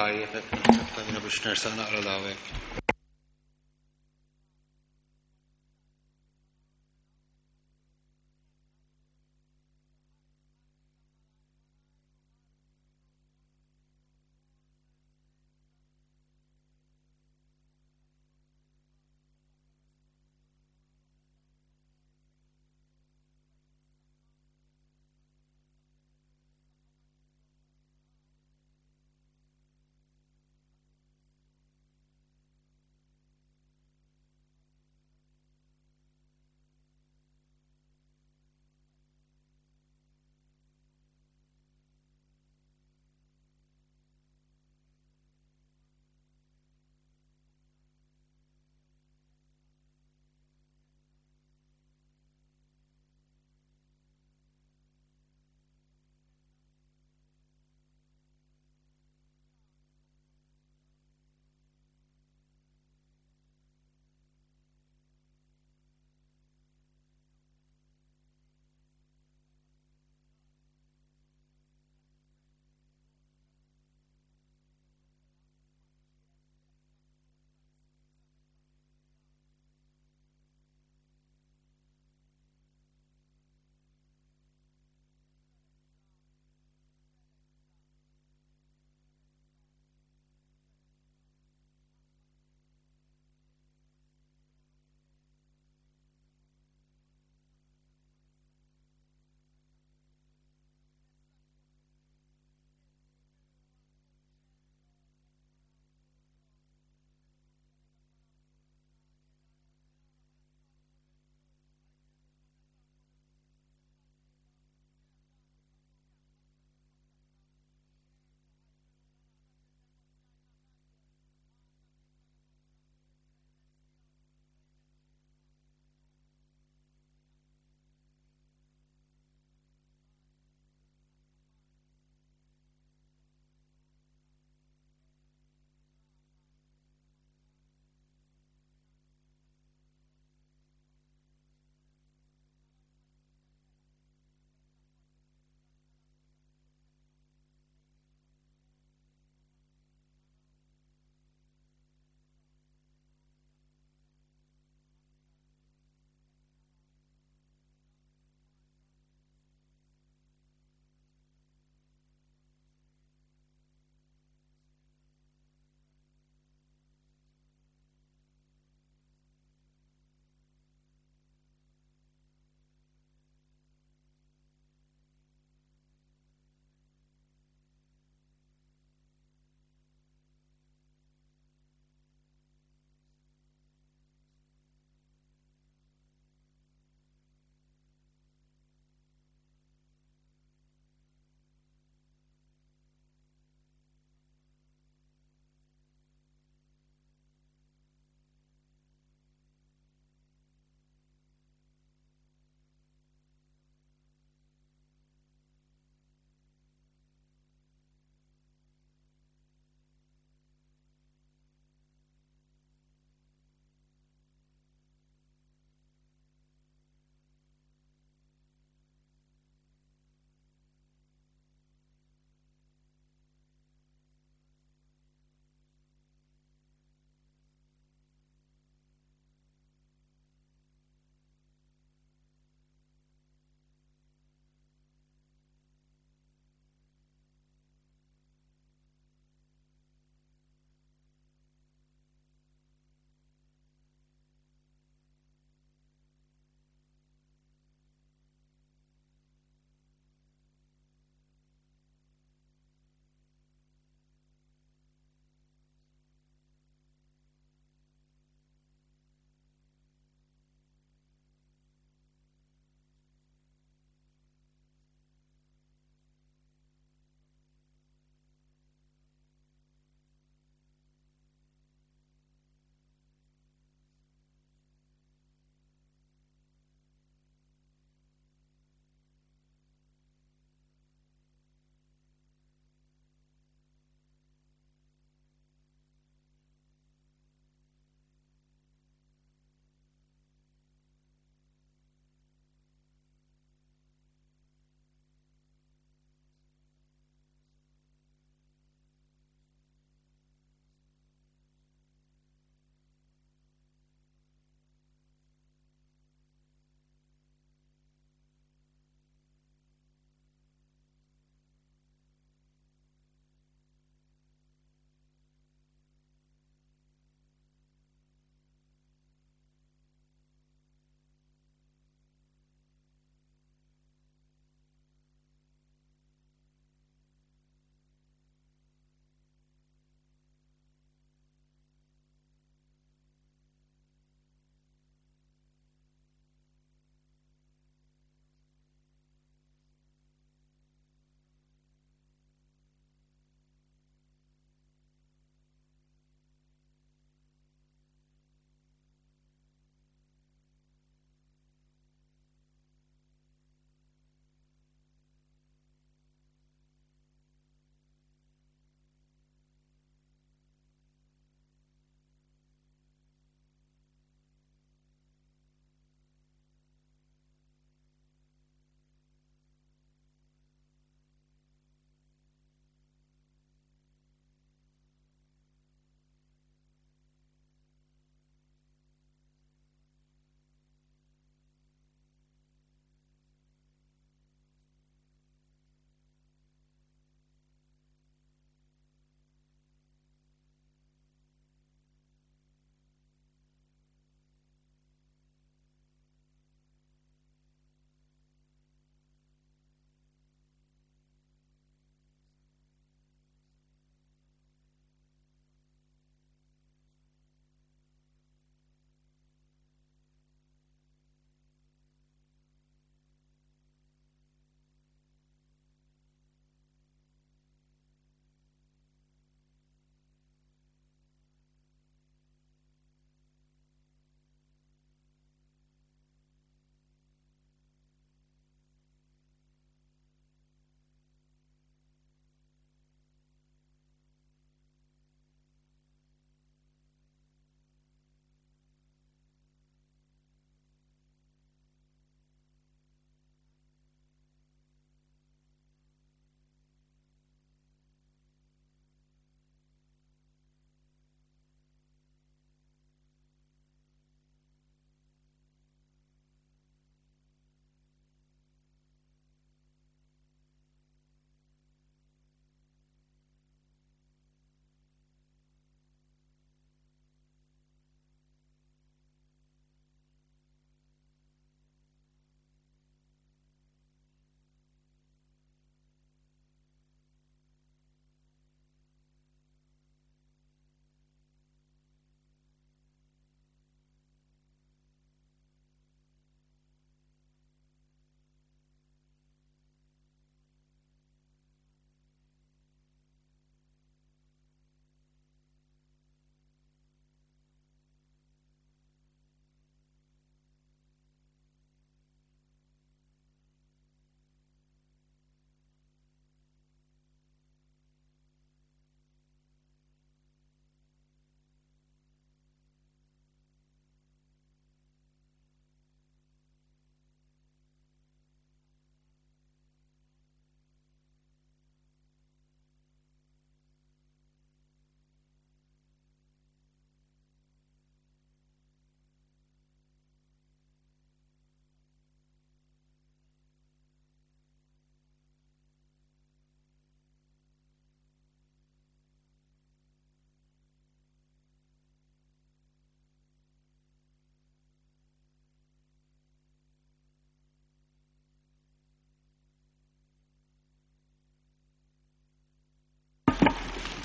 Tajjeb, hekk biex nersaq naqra l-hawnhekk.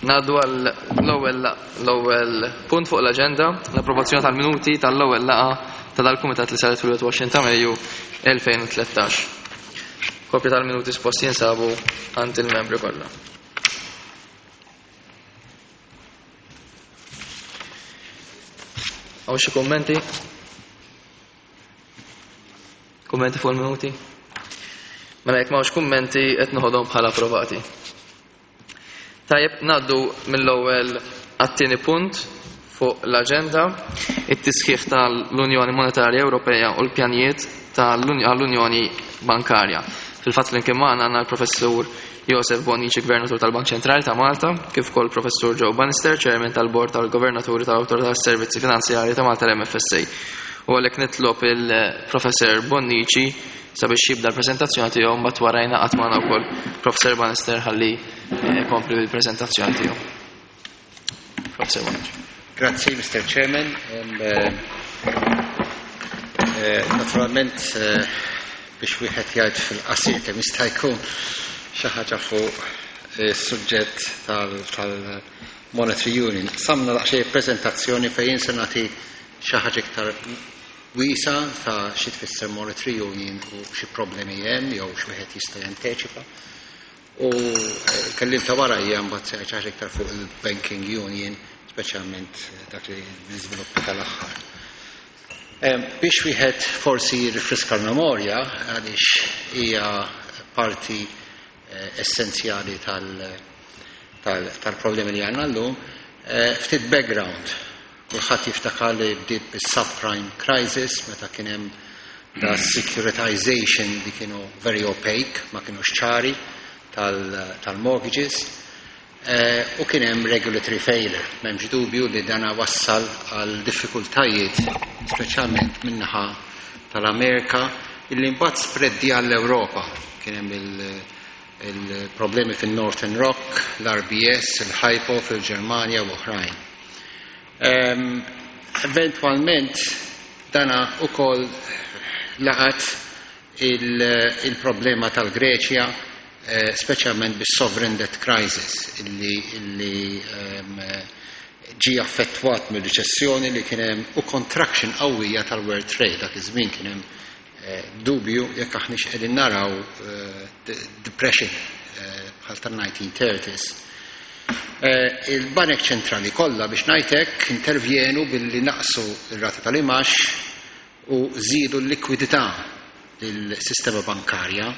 Ngħaddu għal l-ewwel l-ewwel punt fuq l-aġenda, l-approvazzjoni tal-minuti tal-ewwel laqgħa ta' dal-Kumitat li saret fil-21 ta' Mejju 2013. Kopja tal-minuti spost jinsabu għand il-membri kollha. Hawn xi kummenti? Kummenti fuq il-minuti? Mela jekk m'hawnx kummenti qed noħodhom bħala approvati. Tajjeb, ngħaddu mill-ewwel għat-tieni punt fuq l-aġenda, it-tisħiħ tal-Unjoni Monetarja Ewropea u l-pjanijiet tal-Unjoni Bankarja. Fil-fatt flimkien magħna għandna l-Professur Josef Bonnici, Gvernatur tal-Bank Ċentrali ta' Malta, kif ukoll Professur Joe Bannister, Chairman tal-Bord tal-Governaturi tal-Awtorità tas-Servizzi Finanzjarji ta' Malta l-MFSA. U għalhekk nitlob il-Professor Bonnici sabiex jibda l-preżentazzjoni tiegħu mbagħad wara jingħaqad magħna wkoll Professor Bannister ħalli eh, jkompli bil-preżentazzjoni tiegħu. Professor Bonnici. Grazzi, Mr. Chairman. Eh, eh, naturalment, biex wieħed jgħid fil-qasir kemm jista' jkun xi ħaġa fuq is-suġġett tal-Monetary Union. Samna daqsxejn preżentazzjoni fejn se nagħti xi ħaġa iktar wiesgħa ta' xi tfisser Monetary Union u xi problemi hemm jew x'wieħed jista' janteċipa. U l-kelliem ta' warajja mbagħad se jgħid xi ħaġa iktar fuq il-Banking Union, speċjalment dak li l-iżviluppi tal-aħħar. Biex wieħed forsi jirrifriska l-memorja għaliex hija parti eh, essenzjali tal-problemi li għandna llum, eh, ftit background. Kulħadd jiftakar li bdiet bis-subprime crisis meta kien hemm da securitization li kienu very opaque, ma kienux ċari tal-mortgages. Eh, u kien hemm regulatory failure. M'hemmx dubju li dana wassal għal diffikultajiet, speċjalment min-naħa tal-Amerika, illi mbagħad spreaddi għall-Ewropa. Kien hemm il-problemi fin-Northern Rock, l-RBS, il-Hypo fil-Ġermanja u oħrajn. Ehm, eventwalment dana ukoll laqat il-problema tal-Greċja, eh, speċjalment bis-sovereign debt crisis illi, illi ehm, ġi affettwat mill-riċessjoni li kien hemm u contraction qawwija tal-world trade dak iż-żmien kien hemm eh, dubju jekk aħniex qegħdin naraw eh, depression bħal tan-1930s. Il-banek ċentrali kollha biex ngħid hekk intervjenu billi naqsu r-rata tal-imax u żiedu l-likwidità lill-sistema bankarja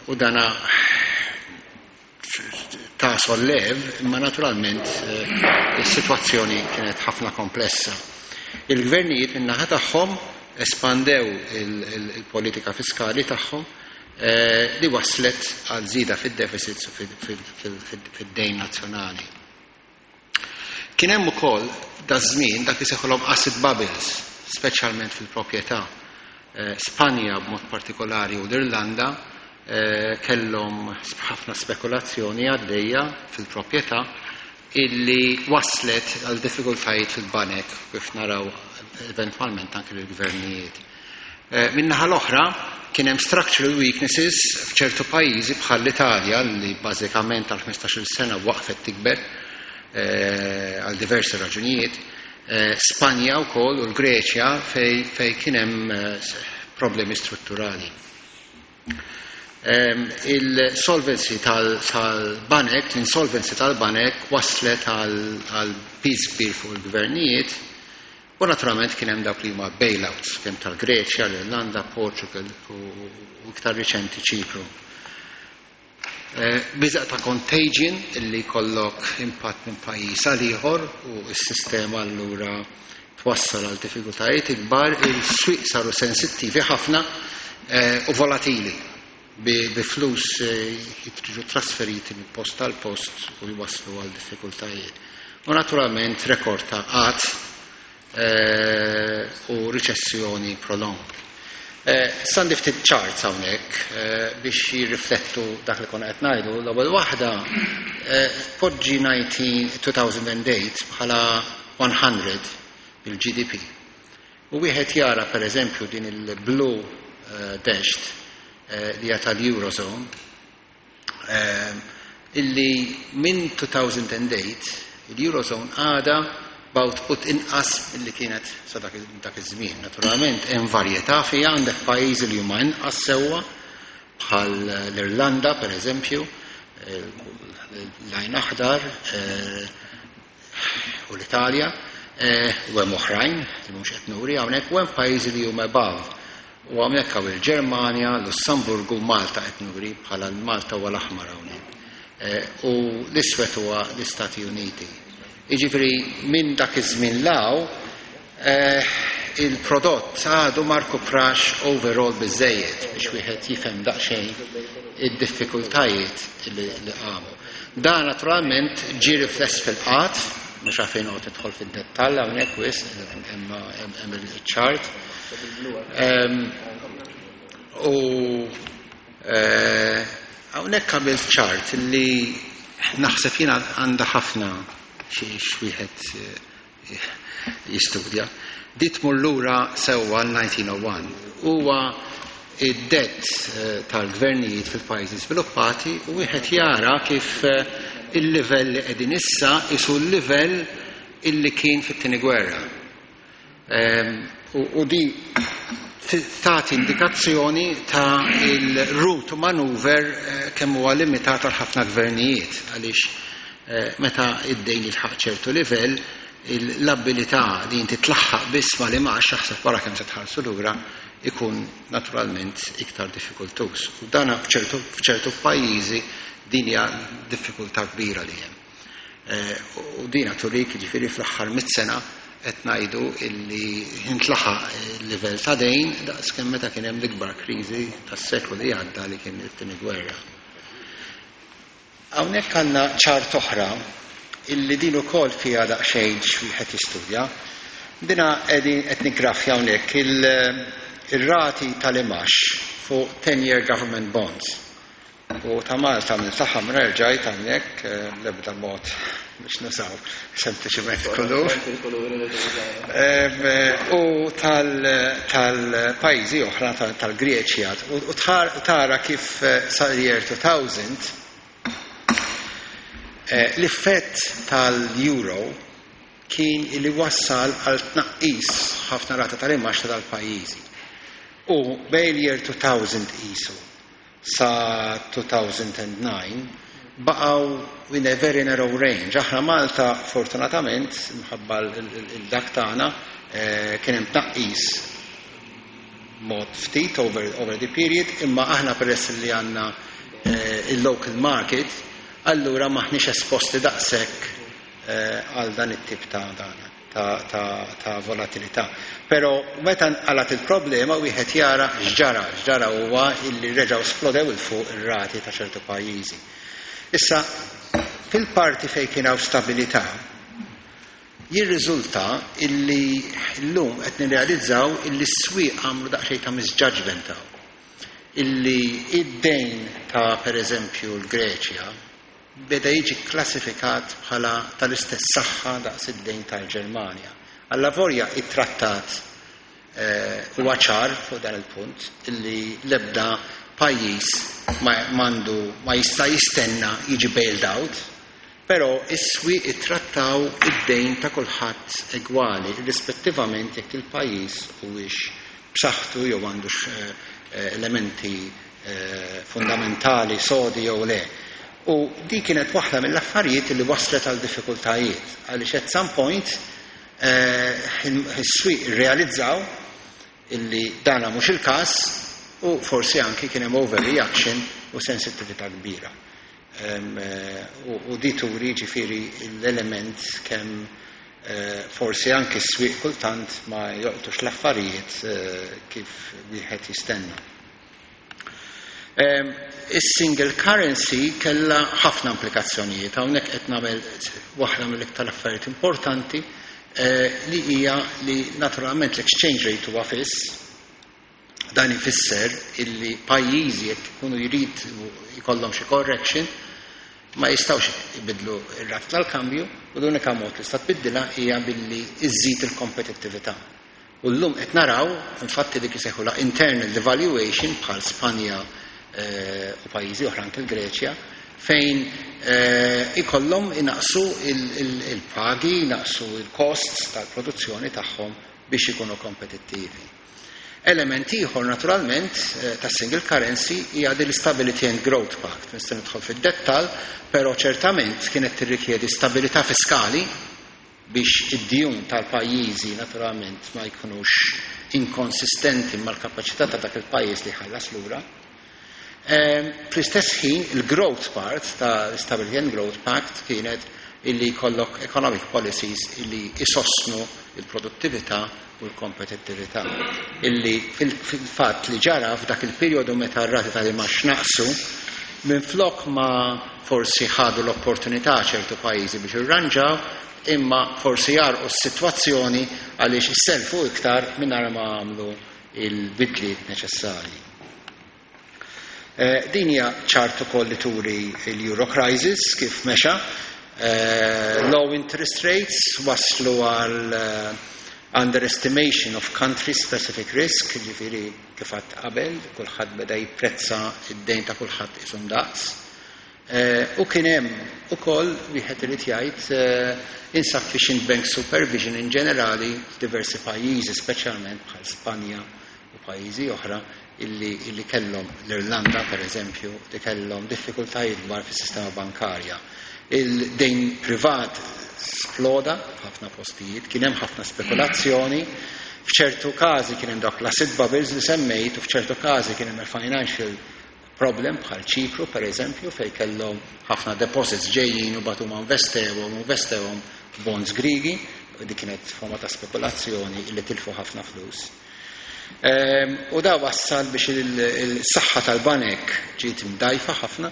u dana ta' sollev, imma naturalment eh, is-sitwazzjoni kienet ħafna komplessa. Il-gvernijiet min-naħa tagħhom espandew il-politika fiskali tagħhom eh, li waslet għal żieda fid-deficits u fid-dejn nazzjonali. Kien hemm ukoll daż-żmien dak li seħħulhom asset bubbles, speċjalment fil-proprjetà. Eh, Spanja b'mod partikolari u l-Irlanda eh, kellhom ħafna spekulazzjoni għaddejja fil-proprjetà illi waslet għal diffikultajiet fil-banek kif naraw eventwalment anke l-gvernijiet. Eh, min-naħa l-oħra, kien hemm structural weaknesses f'ċertu pajjiżi bħal l-Italja li bażikament għal 15-il sena waqfet tikber eh, għal diversi raġunijiet, eh, Spanja wkoll u l-Greċja fej, fej kien hemm problemi strutturali. Ehm, il-solvency tal-banek, l-insolvency tal-banek waslet għal piż kbir fuq il-gvernijiet U naturalment kien hemm dawk li huma bailouts, kemm tal-Greċja, l-Irlanda, Portugal u iktar riċenti Ċipru. Eh, biża' ta' contagion illi jkollok impatt minn pajjiż għal ieħor u s-sistema allura twassal għal diffikultajiet ikbar, il-swieq saru sensittivi ħafna eh, u volatili bi flus eh, jitriġu trasferiti minn post għal post u jwasslu għal diffikultajiet. U naturalment rekord ta' qgħad eh, u riċessjoni prolonged. Eh, Sandi ftit charts hawnhekk biex jirriflettu dak li konna qed ngħidu. L-ewwel waħda poġġi 2008 bħala 100 bil-GDP. U wieħed jara pereżempju din il-blue dashed li hija tal-Eurozone. illi minn 2008 il-Eurozone għada b'output inqas milli kienet sa dak iż-żmien. Naturalment hemm varjetà fiha, għandek pajjiżi li huma inqas sewwa bħal l-Irlanda pereżempju, l-għajn aħdar u l-Italja, u hemm oħrajn li mhux qed nuri hawnhekk, u hemm pajjiżi li huma above. U hawnhekk hawn il-Ġermanja, Lussemburgu, Malta qed nuri bħala Malta huwa l-aħmar hawnhekk. U l-iswed huwa l-Istati Uniti. Jiġifieri minn dak iż-żmien law il-prodott għadu ma rkuprax overall biżejjed biex wieħed jifhem daqsxejn id-diffikultajiet li qamu. Dan naturalment ġie rifless fil-qgħad, mhux għalfejn noqgħod nidħol fid-dettall hawnhekk wisq, hemm il-ċart. U hawnhekk għamilt ċart li naħseb jiena għandha ħafna xi wieħed jistudja. Di tmur lura sewwa l-1901. Huwa id-debt tal-gvernijiet fil-pajjiżi sviluppati u wieħed jara kif il-livell li qegħdin issa isu l-livell illi kien fit-tieni gwerra. U di tagħti indikazzjoni ta' il-route to maneuver kemm huwa limitat għal ħafna gvernijiet, għaliex meta id-dejn jilħaq ċertu livell, l-abilità li inti tlaħħaq biss ma li max, aħseb wara kemm se tħallsu lura, ikun naturalment iktar diffikultuż. U dana f'ċertu pajjiżi din hija diffikultà kbira li hemm. U dina turik, ġifieri fl-aħħar 100 sena qed ngħidu illi intlaħaq il-livell ta' dejn daqs kemm meta kien hemm l-ikbar kriżi tas-seklu li għadda, li kien it-tieni gwerra. Hawnhekk għandna ċart oħra illi din ukoll fiha daqsxejn x'wieħed jistudja. Dina qegħdin qed niggrafja hawnhekk il-rati tal-imgħax fuq 10-year government bonds. U ta' Malta minn ta' ħamra rġajt hawnhekk, l-ebda mod biex nużaw sempliċement kulur. U tal-pajjiżi oħra, tal-Greċja, u tara kif sal-year 2000 l-effett tal-euro kien li wassal għal tnaqqis ħafna rata tal-imgħax tal-pajjiżi. U bejn year 2000 isu sa 2009 baqgħu in a very narrow range. Aħna Malta, fortunatament, minħabba il-dak tagħna, kien hemm tnaqqis mod ftit over the period, imma aħna peress li għandna il-local market, allura maħniex esposti daqshekk għal dan it-tip ta' dana ta' volatilità. Però meta nqalat il-problema wieħed jara x'ġara, x'ġara huwa illi reġgħu splodew 'il fuq ir-rati ta' ċertu pajjiżi. Issa, fil-parti fejn kien hawn stabilità, jirriżulta illi llum qed nirrealizzaw illi s-swieq għamlu daqsxejn ta' misjudgment hawn. Illi id-dejn ta' pereżempju l-Greċja beda jiġi klassifikat bħala tal-istess saħħa daqs id-dejn tal-Ġermanja. Allavolja it-trattat huwa ċar fuq dan il-punt illi l-ebda pajjiż m'għandu ma jista' jistenna jiġi bailed out, però is-swieq ittrattaw id-dejn ta' kulħadd egwali, rispettivament jekk il-pajjiż huwiex b'saħħtu jew għandux elementi fundamentali sodi jew le. U di kienet waħda mill-affarijiet li waslet għal diffikultajiet, għaliex at some point is-swieq realizzaw illi dana mhux il-każ u forsi anki kien hemm overreaction u sensittività kbira. U di turi ġifieri l-element kemm forsi anki s-swieq kultant ma jolqtux l-affarijiet kif wieħed jistenna. Is-single currency kella ħafna implikazzjonijiet, hawnhekk qed nagħmel waħda mill-iktar affarijiet importanti, li hija li naturalment l-exchange rate huwa fiss. Dan ifisser illi pajjiżi jekk ikunu jrid jkollhom xi correction ma jistgħux ibidlu ir-rata tal-kambju u l-unika mod li sta tbiddilha hija billi iżżid il-kompetittività. U llum qed naraw infatti dik isejħula internal devaluation bħal Spanja u pajjiżi oħra, anke l-Greċja. fejn ikollhom inaqsu il-pagi, inaqsu il-costs tal-produzzjoni tagħhom biex ikunu kompetittivi. Element ieħor naturalment ta' single currency hija din l-Stability and Growth Pact. Nista' nidħol fid-dettall, però ċertament kienet tirrikjedi stabilità fiskali biex id-djun tal-pajjiżi naturalment ma jkunux inkonsistenti mal-kapaċità ta' dak il-pajjiż li jħallas lura. Fl-istess ħin, il-growth part ta' Stability and Growth Pact kienet illi jkollok economic policies illi isostnu il-produttività u l-kompetittività. Illi fil-fatt li ġara f'dak il-perjodu meta r-rati tal-imgħax naqsu, minflok ma forsi ħadu l-opportunità ċertu pajjiżi biex irranġaw, imma forsi għarqu s-sitwazzjoni għaliex isselfu iktar mingħajr ma għamlu il-bidliet neċessarji. Din hija ċart ukoll li turi l-Euro crisis kif mexa. Low interest rates waslu għal underestimation of country specific risk, ġifieri kif għedt qabel, kulħadd beda jipprezza id-dejn ta' kulħadd qisu ndaqs. U kien hemm ukoll, wieħed irid jgħid, insufficient bank supervision in ġenerali f'diversi pajjiżi, speċjalment bħal Spanja u pajjiżi oħra illi kellhom, l-Irlanda per eżempju, li kellhom diffikultajiet kbar fis-sistema bankarja. Il-dejn privat sploda f'ħafna postijiet, kien hemm ħafna spekulazzjoni, f'ċertu każi kien hemm dawk l-asset bubbles li semmejt u f'ċertu każi kien hemm il-financial problem bħal Ċipru per eżempju, fej kellhom ħafna deposits ġejjin u batu ma investewhom f'bonds Grigi, u dik kienet forma ta' spekulazzjoni illi tilfu ħafna flus. U da wassal biex il-saħħa tal-banek ġiet mdajfa ħafna,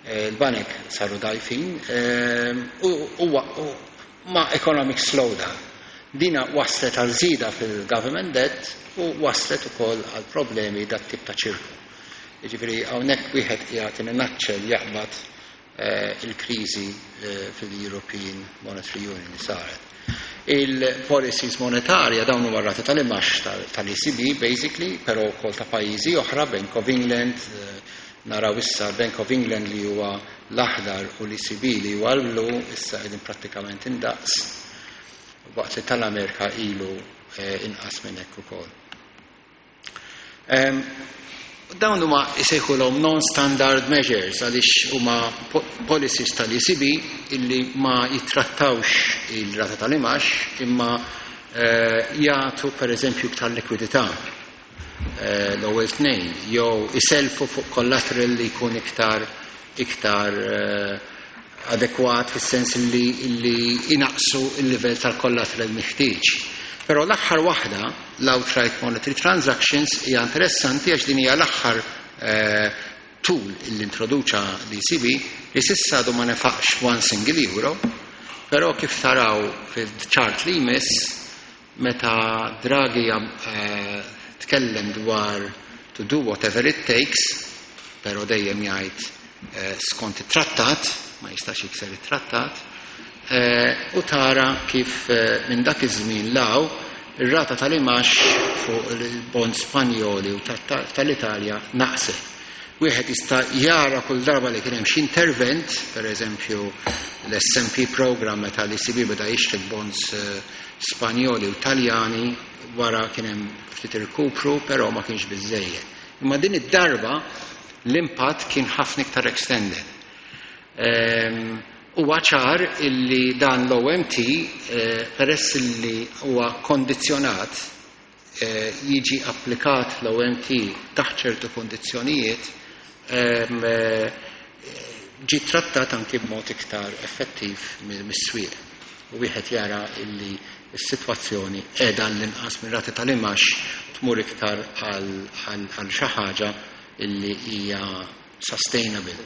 il-banek saru dajfin u ma' economic slowdown. Dina waslet għal żieda fil-government debt u waslet ukoll għal problemi dat tip ta' ċirku. Jiġifieri hawnhekk wieħed qiegħed in a nutshell jaqbad il-kriżi fil-European Monetary Union li saret. Il-policies monetarja, dawn huma rati tal-imgħax tal-ECB basically, però wkoll ta' pajjiżi oħra, Bank of England, naraw issa Bank of England li huwa l-aħdar u l-ECB li huwa l-blu, issa qegħdin prattikament indaqs, waqt li tal-Amerika ilu inqas minn hekk ukoll. Dawn huma jsejħulhom non-standard measures għaliex huma policies tal-ECB illi ma jittrattawx il-rata tal-imgħax imma jagħtu per eżempju iktar likwidità, l-ewwel tnejn, jew iselfu fuq collateral li jkun iktar adekwat fis-sens li inaqsu il-livell tal-collateral meħtieġ. Però l-aħħar waħda, l-outright monetary transactions, hija interessanti għax din hija l-aħħar tool li introduċa l-ECB li s'issa għadu ma nefaqx one single euro, però kif taraw fil-chart li jmiss, meta Draghi tkellem dwar to do whatever it takes, però dejjem jgħid skont it-trattat, ma jistax jikser it-trattat, u tara kif minn dak iż-żmien 'l hawn ir-rata tal-imgħax fuq il-bond Spanjoli u tal-Italja naqset. Wieħed jista' jara kull darba li kien hemm xi intervent, per eżempju l-SMP program meta l-ECB beda jixtri bonds Spanjoli u Taljani, wara kien hemm ftit irkupru, però ma kienx biżejjed. Imma din id-darba l-impatt kien ħafna iktar extended. Huwa ċar illi dan l-OMT, peress illi huwa kondizzjonat, jiġi applikat l-OMT taħt ċertu kondizzjonijiet, ġi trattat anki b'mod iktar effettiv mis-swieq. U wieħed jara illi s-sitwazzjoni qiegħda l-inqas minn rati tal-imgħax tmur iktar għal xi ħaġa illi hija sustainable.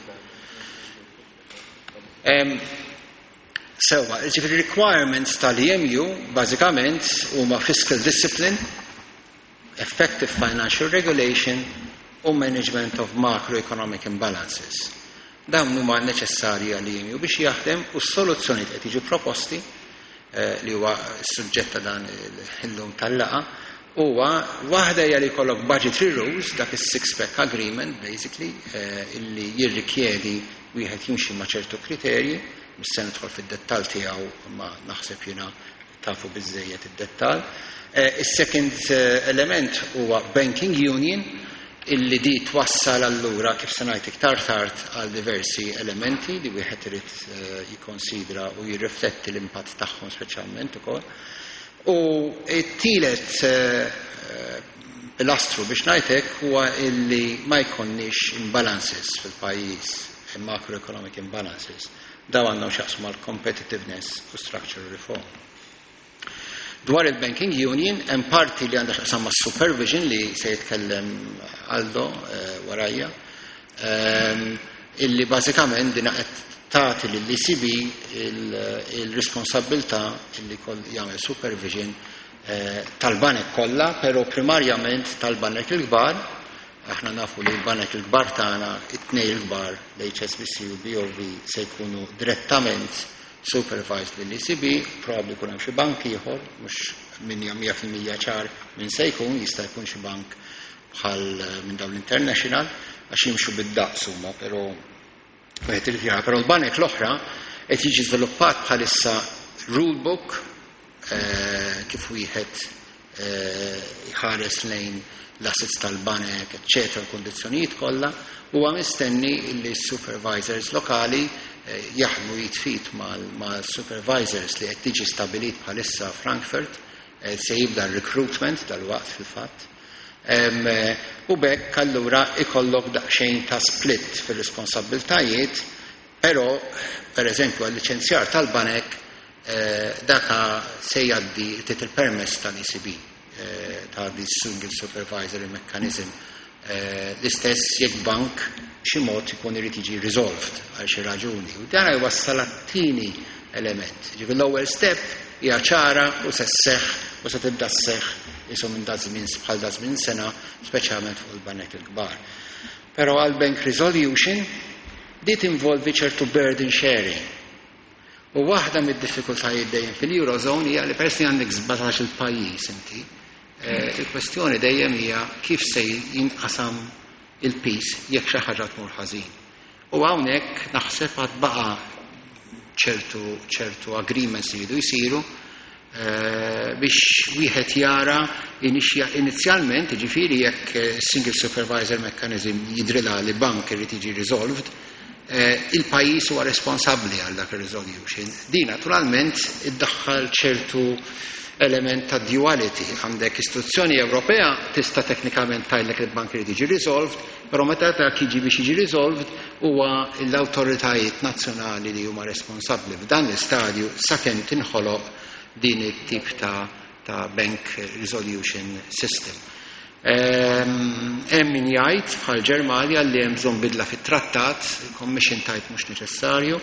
Sewa, ġifieri requirements tal-EMU bażikament huma fiscal discipline, effective financial regulation u management of macroeconomic imbalances. Dawn huma neċessarji għall-EMU biex jaħdem u s-soluzzjoni qed jiġu proposti, li huwa s-suġġett ta' dan illum tal-laqgħa, huwa waħda hija li jkollok budgetary rules, dak is-six pack agreement basically, illi jirrikjedi wieħed jimxi ma' ċertu kriterji, mhux se nidħol fid-dettall tiegħu, ma naħseb jiena tafu biżżejjed id-dettall. Is-second element huwa Banking Union, illi di twassal allura, kif se ngħid iktar tard, għal diversi elementi li wieħed irid jikkonsidra u jirrifletti l-impatt tagħhom speċjalment ukoll. U t-tielet pilastru, biex ngħid hekk, huwa illi ma jkollniex imbalances fil-pajjiż, macroeconomic imbalances. Dawn għandhom x'jaqsmu mal-competitiveness u structural reform. Dwar il-Banking Union, hemm parti li għandha x'taqsam ma' supervision li se jitkellem Aldo warajja, illi bażikament dina qed tagħti lill-ECB il-responsabbiltà illi jagħmel supervision tal-banek kollha, però primarjament tal-banek il-kbar. Aħna nafu li l-banek il-kbar tagħna, it-tnej il-kbar, l-HSBC u BOV, se jkunu direttament supervised lill-ECB, probabbli jkun hemm xi bank ieħor, mhux min hija 100% ċar min se jkun, jista' jkun xi bank bħal minn dawn l-international, għax jimxu bid-daqs huma, però wieħed irid jara. Però l-banek l-oħra qed jiġi żviluppat bħalissa rulebook kif wieħed jħares lejn l-assets tal-banek, eccetera, l-kondizzjonijiet kollha, huwa mistenni li s-supervisors lokali jaħdmu jitfit mal-supervisors li qed tiġi stabilit bħalissa Frankfurt, se jibda r-recruitment dal-waqt fil-fatt. U b'hekk allura ikollok daqsxejn ta' split fir-responsabbiltajiet, però per eżempju għal-liċenzjar tal-banek daka se jgħaddi tit il-permess tal-ECB, ta' di single supervisory mechanism. L-istess jekk bank xi mod ikun irid jiġi resolved għal xi raġuni. U dan jwassal għat-tieni element. Ġifieri l-ewwel step hija ċara u se sseħħ u se tibda sseħħ isu minn da żmien bħal da żmien sena, speċjalment fuq il-banek il-kbar. Però għal bank resolution di tinvolvi ċertu burden sharing. U waħda mid-diffikultajiet dejjem fil-Eurozone hija li peress li għandek 17 il-pajjiż inti, il-kwestjoni dejjem hija kif se jinqasam il-piż jekk xi ħaġa tmur ħażin. U hawnhekk naħseb għad baqa' ċertu agreements li jridu jsiru biex wieħed jara inizjalment, jiġifieri jekk single supervisor mechanism jidrilha li bank irid jiġi resolved, il-pajjiż huwa responsabbli għal dak ir-resolution. Di naturalment iddaħħal ċertu element ta' duality. Għandek istituzzjoni Ewropea tista' teknikament tgħidlek li l-bank irid jiġi resolved, però meta dak jiġi biex jiġi resolved huwa l-awtoritajiet nazzjonali li huma responsabbli f'dan l-istadju sakemm tinħoloq din it-tip ta' bank resolution system. Hemm min jgħid bħal Ġermanja li hemm bżonn bidla fit-trattat, il-Commission tgħid mhux neċessarju,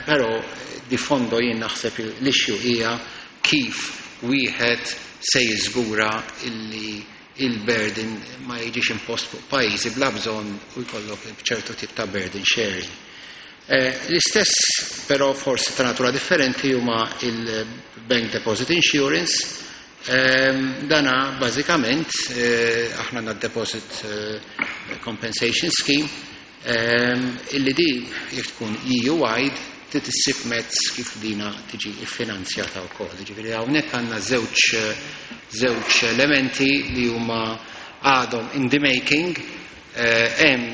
però di fondo jien naħseb l-issue hija kif wieħed se jiżgura illi il-burden ma jiġix impost fuq pajjiżi bla bżonn u jkollok ċertu tip ta' burden sharing. L-istess però forsi ta' natura differenti huma il-Bank Deposit Insurance. Dana bażikament aħna għandna Deposit Compensation Scheme, illi di jekk tkun EU-wide trid issib mezz kif dina tiġi iffinanzjata wkoll. Ġifieri hawnhekk għandna żewġ elementi li huma għadhom in the making, hemm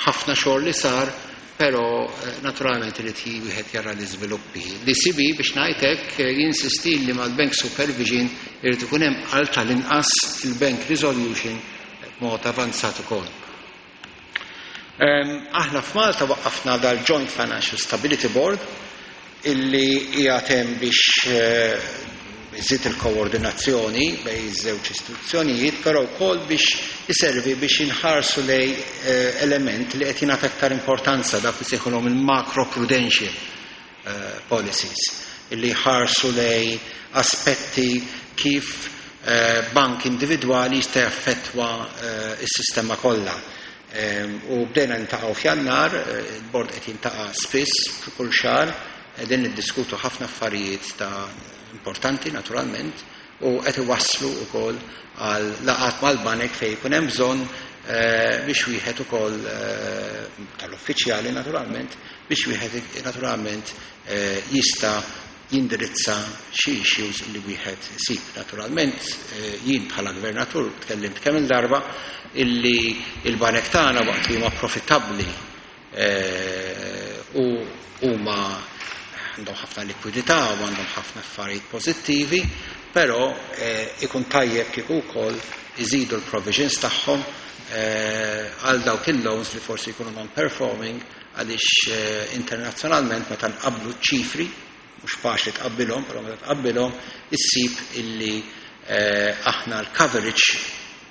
ħafna xogħol li sar, però naturalment irid wieħed jara l-iżviluppi. L-ECB, biex ngħid hekk, jinsisti li mal-Bank Supervision irid ikun hemm għal tal-inqas il-Bank Resolution b'mod avanzat ukoll. Aħna f'Malta waqqafna dal-Joint Financial Stability Board illi qiegħed hemm biex iżid il-koordinazzjoni bejn iż-żewġ istituzzjonijiet, però wkoll biex iservi biex inħarsu lej element li qed jingħata aktar importanza, dak li sejħulhom il-macro prudential policies, illi jħarsu lej aspetti kif bank individwali jista' jaffettwa s-sistema kollha. U bdejna niltaqgħu f'Jannar, il-bord qed jiltaqa' spiss kull xahar, qegħdin niddiskutu ħafna affarijiet ta' importanti naturalment, u qed iwasslu wkoll għal laqgħat mal-banek fejn jkun hemm bżonn. Biex wieħed ukoll tal-uffiċjali naturalment biex wieħed naturalment jista' jindirizza xi issues li wieħed isib. Naturalment jien bħala gvernatur tkellimt kemm il-darba illi il-banek tagħna waqt li huma profittabbli u huma għandhom ħafna likwidità u għandhom ħafna affarijiet pożittivi, però ikun tajjeb kieku wkoll iżidu l-provisions tagħhom għal dawk il-loans li forsi jkunu non-performing, għaliex internazzjonalment meta nqabblu ċifri, mhux faċli tqabbilhom, però meta tqabbilhom issib illi aħna l-coverage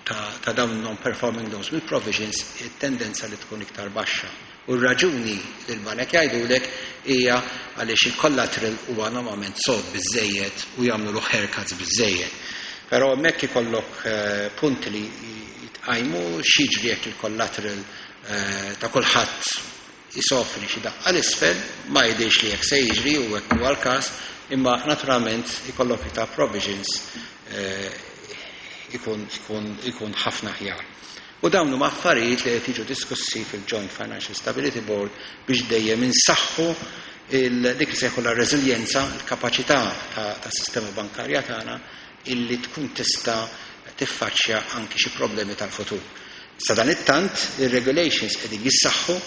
ta' dawn non-performing loans mill-provisions it-tendenza li tkun iktar baxxa. U r-raġuni li l-banek jgħidulek hija għaliex il-collateral huwa normalment sod biżejjed u jagħmlu haircuts biżejjed. Però hemmhekk ikollok punti li jitqajmu x'jiġri jekk il-collateral ta' kulħadd jisofri xi daqqa l-isfel, ma jidhirx li hekk se jiġri u hekk huwa l-każ, imma naturalment ikollok iktar provisions ikun ħafna aħjar. U dawn huma affarijiet li qed jiġu diskussi fil-Joint Financial Stability Board biex dejjem insaħħu dik li sejħu la reżiljenza, il-kapaċità tas-sistema bankarja tagħna illi tkun tista' tiffaċċja anki xi problemi tal-futur. Sadanittant, ir-regulations qegħdin jissaħħu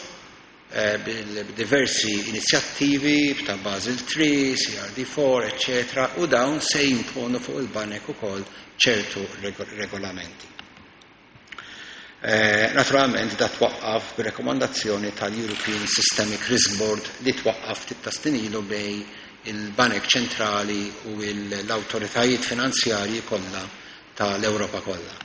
b'diversi inizjattivi ta' Basel III, CRD4, eccetera, u dawn se jimponu fuq il-banek ukoll ċertu regolamenti. Naturalment da twaqqaf b'rekomandazzjoni tal-European Systemic Risk Board li twaqqaf ftit ta' snin ilu bejn il-Banek Ċentrali u l-awtoritajiet finanzjarji kollha tal-Ewropa kollha.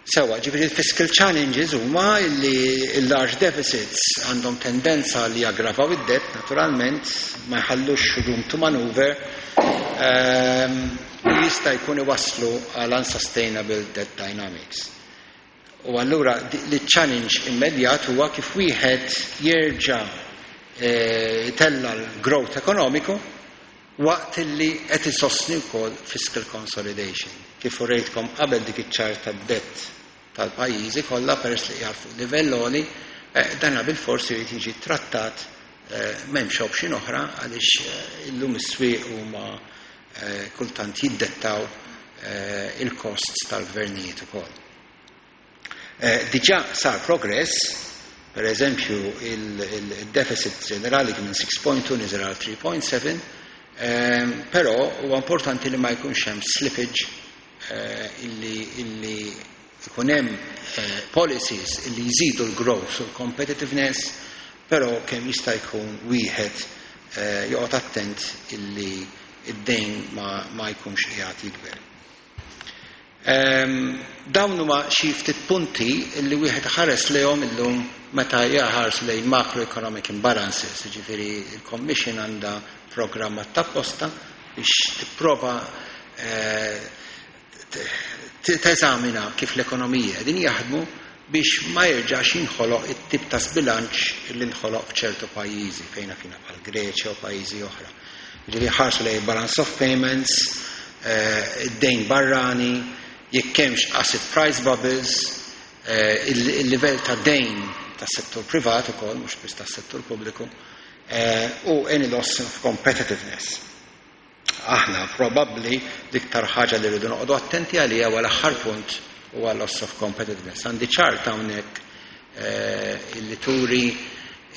Sewa, ġifieri il-fiscal challenges huma li l-large deficits għandhom tendenza li jaggravaw id-debt, naturalment, ma jħallux room to maneuver, u jista' jkun iwasslu għal unsustainable debt dynamics. U allura li challenge immedjat huwa kif wieħed jerġa' itella l-growth ekonomiku waqt li qed isostni wkoll fiscal consolidation. Kif urejtkom qabel dik iċ-chart tad-debt tal-pajjiżi kollha peress li qiegħed fuq livell għoli, dana bil-forsi jrid jiġi trattat, m'hemmx option oħra għaliex illum is-swieq huma kultant jiddettaw il-costs tal-gvernijiet ukoll. Diġà sar progress, per eżempju il-deficit ġenerali kien minn 6.2 niżel għal 3.7, però huwa importanti li ma jkunx hemm slippage, illi ikun hemm policies illi jżidu l-growth u l-competitiveness, però kemm jista' jkun wieħed joqgħod attent illi id-dejn ma jkunx qiegħed jikber. Dawn huma xi ftit punti li wieħed ħares lejhom illum meta jaħars lejn macroeconomic imbalances, jiġifieri il-Commission għandha programm apposta biex tipprova teżamina kif l-ekonomija qegħdin jaħdmu biex ma jerġax jinħoloq it-tip ta' sbilanċ li nħoloq f'ċertu pajjiżi fejn fina bħal Greċja u pajjiżi oħra. Ġifieri ħarsu lejn balance of payments, id-dejn barrani, jekk hemmx asset price bubbles, il-livell ta' dejn tas-settur privat ukoll, mhux biss tas-settur pubbliku, u any loss of competitiveness. Aħna probabbli l-iktar ħaġa li rridu noqogħdu attenti għaliha huwa l-aħħar punt, huwa loss of competitiveness. Għandi ċart hawnhekk illi turi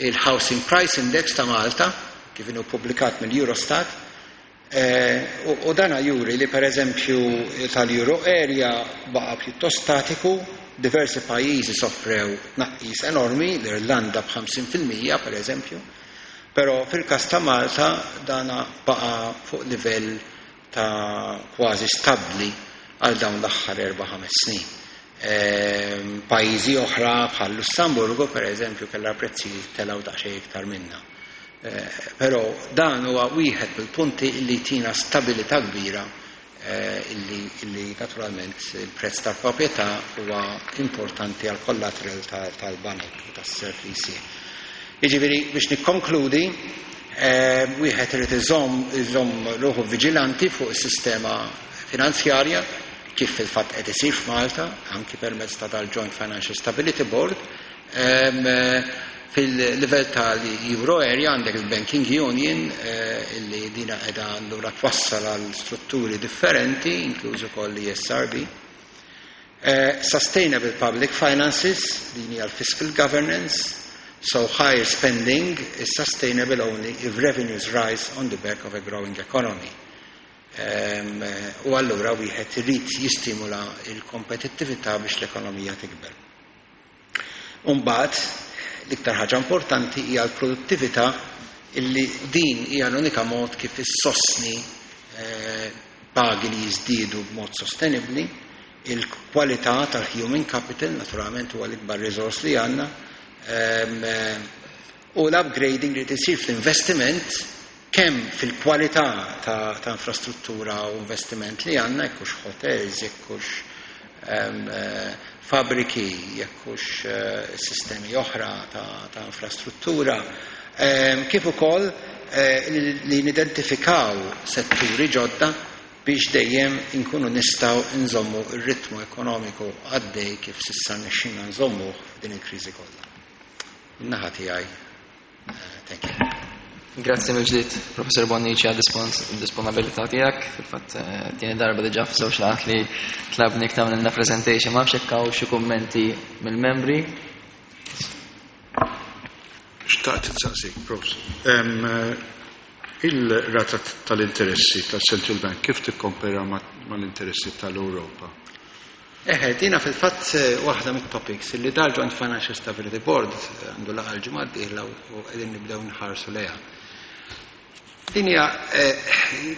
il-Housing Price Index ta' Malta kif inhu ppubblikat mill-Eurostat, u dana juri li per eżempju tal-Euro area baqa' pjuttost statiku, diversi pajjiżi soffrew tnaqqis enormi, l-Irlanda b'50% per eżempju, però fil-każ ta' Malta dana baqa' fuq livell ta' kważi stabbli għal dawn l-aħħar 4-5 snin. Pajjiżi oħra bħal Lussemburgu per eżempju kellha prezzijiet telgħu daqsxejn iktar minna. Però dan huwa wieħed mill-punti li tina stabilità kbira, illi naturalment il-prezz tal-proprjetà huwa importanti għal collateral tal-banek u tas-self li jsir. Jiġifieri biex nikkonkludi, wieħed irid iżomm ruħu viġilanti fuq is-sistema finanzjarja. kif fil-fatt qed isir f'Malta, anki permezz ta' dal-Joint Financial Stability Board. Fil-livell tal-Euro area għandek il-Banking Union, illi dina qiegħda allura twassal għal strutturi differenti, inkluż ukoll l-ESRB. Sustainable public finances, din hija l-fiscal governance, so higher spending is sustainable only if revenues rise on the back of a growing economy. U allura wieħed irid jistimula l-kompetittività biex l-ekonomija tikber. Umbagħad l-iktar ħaġa importanti hija l-produttività, illi din hija l-unika mod kif issostni pagi li jiżdiedu b'mod sostenibbli. Il-kwalità tal-human capital naturalment huwa l-ikbar resource li għandna, u l-upgrading li tisir fl-investiment, kemm fil-kwalità ta' infrastruttura u investiment li għandna, jekk hux hotels, jekk hux fabbriki, jekk hux sistemi oħra ta' infrastruttura, kif ukoll li nidentifikaw setturi ġodda biex dejjem inkunu nistgħu nżommu r-ritmu ekonomiku għaddej kif s'issa rnexxilna nżommuh f'din il-kriżi kollha. Min-naħa tiegħi, thank you. Grazzi mill-ġdid, Professor Bonnici, għad-disponibilità tiegħek. Fil-fatt, tieni darba diġà f'żewġ laqgħat li tlabnik tagħmlilna presentation. Ma nafx hekk hawn xi kummenti mill-membri. Xtaqt insaqsik, Prof. Il-rata tal-interessi tal-Central Bank kif tikkompara mal-interessi tal-Ewropa? Eħe, dina fil-fatt waħda mit-topics li dal-Joint Financial Stability Board għandu laqgħa l-ġimgħa d-dieħla u qegħdin nibdew nħarsu lejha. Din hija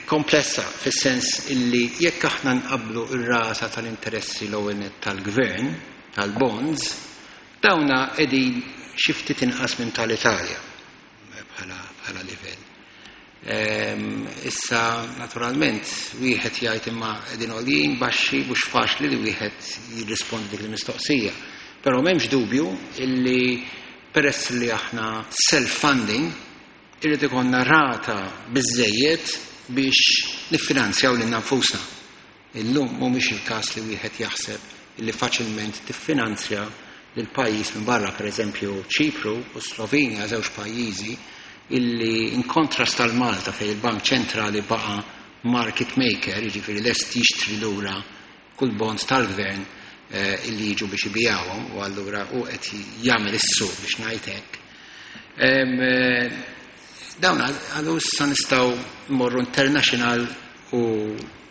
komplessa fis-sens illi jekk aħna nqablu r-rata tal-interessi l-ewwel nett tal-gvern, tal-bonds, dawna qegħdin xi ftit inqas minn tal-Italja bħala livell. Issa, naturalment, wieħed jgħid imma qegħdin għoljin, baxxi, mhux faċli li wieħed jirrispondi dik il-mistoqsija. Però m'hemmx dubju illi peress li aħna self-funding, irrid ikollna rata biżejjed biex niffinanzjaw lilna nfusna. Illum mhumiex il-każ li wieħed jaħseb illi faċilment tiffinanzja lil pajjiż minn barra, pereżempju Ċipru u Slovenja, żewġ pajjiżi illi in kontrast tal Malta fejn il-Bank Ċentrali baqa' market maker, jiġifieri lest jixtri lura kull bonds tal-gvern illi jiġu biex ibijawhom, u allura hu qed jagħmel is-suq biex ngħid hekk. Dawn għalu issa nistgħu mmorru international u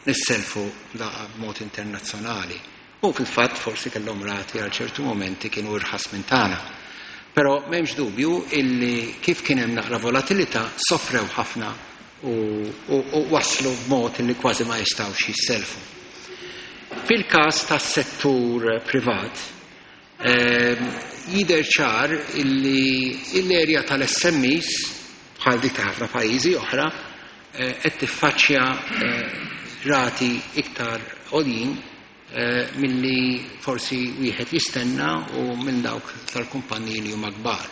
nisselfu b'mod internazzjonali. U fil-fatt forsi kellhom rati għal ċertu momenti kienu irħas minn tagħna. Però m'hemmx dubju illi kif kien hemm naqra volatilità sofrew ħafna u waslu b'mod illi kważi ma jistgħux jisselfu. Fil-każ tas-settur privat, jidher ċar illi l-erja tal-SMEs, bħal dik ta' ħafna pajjiżi oħra, qed tiffaċċja rati iktar għoljin milli forsi wieħed jistenna u minn dawk tal-kumpaniji li huma kbar.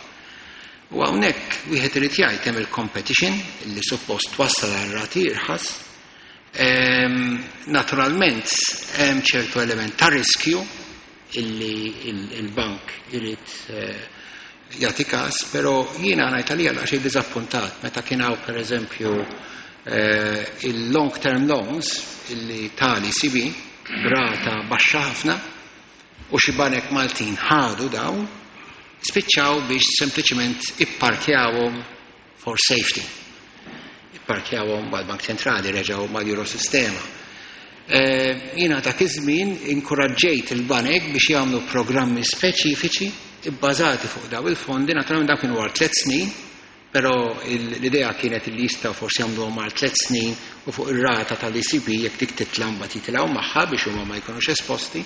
U hawnhekk wieħed irid jgħid hemm il-competition li suppost twassal għal rati irħas. Naturalment hemm ċertu element ta' riskju illi il-bank irid jagħti każ, però jiena ngħid għalija daqsxejn diżappuntat meta kien hawn pereżempju il-long term loans illi tal-ECB b'rata baxxa ħafna u xi banek Maltin ħadu dawn, spiċċaw biex sempliċement ipparkjawhom for safety. Ipparkjawhom mal-Bank Ċentrali, reġgħu mal-Eurosistema. Jiena dak iż-żmien inkoraġġejt il-banek biex jagħmlu programmi speċifiċi bbażati fuq daw il-fondi, naturalment dawn kienu għal 3 snin, però l-idea kienet li jistgħu forsi jagħmluhom għal 3 snin u fuq ir-rata tal-ECB jekk dik titla' mbagħad jitilgħu magħha biex huma ma jkunux esposti.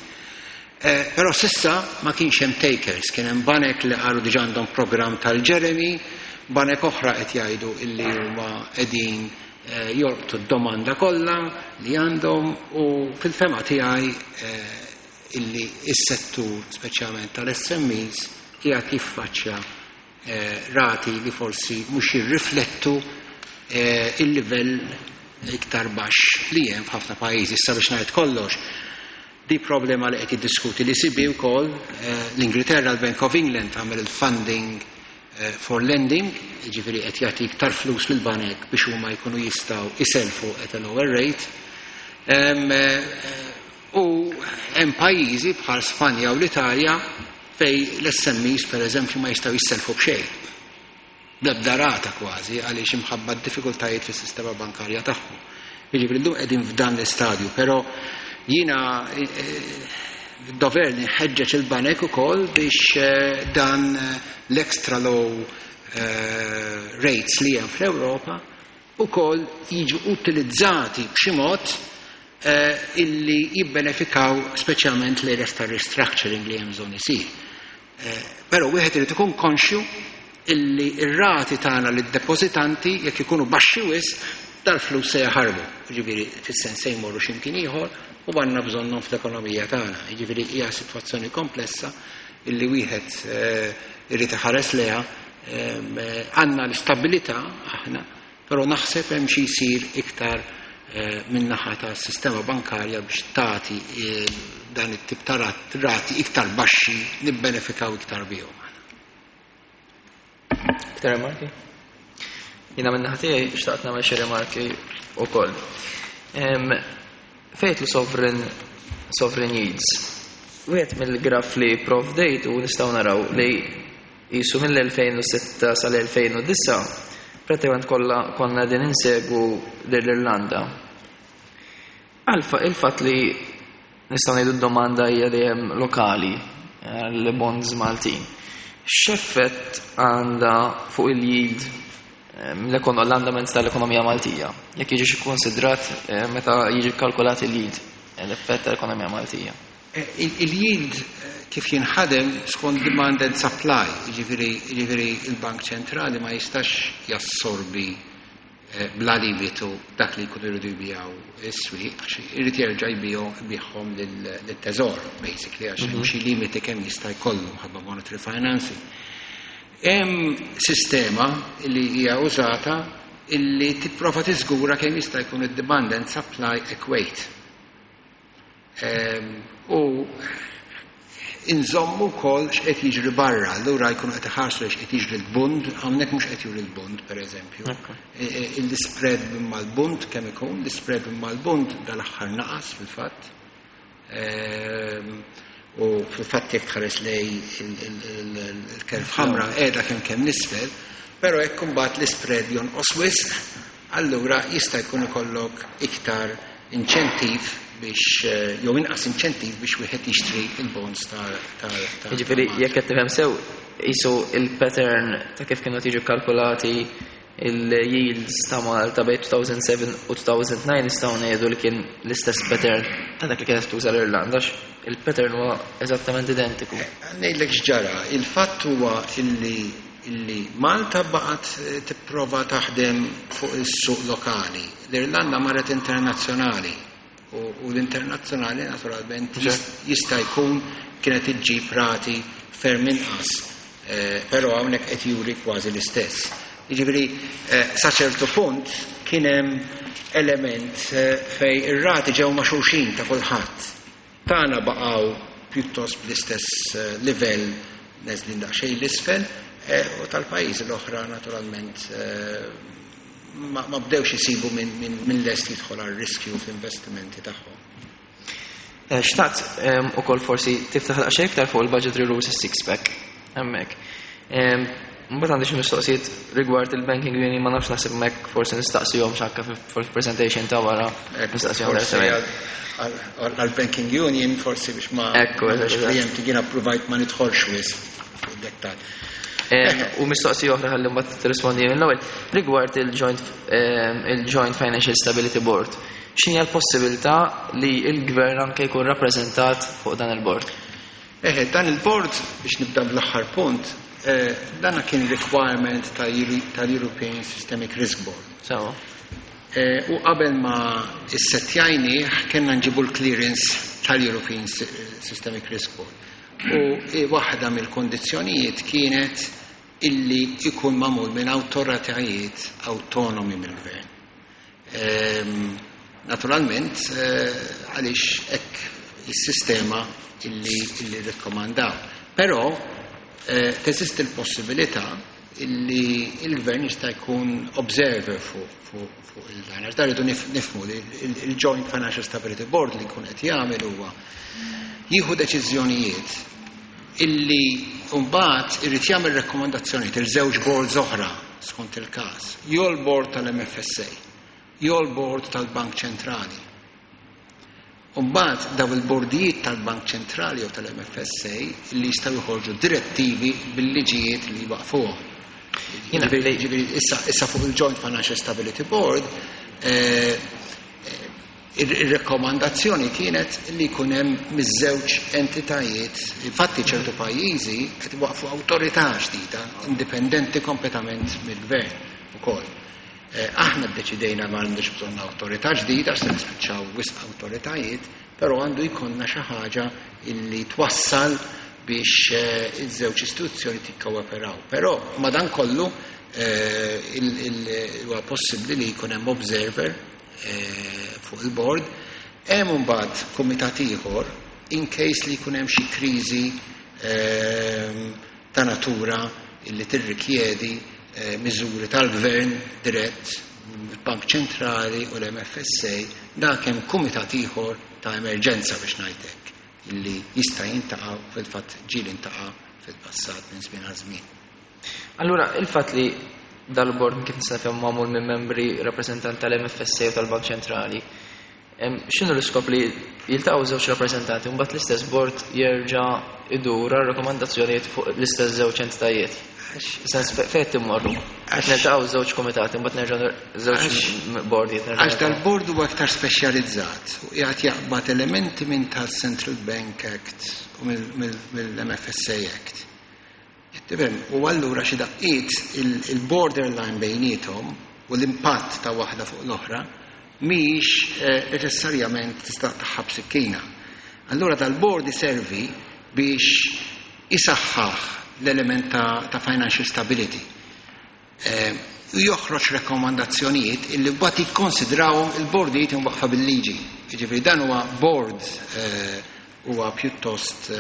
Però s'issa ma kienx hemm takers, kien hemm banek li qalu diġà għandhom programm tal-Jeremy, banek oħra qed jgħidu illi huma qegħdin jolqtu d-domanda kollha li għandhom u fil-fema tiegħi illi s-settur speċjalment tal-SMEs qiegħed jiffaċċja rati li forsi mhux jirriflettu il-livell iktar baxx li hemm f'ħafna pajjiżi. Issa biex ngħid kollox, Di problema li qed jiddiskuti l-ECB wkoll, l-Ingilterra, l-Bank of England għamel il-funding for lending, jiġifieri qed jagħti iktar flus lill-banek biex huma jkunu jistgħu iselfu at a lower rate. U hemm pajjiżi bħal Spanja u l-Italja fejn l-SMEs pereżempju ma jistgħu jisselfu b'xejn. Bl-ebda rata kważi għaliex imħabba d-diffikultajiet fis-sistema bankarja tagħhom. Jiġifieri llum qegħdin f'dan l-istadju, però jiena dover li nħeġġeġ il-banek ukoll biex dan l-extra low rates li hemm fl-Ewropa ukoll jiġu utilizzati b'xi mod illi jibbenefikaw speċjalment l-areas ta' restructuring li hemm bżonn isir. Però wieħed irid ikun konxju illi r-rati tagħna lid-depożitanti jekk ikunu baxxi wisq dal-flus se jaħarbu, jiġifieri fis-sens se jmorru xi mkien ieħor u għandna bżonnhom fl-ekonomija tagħna. Jiġifieri hija sitwazzjoni komplessa illi wieħed irid iħares lejha. Għandna l-istabilità aħna, però naħseb hemm xi jsir iktar min-naħa tas-sistema bankarja biex tagħti dan it-tip ta' rati iktar baxxi nibbenefikaw iktar bihom. Iktar rimarki? Jiena min-naħa tiegħi xtaqt nagħmel xi rimarki wkoll. Fejn li sovereign yields. Wieħed mill-graf li provdejt u nistgħu naraw li jisu mill-2006 sal-2009 pratikament kollha konna din insegwu lill-Irlanda. Għalfa il-fatt li nistgħu ngħidu d-domanda hija dejjem lokali l-bonds Maltin. X'effett għandha fuq il-yield l-andament tal-ekonomija Maltija? Jekk jiġi ikkonsidrat meta jiġi kalkulat il-yield, l-effett tal-ekonomija Maltija. Il-yield kif jinħadem skont demand and supply, jiġifieri il-Bank Ċentrali ma jistax jassorbi bla limitu dak li jkunu jridu jbijaw is-swieq, għax irid jerġa' jbigħhom lit-teżor, basically, għax hemm xi limiti kemm jista' jkollu ħabba monetary financing. Hemm sistema li hija użata illi tipprova tiżgura kemm jista' jkun id-demand and supply equate. U inżommu wkoll x'qed jiġri barra, allura jkunu qed iħarsu x'qed jiġri l-bund, hawnhekk mhux qed juri l-bund pereżempju. Il-spread mal-bund kemm ikun, l-spread mal-bund dal-aħħar naqas fil-fatt. U fil-fatt jekk tħares lej il-curve ħamra qiegħda kemm kemm nisfel, però jekk imbagħad l-spread jonqos wisq, allura jista' jkun ikollok iktar inċentiv biex jew inqas inċentiv biex wieħed jixtri il-bonds ta' Jiġifieri jekk qed tifhem sew qisu il-pattern ta' kif kienu tiġu kalkulati il-yields ta' Malta bejn 2007 u 2009 nistgħu ngħidu li kien l-istess pattern ta' dak li kienet tuża l-Irlanda, il-pattern huwa eżattament identiku. Ngħidlek x'ġara, il-fatt huwa illi Malta baqgħet tipprova taħdem fuq is-suq lokali. L-Irlanda marret internazzjonali u l-internazzjonali naturalment jista' jkun kienet iġġib rati ferm inqas, però hawnhekk qed juri kważi l-istess. Jiġifieri sa ċertu punt kien hemm element fej ir-rati ġew ma' xulxin ta' kulħadd. Tagħna baqgħu pjuttost bl-istess livell neżlin daqsxejn l-isfel, u tal-pajjiżi l-oħra naturalment ma bdewx isibu minn lest jidħol għal riskju fl-investimenti tagħhom. Xtaqt ukoll forsi tiftaħ daqsxejn iktar fuq il-budgetary rules six pack hemmhekk. Mbagħad għandi xi mistoqsijiet rigward il-banking union, ma nafx, naħseb hemmhekk forsi nistaqsihom x'anka fil-presentation ta' wara nistaqsihom direttament. Għal-banking union forsi biex ma Ekku, eżatt. Preempting jiena provajt ma nidħolx wisq fid-dettall. U mistoqsija oħra ħalli mbagħad tirrispondi mill-ewwel rigward il-Joint Financial Stability Board. X'inhi l-possibilità li l-gvern anke jkun rappreżentat fuq dan il-board? Eħe, dan il-board, biex nibda bl-aħħar punt, dan kien requirement tal-European Systemic Risk Board. U qabel ma issettjajni kellna nġibu l-clearance tal-European Systemic Risk Board. U waħda mill-kondizzjonijiet kienet illi ikun magħmul minn awtoritajiet autonomi mill-gvern. Naturalment, għaliex hekk is-sistema illi rikkomandaw. Però teżisti l-possibilità illi il-gvern jista' jkun observer fuq il-dan. Għax dan rridu nifhmu li il-Joint Financial Stability Board li jkun qed jagħmel huwa jieħu deċiżjonijiet illi mbagħad irid jagħmel rakkomandazzjonijiet il żewġ boards oħra skont il-każ, jew l-board tal-MFSA, jew l-board tal-Bank Ċentrali. Mbagħad daw il-bordijiet tal-Bank Ċentrali jew tal-MFSA li jistgħu joħorġu direttivi bil-liġijiet li waqfuhom. Ġifieri issa fuq il-Joint Financial Stability Board ir-rekomandazzjoni kienet li jkun hemm miż-żewġ entitajiet. Infatti ċertu pajjiżi qed waqfu awtorità ġdida indipendenti kompletament mill-gvern ukoll. Aħna ddeċidejna ma għandux bżonn awtorità ġdida għax se nispiċċaw wisq awtoritajiet, però għandu jkollna xi ħaġa illi twassal biex iż-żewġ istituzzjoni tikkooperaw. Però madankollu huwa possibbli li jkun hemm observer fuq il-board. Hemm imbagħad kumitat ieħor in case li jkun hemm xi kriżi ta' natura illi tirrikjedi miżuri tal-gvern dirett, il-Bank Ċentrali u l-MFSA, dak hemm kumitat ieħor ta' emerġenza biex ngħidlek illi jista' jintaqa' fil-fatt ġieli intaqa' fil-passat minn żmien għal żmien. Allura, il-fatt li dal-board kif nista' nifhem magħmul minn membri rappreżentanti tal-MFSA u tal-Bank Ċentrali, x'inhu l-iskop li jiltaqgħu żewġ rappreżentanti u mbagħad l-istess board jerġa' idur għal rakkomandazzjonijiet fuq l-istess żewġ entitajiet? Sens fejn timmorru? Qed niltaqgħu żewġ komitati, mbagħad nerġa' żewġ bordijiet. Għax dal-board huwa aktar speċjalizzat u qiegħed jaqbad elementi minn tal-Central Bank Act u mill-MFSA Act. Tifhem, u allura xi daqqiet il-borderline bejniethom u l-impatt ta' waħda fuq l-oħra mhix neċessarjament tista' taħħab sikkina. Allura dal-board iservi biex isaħħaħ l-element ta' financial stability. U joħroġ rekomandazzjonijiet illi mbagħad jikkonsidrawhom il-bordijiet imwaqqfa bil-liġi. Jiġifieri dan huwa board huwa pjuttost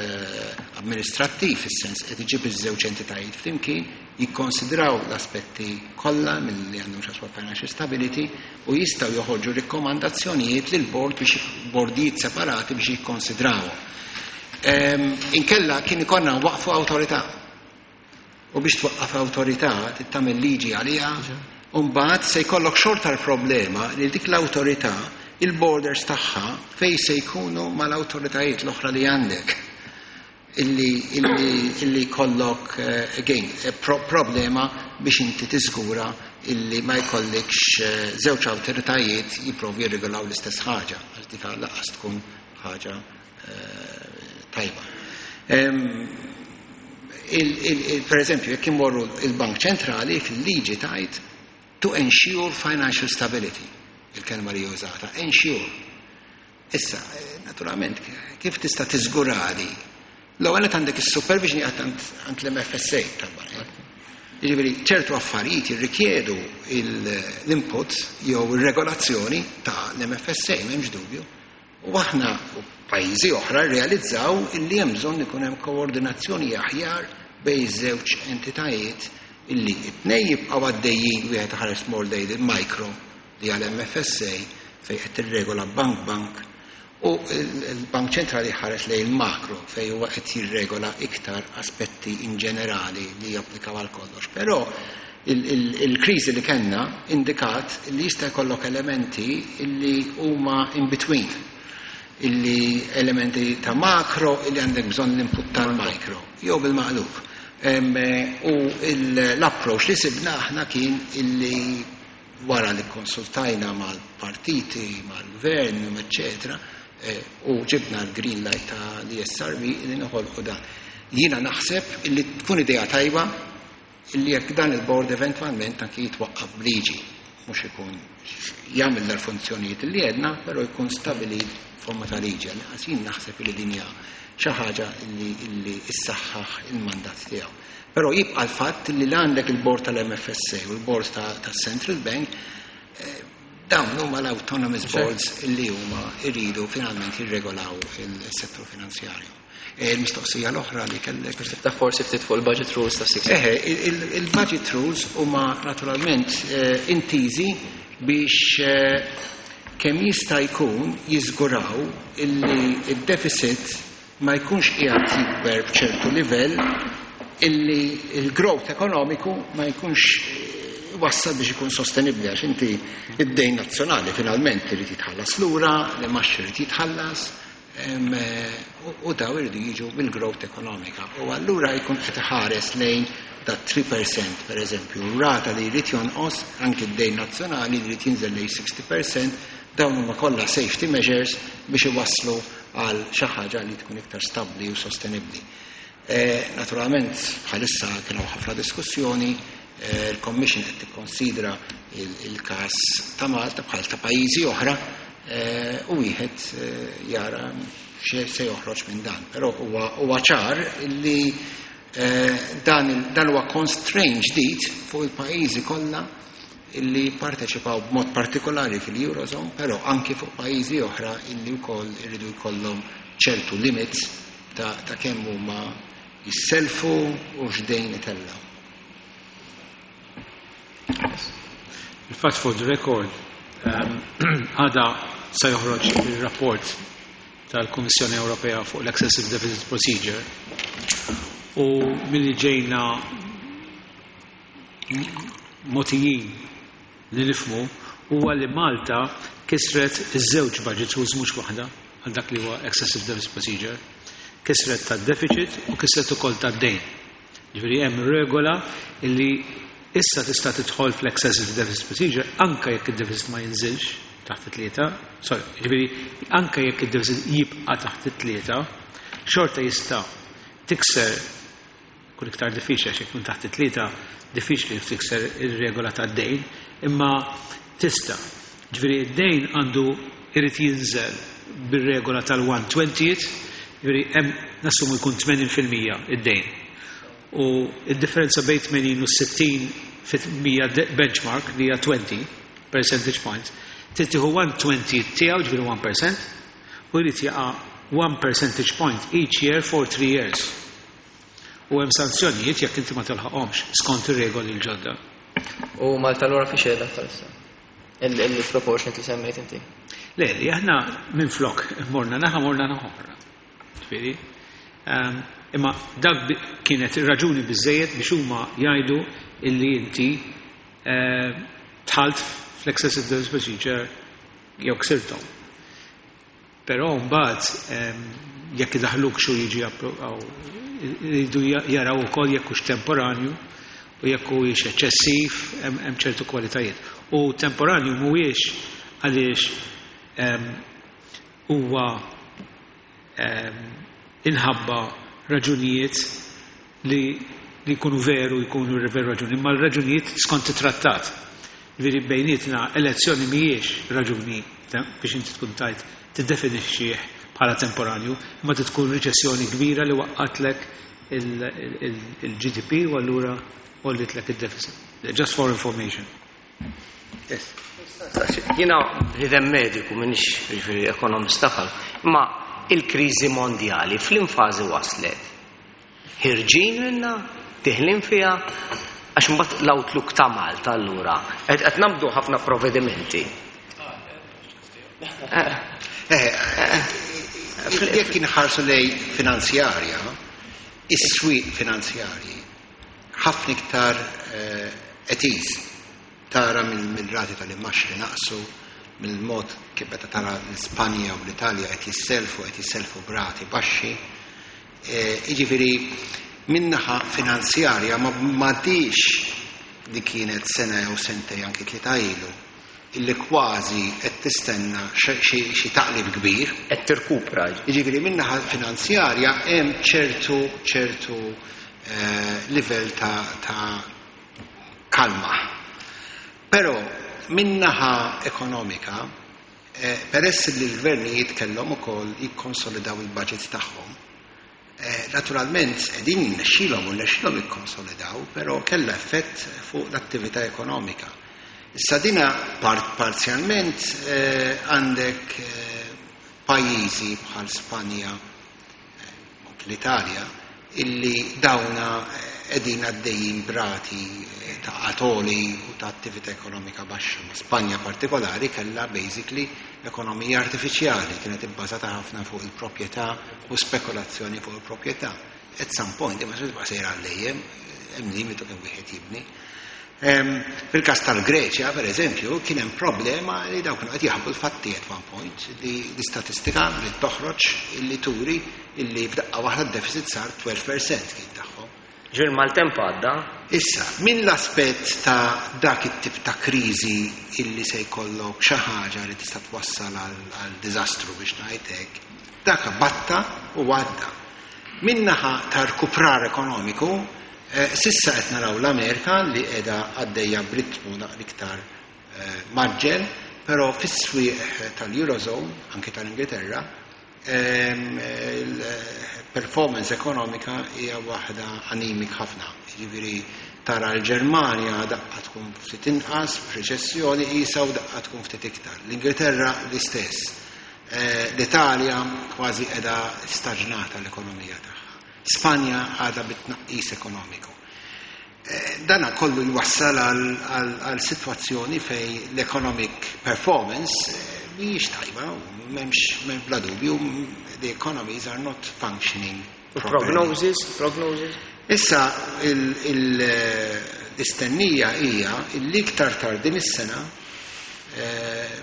amministrattiv, fis-sens qed iġib iż-żewġ entitajiet flimkien, jikkonsidraw l-aspetti kollha milli għandhom x'jaqsmu financial stability u jistgħu joħorġu rikkomandazzjonijiet lil board biex bordijiet separati biex jikkonsidrawhom. Inkella kien ikollna waqfu awtorità. U biex twaqqaf awtorità tagħmel liġi għaliha, u mbagħad se jkollok xorta l-problema li dik l-awtorità il-borders tagħha fej se jkunu mal-awtoritajiet l-oħra li għandek. Illi jkollok again problema biex inti tiżgura illi ma jkollikx żewġ awtoritajiet jipprovu jirregolaw l-istess ħaġa, għax dik lanqas tkun ħaġa tajba. Per eżempju, jekk imorru il-Bank Ċentrali fil-liġi tajt to ensure financial stability, il-kelma li użata, ensure. Issa, naturalment, kif tista' tiżgurali? L-ewwel qed għandek is-supervision għand l-MFSA tal-bank. Jiġifieri ċertu affarijiet jirrikjedu l-input jew ir-regolazzjoni ta' l-MFSA, m'hemmx dubju. U aħna u pajjiżi oħra rrealizzaw illi hemm bżonn ikun hemm koordinazzjoni aħjar bejn żewġ entitajiet illi it-tnejn jibqgħu għaddejjin wieħed ħares more lejn il-micro li għal MFSA fejn qed tirregola bank bank u l-Bank Ċentrali ħares lejn il-makro fejn huwa qed jirregola iktar aspetti in ġenerali li japplikaw għal kollox. Però il-kriżi li kellna indikat li jista' jkollok elementi illi huma in between, illi elementi ta' makro illi għandek bżonn l-input tal-micro, jew bil-maqlub. U l-approach li sibna aħna kien illi wara li konsultajna mal-partiti, mal-gvern, eccetera, u ġibna l-green light ta' l-ESRB illi noħolqu dan. Jiena naħseb illi tkun idea tajba illi jekk dan il-board eventwalment anki jitwaqqaf b'liġi, mhux ikun jagħmel l-funzjonijiet li għedna, però jkun stabilit forma ta' liġi. Għax jien naħseb illi din hija xi ħaġa illi issaħħaħ il-mandat tiegħu. Però jibqa' l-fatt li għandek il-board tal-MFSA u l-board tas-Central Bank. Dawn huma l-autonomous boards illi huma jridu finalment jirregolaw il-settur finanzjarju. Il-mistoqsija l-oħra li kellek. Biex tiftaħ forsi ftit fuq il-budget rules ta' six. Eħe, il-budget rules huma naturalment intiżi biex kemm jista' jkun jiżguraw illi id-deficit ma jkunx qiegħed jikber b'ċertu livell illi il-growth ekonomiku ma jkunx wassal biex ikun sostenibbli, għax inti id-dejn nazzjonali finalment irid jitħallas lura, l-imgħax irid jitħallas, u daw iridu jiġu mill-growth ekonomika. U allura jkun qed iħares lejn da 3%, per eżempju, rata li jrid jonqos anki d-dejn nazzjonali li jrid jinżel lejn 60%. Dawn huma kollha safety measures biex iwasslu għal xi ħaġa li tkun iktar stabbli u sostenibbli. Naturalment bħalissa kienu ħafna diskussjoni, il-Commission qed tikkonsidra il-każ ta' Malta bħal ta' pajjiżi oħra, u wieħed jara x'se joħroġ minn dan. Però huwa ċar li dan huwa constraint ġdid fuq il-pajjiżi kollha illi parteċipaw b'mod partikolari fil-Eurozone, però anki fuq pajjiżi oħra illi wkoll iridu jkollhom ċertu limits ta' kemm huma jisselfu u x'dejn itellgħu. Il-fatt, for the record, għada se joħroġ il-rapport tal-Kummissjoni Ewropea fuq l-Excessive Deficit Procedure u milli ġejna mogħtijin li nifhmu huwa li Malta kisret iż-żewġ budget rules, mhux waħda, għal dak li huwa Excessive Deficit Procedure. Kisret tad-deficit u kisret ukoll tad-dejn. Ġifieri hemm regola li issa tista' tidħol fl-Excessive Deficit Procedure anke jekk id-deficit ma jinżilx taħt it-3, sorry, ġifieri anke jekk id-deficit jibqa' taħt it-3, xorta jista' tikser. Kun iktar diffiċli għax jekk taħt it-3 diffiċli tikser ir-regola tad-dejn, imma tista'. Ġifieri id-dejn għandu irid jinżel bir-regola tal-120, ġifieri hemm nassumu jkun 80% id-dejn. U id-differenza bejn 80 u 60% benchmark li hija 20 percentage points, trid tieħu 120 tiegħu, ġifieri 1%, u jrid jaqa' 1 percentage point each year for 3 years. U hemm sanzjonijiet jekk inti ma tilħaqhomx skont ir-regoli l-ġodda. U Malta allura fi xeda bħalissa? Il-proportion li semmejt inti? Le, li aħna minn flok morna naħa, morna naħa oħra. Ġifieri, imma dak kienet raġuni biżejjed biex huma jgħidu illi inti dħalt fl-excessive deficit procedure jew ksirthom. Però mbagħad jekk idaħluk xu jiġi, jridu jaraw ukoll jekk hux temporanju u jekk huwiex eċċessiv, hemm ċertu kwalitajiet. U temporanju mhuwiex għaliex huwa inħabba raġunijiet li jkunu veru, jkunu veru raġuni, imma l-raġunijiet skont it-trattat. Ġifieri bejnietna elezzjoni mhijiex raġuni biex inti tkun tajt tiddefinixxih bħala temporanju, imma tkun riċessjoni kbira li waqqatlek il-GDP u allura għollitlek il-deficit. Just for information. Yes. Jiena bniedem mediku, minix ġifieri ekonomista bħal, imma il-kriżi mondjali f'liema fażi waslet? Ħerġin minna, deħlin fiha, għax mbagħad l-outlook ta' Malta allura qed nagħmlu ħafna provvedimenti. Jekk inħarsu lejn finanzjarja, is-swieq finanzjarji ħafna iktar at ease tara mill-rati tal-imgħax li naqsu, mill-mod kif meta tara l-Ispanja u l-Italja qed jisselfu b'rati baxxi. Jiġifieri min-naħa finanzjarja ma m'għadhiex li kienet sena jew sentej, anki 3 ilu, illi kważi qed tistenna xi taqlib kbir. Qed tirkupra. Jiġifieri min-naħa finanzjarja hemm ċertu livell ta' kalma. Però min-naħa ekonomika, peress li l-gvernijiet kellhom ukoll jikkonsolidaw il-budget tagħhom, naturalment qegħdin jirnexxilhom u rnexxilhom jikkonsolidaw, però kellha effett fuq l-attività ekonomika. Issa dina parzjalment għandek pajjiżi bħal Spanja, l-Italja, illi dawna qegħdin għaddejjin b'rati ta' qgħad għoli u ta' attività ekonomika baxxa. Ma Spanja partikolari kellha basically ekonomija artifiċjali, kienet ibbażata ħafna fuq il-proprjetà u spekulazzjoni fuq il-proprjetà. At some point, imma se tibqa' sejra għal dejjem, hemm limitu kemm wieħed jibni. Fil-każ tal-Greċja, per eżempju, kien hemm problema li dawk kienu qed jaħbu l-fatti at one point, li l-istatistika li toħroġ illi turi illi f'daqqa waħda d-deficit sar 12% kien tagħhom. Ġir maltemp għadda. Issa, minn l-aspett ta' dak it-tip ta' kriżi illi se jkollok xi ħaġa li tista' twassal għal diżastru biex ngħid hekk, dak batta u għadda. Min-naħa ta' rkuprar ekonomiku, s'issa qed naraw l-Amerika li qiegħda għaddejja b'ritmu naqra iktar mgħaġġel, però fis-swieq tal-Eurozone, anke tal-Ingilterra, il-performance ekonomika hija waħda anemic ħafna. Jiġifieri tara l-Ġermanja daqqa tkun ftit inqas f'reċessjoni qisha u daqqa tkun ftit iktar. L-Ingilterra l-istess. L-Italja kważi qiegħda staġnata l-ekonomija tagħha. Spanja għadha bit-tnaqqis ekonomiku. Dana kollu jwassal għal sitwazzjoni fejn l-economic performance mhijiex tajba, m'hemmx bla dubju, the economies are not functioning properly. Prognosis, prognosis? Issa l-istennija hija li iktar tard din is-sena,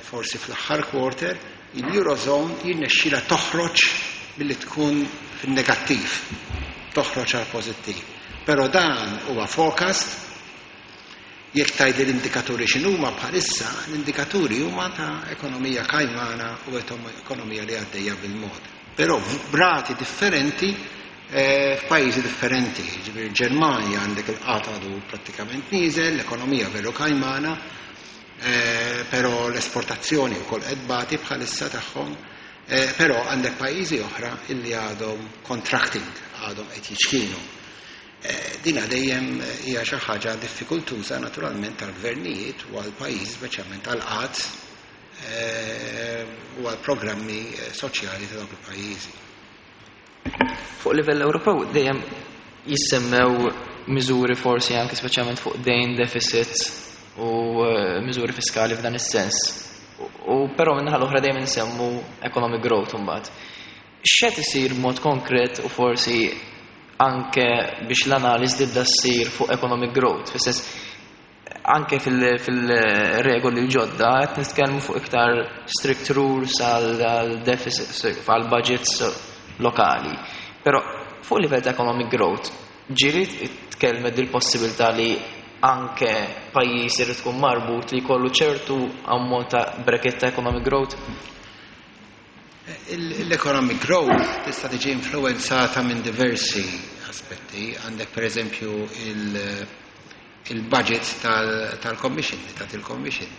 forsi fl-aħħar quarter, il-Eurozone jirnexxila toħroġ billi tkun fin-negattiv, toħroġ għal pożittiv. Però dan huwa forecast, jekk tgħidli l-indikaturi x'inhuma bħalissa, l-indikaturi huma ta' ekonomija kajmana u ekonomija li għaddejja bil-mod. Però b'rati differenti f'pajjiżi differenti. Ġifieri Ġermanja għandek il-qgħad għadu prattikament nieżel, l-ekonomija veru kajmana, però l-esportazzjoni wkoll qed tbati bħalissa tagħhom, però għandek pajjiżi oħra illi għadhom contracting, għadhom qed jiċkienu. Dina dejjem hija xi ħaġa diffikultuża naturalment tal-gvernijiet u għall-pajjiż, speċjalment għall-qgħad u għall-programmi soċjali ta' dawk il-pajjiżi. Fuq livell Ewropew dejjem jissemmew miżuri forsi anke speċjalment fuq dejn, deficit u miżuri fiskali f'dan is-sens. U però min-naħa l-oħra dejjem insemmu economic growth imbagħad. X'qed isir b'mod konkret u forsi anke biex l-analiżi tibda ssir fuq economic growth, fis-sens anke fil-regoli l-ġodda qed nitkellmu fuq iktar strict rules għal deficit, għal budgets lokali. Però fuq livell ta' economic growth, ġieli tkellmet dil-possibilità li anke pajjiż irid tkun marbut li jkollu ċertu ammont ta' bracket ta' economic growth? L-economic growth tista' tiġi influenzata minn diversi aspetti. Għandek per eżempju il-budget tal-Commission, ta' il-Commission.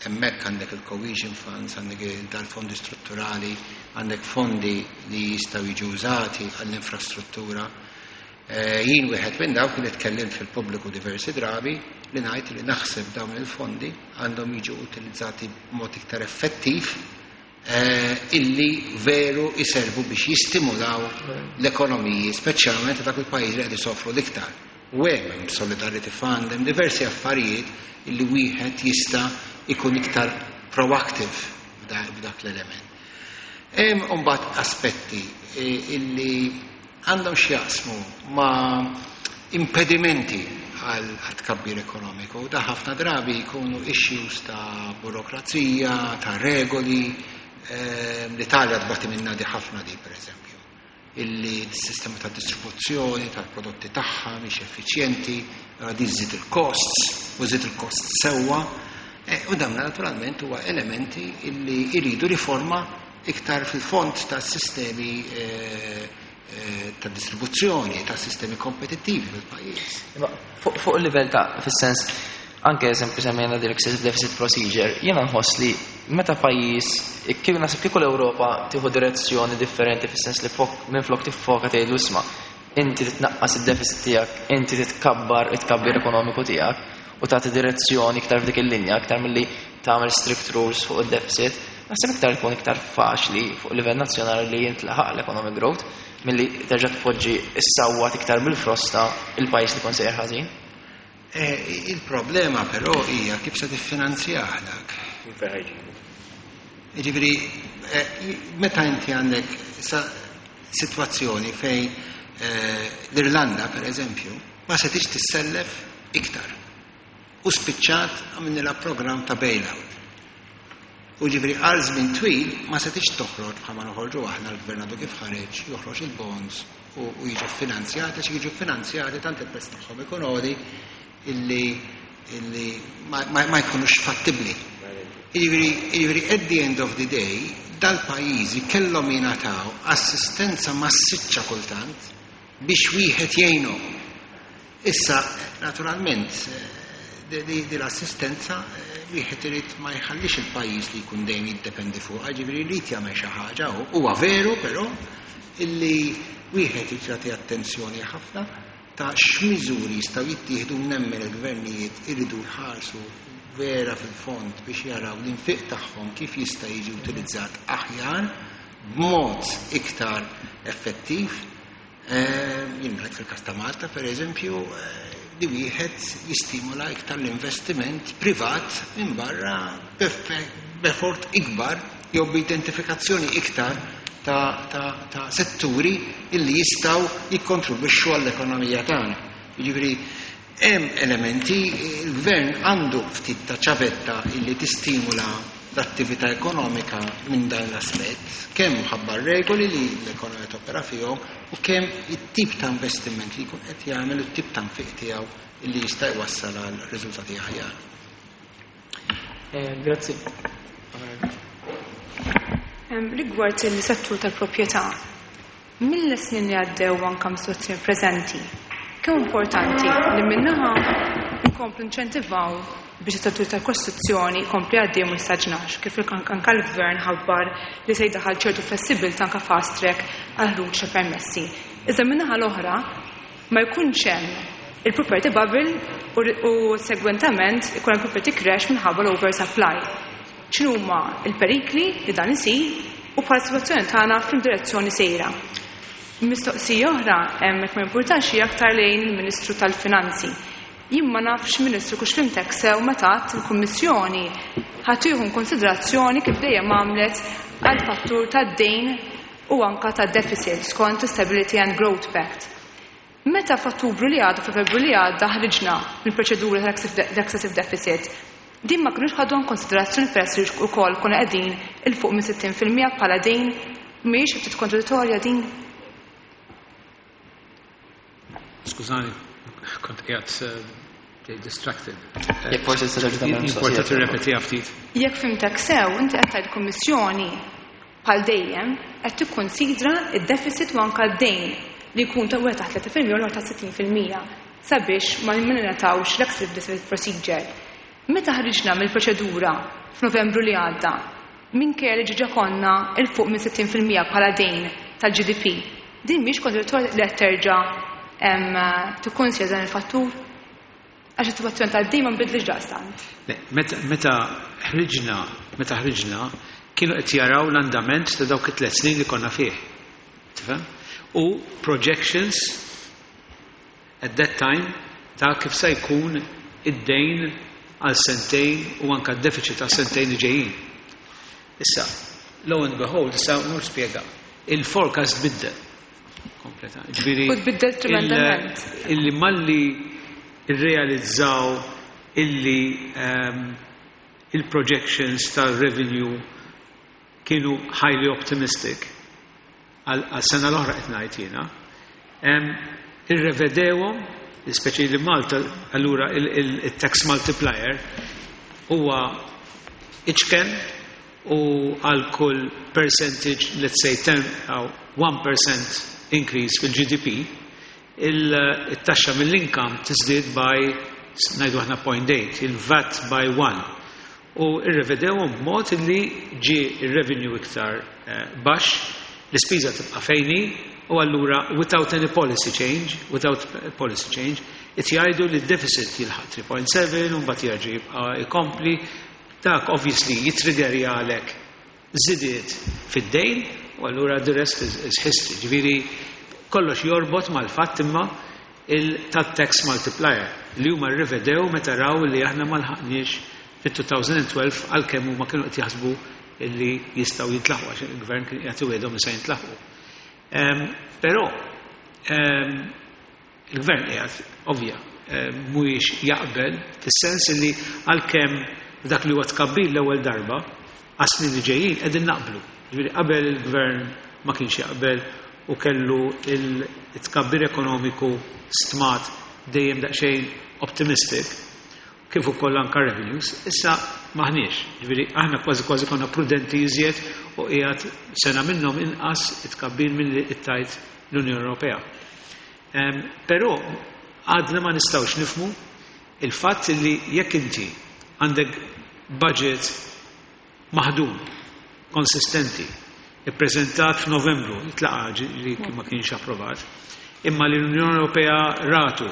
Hemmhekk għandek il-Cohesion Funds, għandek dal-fondi strutturali, għandek fondi li jistgħu jiġu użati għall-infrastruttura. Jien wieħed minn dawk li tkellimt fil-pubbliku diversi drabi li ngħid li naħseb dawn il-fondi għandhom jiġu utilizzati b'mod iktar effettiv, illi veru jiservu biex jistimulaw l-ekonomiji, speċjalment dak il-pajjiż li qed isofru l-iktar. U hemm Solidarity Fund, hemm diversi affarijiet illi wieħed jista' ikun iktar proactive f'dak l-element. Hemm imbagħad aspetti illi għandhom x'jaqsmu ma' impedimenti għal tkabbir ekonomiku. Da ħafna drabi jkunu issues ta' burokrazija, ta' regoli. L-Italja tbati minna di ħafna di, per eżempju, illi s-sistema ta' distribuzzjoni tal-prodotti tagħha mhix effiċjenti, di żżid il-costs, u żżid il-costs sewwa. U dawn naturalment huwa elementi illi jridu riforma iktar fil-fond ta' sistemi ta' distribuzzjoni, ta' sistemi kompetittivi fil-pajjiż. Imma fuq il-livell ta' fis-sens, anke eżempju semmejna din excessive deficit procedure, jiena nħoss li meta pajjiż, kif naħseb kieku l-Ewropa tieħu direzzjoni differenti fis-sens li minflok tiffoka tgħidlu isma', Inti titnaqqas id-deficit tiegħek, inti titkabbar it-tkabbir ekonomiku tiegħek u tagħti direzzjoni iktar f'dik il-linja, iktar milli tagħmel strict rules fuq id-deficit, naħseb iktar ikun iktar faċli fuq livell nazzjonali li jintlaħaq l-economic growth milli terġa' tpoġġi issawwat iktar bil-frosta il-pajjiż li jkun sejjer ħażin. Il-problema però hija kif se tiffinanzjah dak. Jiġifieri meta inti għandek sitwazzjoni fejn l-Irlanda pereżempju ma setgħetx tissellef iktar u spiċċat għamilnilha programm ta' bailout. U ġifieri għal żmien twil ma setgħetx toħroġ bħalma noħorġu aħna, l-gvern għadu kif ħareġ, joħroġ il-bonds u jiġu finanzjati, għax jiġu finanzjati tant il-prezz tagħhom ikun għoli illi ma jkunux fattibbli. Jiġifieri at the end of the day dal-pajjiżi kellhom jingħataw assistenza massiċċa kultant biex wieħed jgħinhom. Issa, naturalment, di l-assistenza wieħed irid ma jħallix il-pajjiż li jkun dejjem jiddependi fuq, ġifieri jrid jagħmel xi ħaġa. Huwa veru però illi wieħed irid jagħti attenzjoni ħafna ta' x'miżuri jistgħu jittieħdu. Nemmen il-gvernijiet iridu jħarsu vera fil-fond biex jaraw l-infiq tagħhom kif jista' jiġi utilizzat aħjar b'mod iktar effettiv. Jien ngħid fil-każ ta' Malta, per eżempju, li wieħed jistimula iktar l-investiment privat minn barra b'effort ikbar jew b'identifikazzjoni iktar ta' setturi illi jistgħu jikkontribwixxu għall-ekonomija tagħna. Jiġifieri hemm elementi, il-gvern għandu ftit ta' ċavetta illi tistimula l-attività ekonomika minn dan l-aspett, kemm ħabba regoli li l-ekonomija topera fihom u kemm it-tip ta' investiment li jkun qed jagħmel u t-tip ta' nfiq tiegħu illi jista' jwassal għal riżultati aħjar. Grazzi. Rigward il-settur tal-proprjetà, mill-snin li għaddew anka mis-sitwazzjoni preżenti, kemm importanti li min-naħa nkomplu inċentivaw biex is-settur tal-kostruzzjoni jkompli għaddej u ma jistaġnax, kif anka l-gvern ħabbar li se jdaħħal ċertu flessibilità anka fast track għal ħruġ ta' permessi. Iżda min-naħa l-oħra ma jkunx hemm il-property bubble u segwentament ikun hemm property crash minħabba l-oversupply. X'inhuma l-perikli li dan isir u bħala sitwazzjoni tagħna f'direzzjoni sejra? Mistoqsija oħra, hemmhekk ma jimpurtax, hija aktar lejn il-Ministru tal-Finanzi. Jien ma nafx, Ministru, kux fhimtek sew meta għedt il-Kummissjoni ħa tieħu konsiderazzjoni kif dejjem għamlet għal fattur tad-dejn u anka ta' deficit skont Stability and Growth Pact. Meta f'Ottubru li għadda, f'Novembru li għadda ħriġna mill-proċedura tal-excessive deficit, din ma kinux ħadu konsiderazzjoni peress li wkoll konna qegħdin 'il fuq minn 60% bħala dejn? Mhijiex ftit kontradittorja din? Skużani, kont qiegħed distracted. Jekk forsi tista' terġa' tagħmel Importa tirrepetiha ftit. Jekk fhimtek sew, inti qed tgħid kummissjoni bħal dejjem qed tikkonsidra id-deficit u anka d-dejn li jkun ta' wieħed taħt 3% u l ta' 60% sabiex ma ningħatawx l-excessive deficit procedure. Meta ħriġna mill-proċedura f'Novembru li għadda, minkejja li ġiġa konna 'il fuq minn 60% bħala dejn tal-GDP, din mhix kontradittorja li qed terġa' tikkonsidra dan il-fattur? Għax is-sitwazzjoni tad-dejn ma nbidlix daqstant. Meta ħriġna, kienu qed jaraw l-andament ta' dawk it-3 snin li konna fih. Tifhem? U projections at that time ta' kif se jkun id-dejn għal sentejn u anka d-deficit għal sentejn li ġejjin. Issa, lo and behold, issa nur spjega, il-forecast biddel. Kompleta. Ġifieri, U tbiddel tremendament. Illi malli irrealizzaw illi il-projections tal-revenue kienu highly optimistic għal sena l-oħra qed ngħid jiena, irrevedewhom, speċi li Malta allura il-tax multiplier huwa iċken u għal kull percentage, let's say 10, 1% increase fil-GDP, il-taxxa mill-income tiżdied by ngħidu aħna 0.8, il-VAT by 1. U irrevedewhom b'mod li ġie il-revenue iktar baxx, l-ispiża tibqa' fejn hi. U allura without any policy change, without policy change, qed jgħidu li d-deficit jilħaq 3.7 u mbagħad jerġa' jibqa' jkompli. Dak obviously jitriggerjalek żidiet fid-dejn u allura the rest is history. Ġifieri kollox jorbot mal-fatt imma tat-tax multiplier li huma rrivedew meta raw li aħna ma lħaqniex fit-2012, għalkemm huma kienu qed jaħsbu li jistgħu jintlaħqu għax il-gvern kien qiegħed iwiegħdhom li se jintlaħqu. Però il-gvern qiegħed ovvja mhuwiex jaqbel fis-sens li għalkemm dak li huwa tkabbir l-ewwel darba għas-snin li ġejjin qegħdin naqblu. Ġifieri qabel il-gvern ma kienx jaqbel u kellu il-tkabbir ekonomiku stmat dejjem daqsxejn optimistic, kif ukoll anka revenues, issa maħniex. Ġifieri aħna kważi kważi konna prudenti iżjed u qiegħed sena minnhom inqas it-tkabbir milli tgħid l-Unjoni Ewropea. Però għadna ma nistgħux nifhmu il-fatt li jekk inti għandek budget maħdum, konsistenti, ippreżentat f'Novembru, itlaqa li ma kienx approvat, imma li l-Unjoni Ewropea ratu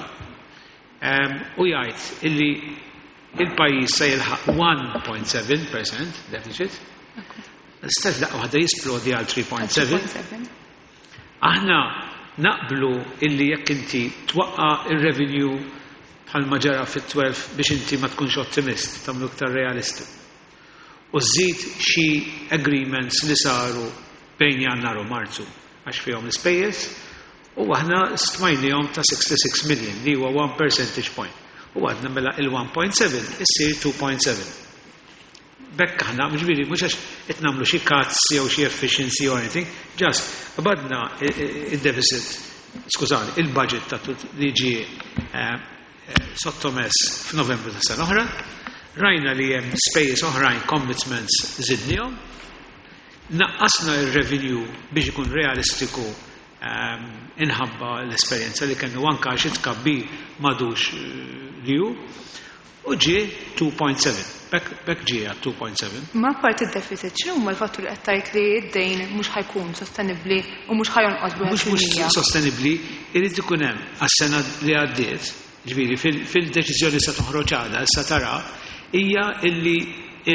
u jgħid illi il-pajjiż se jilħaq 1.7% deficit, l-istess daqqa waħda jisplodi għal 3.7. Aħna naqblu illi jekk inti twaqqa il-revenue bħalma ġara fit-12 biex inti ma tkunx ottimist, tagħmlu iktar realisti. U żżid xi agreements li saru bejn Jannar u Marzu għax fihom l-ispejjeż u aħna stmajnihom ta' 66 million li huwa 1 percentage point. U għadna mela il-1.7 issir 2.7. B'hekk aħna, ġifieri, mhux għax qed nagħmlu xi cuts jew xi efficiency or anything, just qbadna il-deficit, skużani, il-budget ta' li ġie sottomess f'Novembru ta' sena oħra, rajna li hemm spejjeż oħrajn, commitments, żidnihom, naqqasna il-revenue biex ikun realistiku inħabba l-esperjenza li kellu anka xi tkabbir m'għadux li hu, u ġie 2.7. B'hekk ġie għal 2.7. Ma apparti id-deficit, x'inhu huma l-fatturi qed tgħid li d-dejn mhux ħa jkun sostenibbli u mhux ħa jonqos b'wieħed Mhux mhux fil-mija? sostenibbli, irid ikun hemm għas-sena li għaddiet, ġifieri fil-deċiżjoni se toħroġ għada, issa tara, hija illi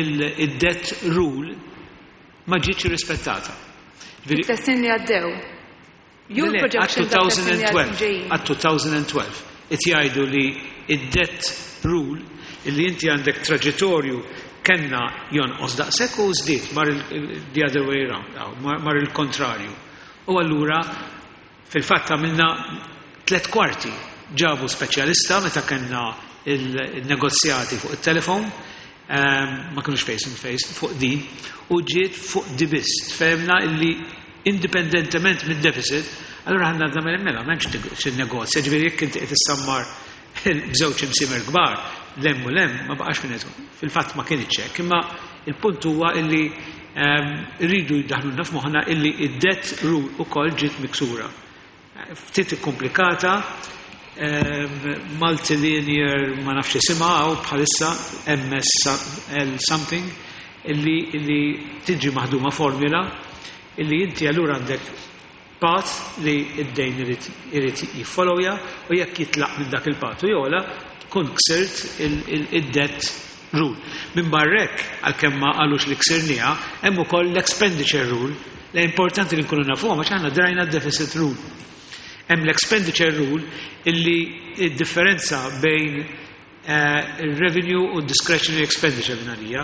il-debt rule ma ġietx irrispettata. Ġifieri It-snin li għaddew. Jew Le, le, projection ta' snin li għal 2012, ġejjin. għal 2012, qed jgħidu li id-debt rule illi inti għandek traġettorju kellna jonqos daqshekk u żdied mar the other way round, mar il-kontrarju. U allura fil-fatt għamilna 3/4, ġabu speċjalista meta kellna il-negozjati fuq il-telefon, ma kienux face to face fuq din, u ġiet fuq di biss. Fehmna illi indipendentement mid deficit, allura ħanna għadna mela, m'hemmx xi negozja, ġifieri jekk inti qed issammar b'żewġ imsiemer kbar, lem u lem, ma baqax minn qed. Fil-fatt ma kienx hekk, imma il-punt huwa illi rridu jdaħlulna f'moħħna illi id-debt rule ukoll ġiet miksura. Ftit komplikata, multilinear, ma nafx isimha hawn bħalissa, MSL something, illi tiġi maħduma formula illi inti allura għandek path li id-dejn irid jiffollowja u jekk jitlaq minn dak il-path u jola tkun ksirt id-debt rule. Minn barrek, għalkemm ma qalux li ksirniha, hemm ukoll l-expenditure rule. Li importanti li nkunu nafuha għax aħna drajna d-deficit rule. Hemm l-expenditure rule illi id-differenza bejn il-revenue u discretionary expenditure minn għalija.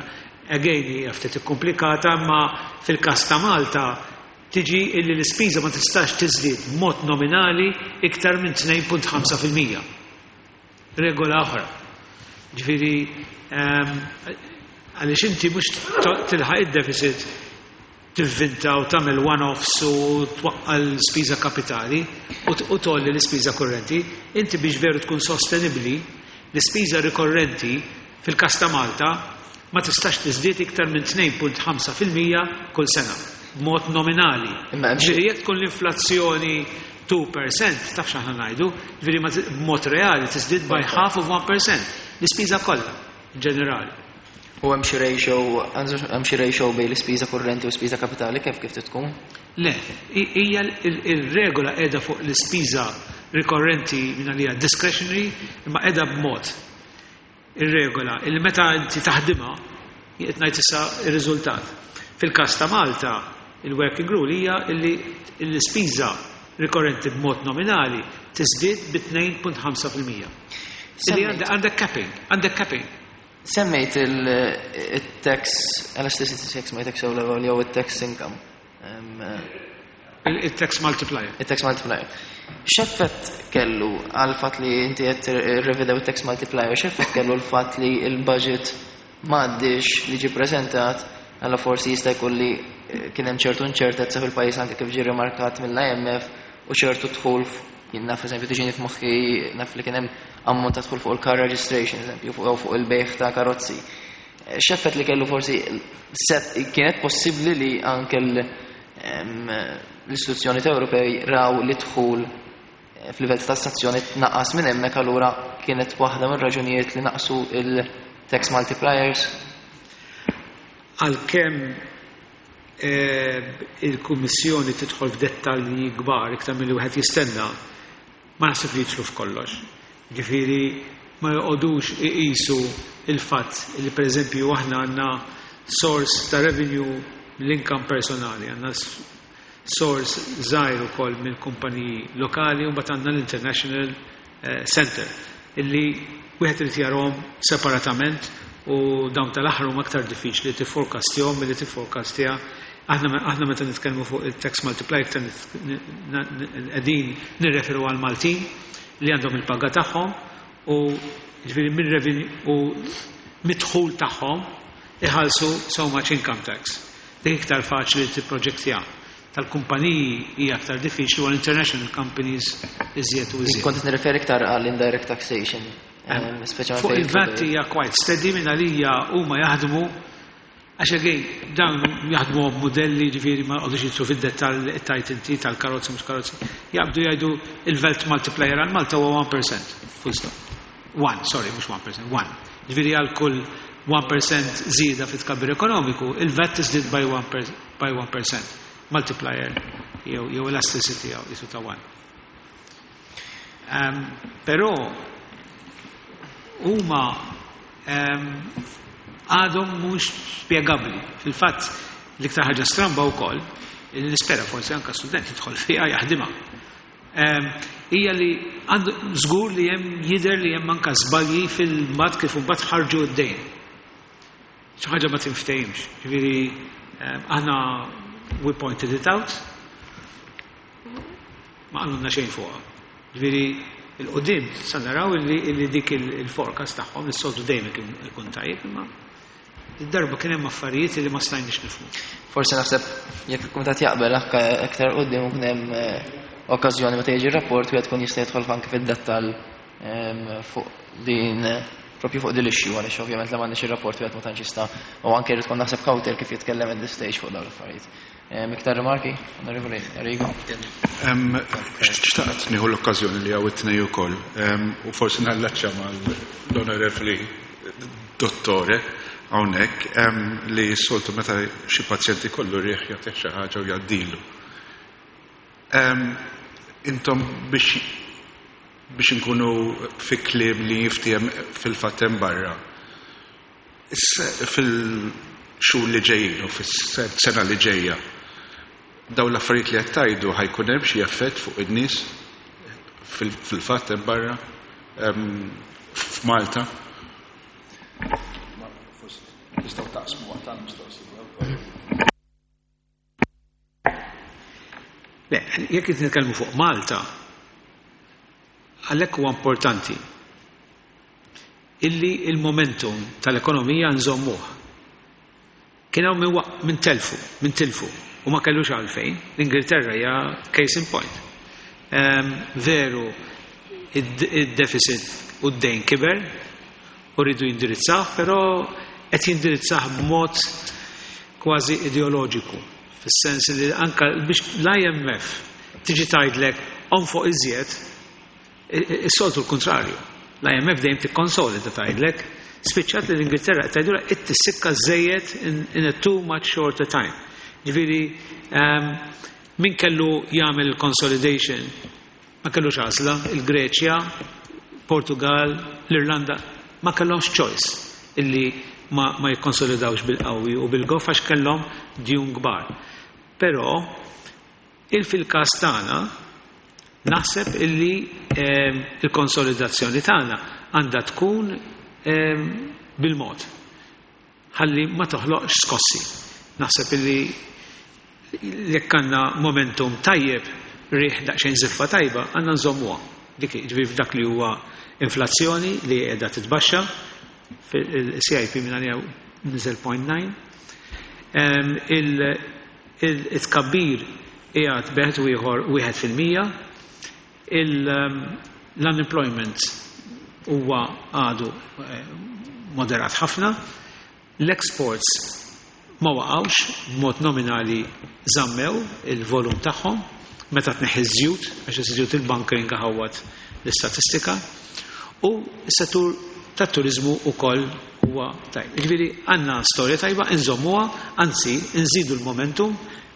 Again, hija ftit ikkomplikata, ma fil-każ ta' Malta tiġi illi l-ispiża ma tistax tiżdied b'mod nominali iktar minn 2.5%. Regola oħra. Ġifieri, għaliex inti mhux tilħaq id-deficit tivvinta u tagħmel one-offs u twaqqa l-spiża kapitali u tolli l-ispiża kurrenti, inti biex veru tkun sostenibbli, l-ispiża rikorrenti fil-każ ta' Malta ma tistax tiżdied iktar minn 2.5% kull sena, b'mod nominali. Imma hemm xi- Ġifieri jekk tkun l-inflazzjoni 2%, taf x'aħna ngħidu, ġifieri ma b'mod reali tiżdied by half of 1%, l-ispiża kollha in ġenerali. U hemm xi ratio, hemm xi ratio bejn l-ispiża kurrenti u l-ispiża kapitali kif tkun? Le, hija il-regola qiegħda fuq l-ispiża rikorrenti minn għalija discretionary, imma qiegħda b'mod ir-regola illi meta inti taħdimha qed ngħid issa ir-riżultat. Fil-każ ta' Malta, il-working rule hija illi l-ispiża rikorrenti b'mod nominali tiżdied bi 2.5%. Illi għandek capping, għandek capping. Semmejt il-tax elasticity checks ma jtek sew level jew il-tax income. Il-tax multiplier. Il-tax multiplier. X'effett kellu għal fatt li inti qed rrevedew il-tax multiplier, x'effett kellu l-fatt li il-budget m'għaddix li ġi preżentat, għalla forsi jista' jkun li kien hemm ċertu inċertezza fil-pajjiż anke kif ġie rimarkat mill-IMF u ċertu dħul, jien naf, eżempju, tiġini f'moħħi, naf li kien hemm ammont ta' dħul fuq il-car registration, eżempju, fuq fuq il-bejħ ta' karozzi. X'effett li kellu forsi set kienet possibbli li anke l-istituzzjoni Ewropej raw li dħul f'livell ta' tassazzjoni tnaqqas minn hemmhekk, allura kienet waħda mir-raġunijiet li naqsu il-tax multipliers? Għalkemm il-Kummissjoni tidħol f'dettalji kbar iktar milli wieħed jistenna, ma naħseb li jidħlu f'kollox. Ġifieri ma joqogħdux iqisu il-fatt li, pereżempju, aħna għandna source ta' revenue mill-income personali, għandna source żgħir ukoll minn kumpaniji lokali u mbagħad għandna l-International Center illi wieħed irid jarahom separatament u dawn tal-aħħar huma aktar diffiċli tifforecastjahom milli tifforecastja. Aħna meta nitkellmu fuq il-tax multiplier iktar qegħdin nirreferu għal Maltin li għandhom il-paga tagħhom u ġifieri minn revenue u mid-dħul tagħhom iħallsu so much income tax. Dik iktar faċli tipproġektja. Tal-kumpaniji hija aktar diffiċli u għall-international companies iżjed u iżjed. Kont nirreferi iktar għall indirect taxation. Speċjalment Fuq fejn il-VAT hija quite steady minn għalija. Huma jaħdmu għax again dawn jaħdmu modelli, ġifieri ma qogħdux jidħlu fid-dettall tajt inti tal-karozzi mhux karozzi. Jaqbdu jgħidu il-VAT multiplier għal Malta huwa 1%. Full stop. 1, sorry, mhux 1%, 1. Ġifieri għal kull 1% żieda fit-tkabbir ekonomiku, il-VAT tiżdied by 1%. Multiplier jew elasticity jew jisu ta' 1. Però huma għadhom mhux spjegabbli. Fil-fatt l-iktar ħaġa stramba wkoll, li nispera forsi anke student jidħol fiha jaħdimha, hija li għandu żgur li hemm jidher li hemm anke żbalji fil-mod kif imbagħad ħarġu d-dejn. Xi ħaġa ma tinftehimx. Ġifieri aħna we pointed it out, ma qalulna xejn fuqha. Ġifieri il-qudiem sa naraw illi dik il-forecast tagħhom is-soltu dejjem ikun tajjeb, imma id-darba kien hemm affarijiet li ma stajniex nifhmu. Forsi naħseb jekk il-kumitat jaqbel anke aktar quddiem ikun hemm okkażjoni meta jiġi rapport wieħed tkun jista' jidħol anke fid-dettall fuq din, propju fuq din l-issue, għaliex ovvjament la m'għandniex ir-rapport wieħed ma tantx jista' u anke jrid tkun naħseb kawtel kif jitkellem at this stage fuq dawn l-affarijiet. Iktar rimarki, Onorevoli Arrigo? Xtaqt nieħu l-okkażjoni li hawn it-tnej ukoll u forsi nallaċċa mal-Onorevoli Dottore hawnhekk li s-soltu meta xi pazjenti kollu riħ jagħtih xi ħaġa u jgħaddilu. Intom biex inkunu fi kliem li jiftiem fil-fatt hemm barra. Fil-xhur li ġejjin u fis-sena li ġejja, dawn l-affarijiet li qed tgħidu ħa jkun hemm xi effett fuq in-nies fil-fatt hemm barra f'Malta? Tistgħu taqsmu waqt tal-mistoqsija. Le, jekk qed nitkellmu fuq Malta, għalhekk huwa importanti illi il-momentum tal-ekonomija nżommuh. Kien hawn min telfu, min tilfu u ma kellux għalfejn. L-Ingilterra hija case in point. Veru, id-deficit u d-dejn kiber u rridu jindirizzah, però qed jindirizzah b'mod kważi ideoloġiku, fis-sens li anka biex l-IMF tiġi tgħidlek onfoq iżjed, is-soltu l-kontrarju. L-IMF dejjem tikkonsolida tgħidlek, spiċċat li l-Ingilterra qed tgħidulha it-tissikka żejjed in a too much shorter time. Ġifieri Min kellu jagħmel consolidation ma kellux għażla, il-Greċja, Portugal, l-Irlanda, ma kellhomx choice illi ma jikkonsolidawx bil-qawwi u bil-goff għax kellhom djun kbar. Però il fil-każ tagħna naħseb illi il-konsolidazzjoni tagħna għandha tkun bil-mod ħalli ma toħloqx skossi. Naħseb illi jekk għandna momentum tajjeb, riħ daqsxejn żiffa tajba, għandna nżommuha. Dik ġifieri f'dak li huwa inflazzjoni li qiegħda titbaxxa, fil-CIP minn għalija niżel 0.9. Il-tkabbir qiegħed beħed u ieħor 1%. L-unemployment huwa għadu moderat ħafna. L-exports ma waqgħux, b'mod nominali żammew il-volum tagħhom meta tneħħi ż-żjut, għax iż-żjut il-bunkering ħawwad l-istatistika, u s-settur tat-turiżmu wkoll huwa tajb. Jiġifieri għandna storja tajba, inżommuha, anzi nżidu l-momentum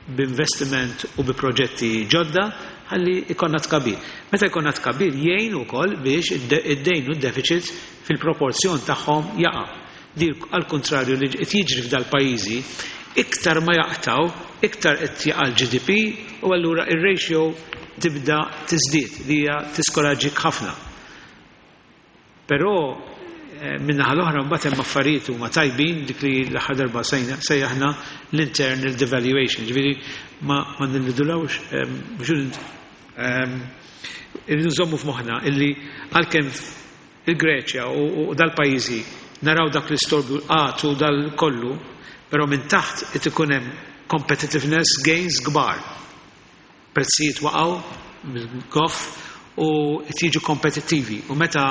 b'investiment u bi proġetti ġodda ħalli jkollna tkabbir. Meta jkollna tkabbir jgħin ukoll biex id-dejn u d-deficit fil-proporzjon tagħhom jaqa'. Di għall-kuntrarju li qed jiġri f'dal-pajjiżi, iktar ma jaqtaw, iktar qed jaqa' l-GDP u allura ir-ratio tibda tiżdied li hija tiskoraġġik ħafna. Però min-naħa l-oħra mbagħad hemm affarijiet huma tajbin dik li l-aħħar darba sejjaħna l-internal devaluation, ġifieri ma nillidulawx biex irridu nżommu f'moħħna illi għalkemm il-Greċja u dal-pajjiżi naraw dak l-istorbju l-qgħad u dal kollu, però minn taħt qed ikun hemm competitiveness gains kbar. Prezzijiet waqgħu mill-goff u qed jiġu kompetittivi u meta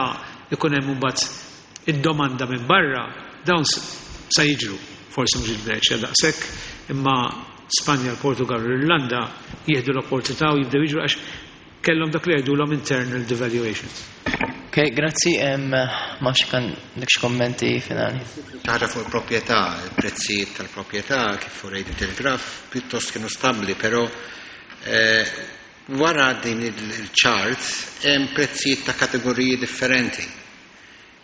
ikun hemm imbagħad id-domanda minn barra dawn sa jiġru. Forsi mhux il-Greċja daqshekk, imma Spanja, l-Portugal u l-Irlanda jieħdu l-opportunità u jibdew jiġru għax kellhom dak li jgħidulhom internal devaluations. Ok, grazzi. Ma nafx kan dik xi kommenti finali. Ħaġa fuq il-proprjetà, il-prezzijiet tal-proprjetà kif urejt il-graf pjuttost kienu stabbli, però wara din il-chart hemm prezzijiet ta' kategoriji differenti.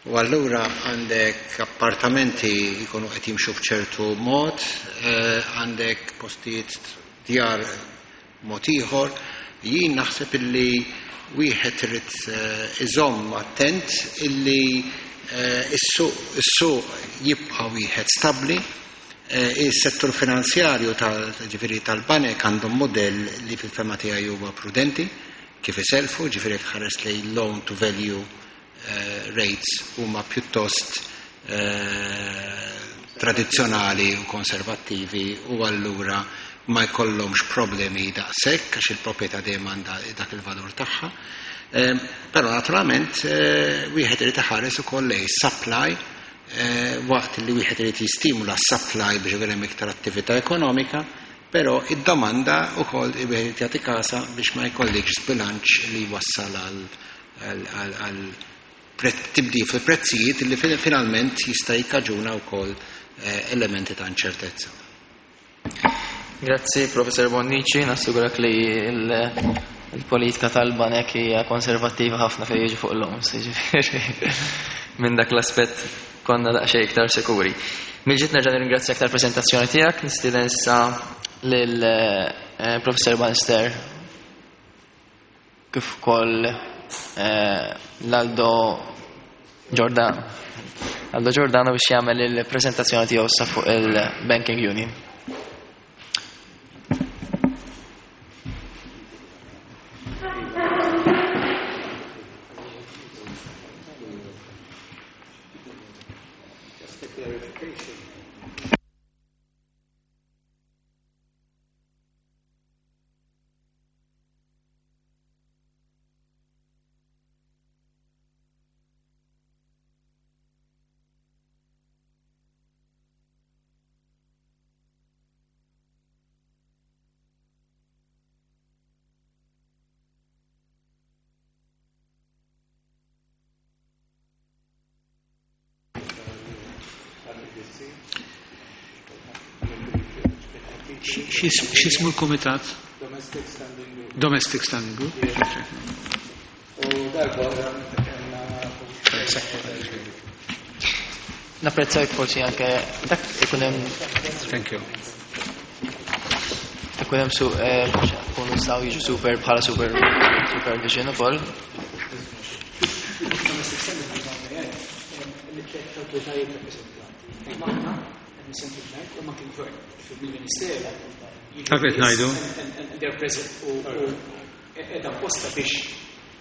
U allura għandek appartamenti jkunu qed jimxu b'ċertu mod, għandek postijiet djar mod ieħor. Jien naħseb illi wieħed irid iżomm attent illi is-suq jibqa' wieħed stabbli. Is-settur finanzjarju ġifieri tal-banek għandhom modell li fil-fehma tiegħi huwa prudenti kif iselfu, ġifieri jekk tħares lejn loan to value rates huma pjuttost tradizzjonali u konservattivi u allura ma jkollhomx problemi daqshekk għax il-proprjetà dejjem għandha dak il-valur tagħha. Però naturalment wieħed irid iħares ukoll lejn supply waqt li wieħed irid jistimula supply biex ikun hemm iktar attività ekonomika, però id-domanda wkoll wieħed irid jagħti kasa biex ma jkollikx sbilanċ li jwassal għal tibdil fil-prezzijiet li finalment jista' jikkaġuna wkoll elementi ta' inċertezza. Grazzi, Professor Bonnici, nassigurak li il-politika tal-banek hija konservattiva ħafna fejn jiġi fuq l-loans, jiġifieri minn dak l-aspett konna daqsxejn iktar sikuri. Mill-ġdid nerġa' nirringrazzjak tal-preżentazzjoni tiegħek, nistieden issa lil Professor Bannister kif ukoll l-Aldo Giordano. Aldo Giordano biex jagħmel il-preżentazzjoni tiegħu issa fuq il-Banking Union. Just a clarification. X'ismu l-kumitat? Domestic Standing Group. Domestic Standing Group. U darba oħra meta kellna Napprezza jekk forsi anke dak ikun hemm Thank you. Ikun hemm su jkunu jistgħu jiġu super bħala super supervision ukoll. Domestic Standing Group hawnhekk li-tliet awtoritajiet rappreżentanti. Hemm aħna, hemm il-Central Bank u anke l-Gvern, mill-Ministeru. Dak qed ngħidu. And they're present u qiegħda apposta biex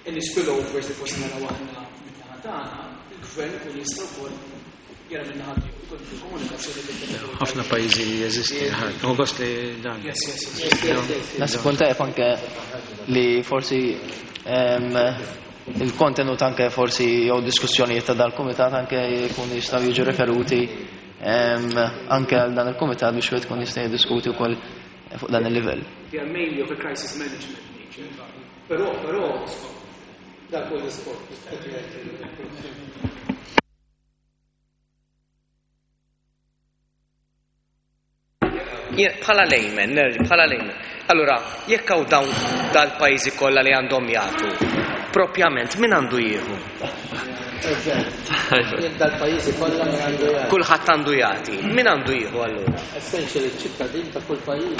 any spillovers li forsi naraw aħna min-naħa tagħna, il-Gvern ikun jista' wkoll jara min-naħa tiegħu, ikun fil-komunikazzjoni bejn Ħafna pajjiżi jeżisti, ħadd. Gost li dan. Yes. Naħseb punt tajjeb anke li forsi il-kontenut anke forsi jew diskussjonijiet ta' dal-kumitat anke jkunu jistgħu jiġu referuti anke għal dan il-kumitat biex wieħed ikun jista' jiddiskuti wkoll fuq dan il-livell. They are mainly of a crisis management nature. Però, dak huwa l-iskop. Jien bħala layman, nerġa' bħala layman. Allura, jekk hawn dawn dal-pajjiżi kollha li għandhom jagħtu, propjament min għandu jieħu? Jekk dal-pajjiżi kollha min għandu jagħti. Kulħadd għandu jagħti. Min għandu jieħu allura? Essentially ċ-ċittadin ta' kull pajjiż.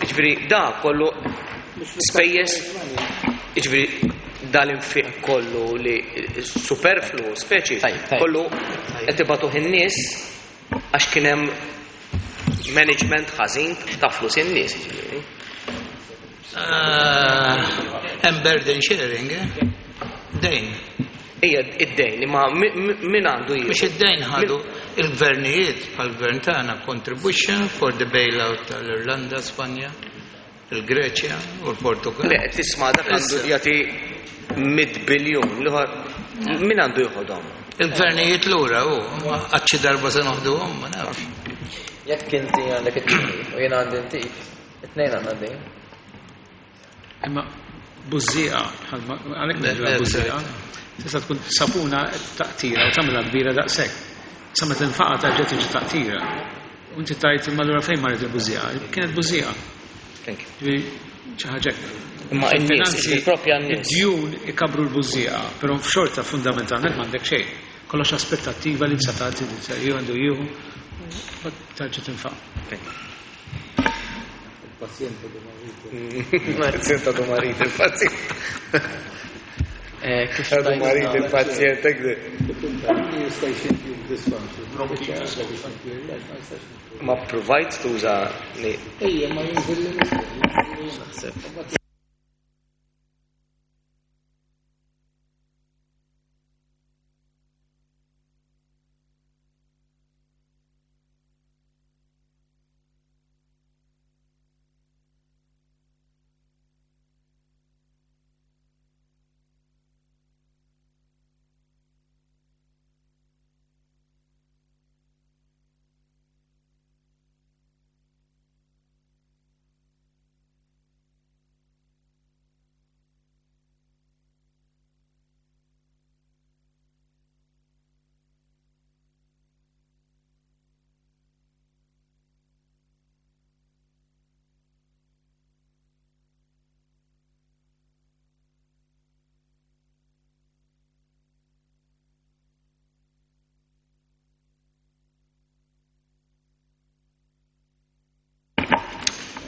Ġifieri da kollu spejjeż, ġifieri dal-infiq kollu li superflu, speċi, kollu qed ibatuh in-nies għax kien hemm management ħażin ta' flus in-nies, ġifieri. Hemm burden sharing, eh? Dejn. Ija, id-dejn, imma min għandu jieħu? Mhux id-dejn ħadu il-gvernijiet bħal-gvern tagħna contribution for the bailout tal-Irlanda, Spanja, il-Greċja u l-Portugal. Le, tisma' dak għandu jagħti 100 biljun, l-ieħor min għandu jieħodhom? Il-gvernijiet lura hu, ma qatt xi darba se noħduhom, ma nafx. Jekk inti għandek it-tnejn u jiena għandi intik, it-tnejn għandna d-dejn. Imma bużżieqa, għalhekk ngħidilha bużżieqa, tista' tkun sapuna taqtira u tagħmilha kbira daqshekk. Sa meta tinfaqa' terġa' tiġi taqtira. U inti tajt imma allura fejn marret il-bużżieqa? Kienet bużżieqa. Thank you. Ġifieri xi ħaġa hekk. Imma n-nies, Finanzi, il-propja n-nies. Id-djun ikabru l-bużżieqa, però f'xorta fundamentalment m'għandek xejn. Kollox aspettattiva li sa tagħti li se jieħu għandu jieħu, u terġa' tinfaq. Thank you. Il-pazjent du marit. Il-pazjent du marit, il-pazjent. Kif Du tajt marit, nagħmel? il-pazjent, hekk. Ma provajt tuża li. Ejja, ma jinżil li Naħseb.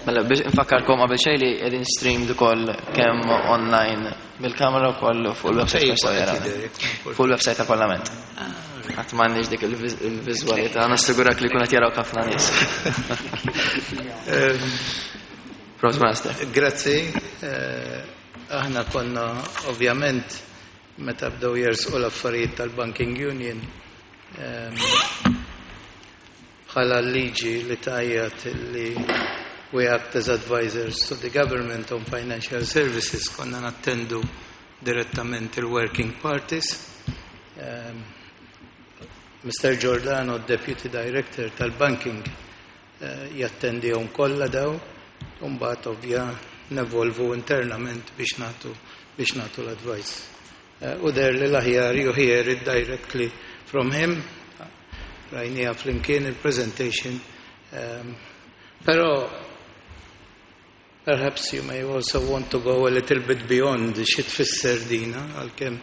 Mela, biex infakkarkom qabel xejn li qegħdin streamed ukoll kemm online bil-kamera wkoll fuq il-website Fejn tal qed Parlament. jidher, jekk ma nfurx. Fuq il-website tal-Parlament. Qatt m'għandniex dik il-viżwalità, nassigurak li jkun qed jaraw ħafna nies. Prost Master. Grazzi. Aħna konna ovvjament meta bdew jersqu l-affarijiet tal-Banking Union bħala liġi li tajjat li we act as advisors to the government on financial services, konna nattendu direttament il-working parties. Mr. Giordano, Deputy Director tal-Banking, jattendihom kollha daw, u mbagħad ovvja nevolvu internament biex nagħtu l-advice. U der li l-aħjar you hear it directly from him, rajnija flimkien il-presentation. Però Perhaps you may also want to go a little bit beyond xi tfisser dina, għalkemm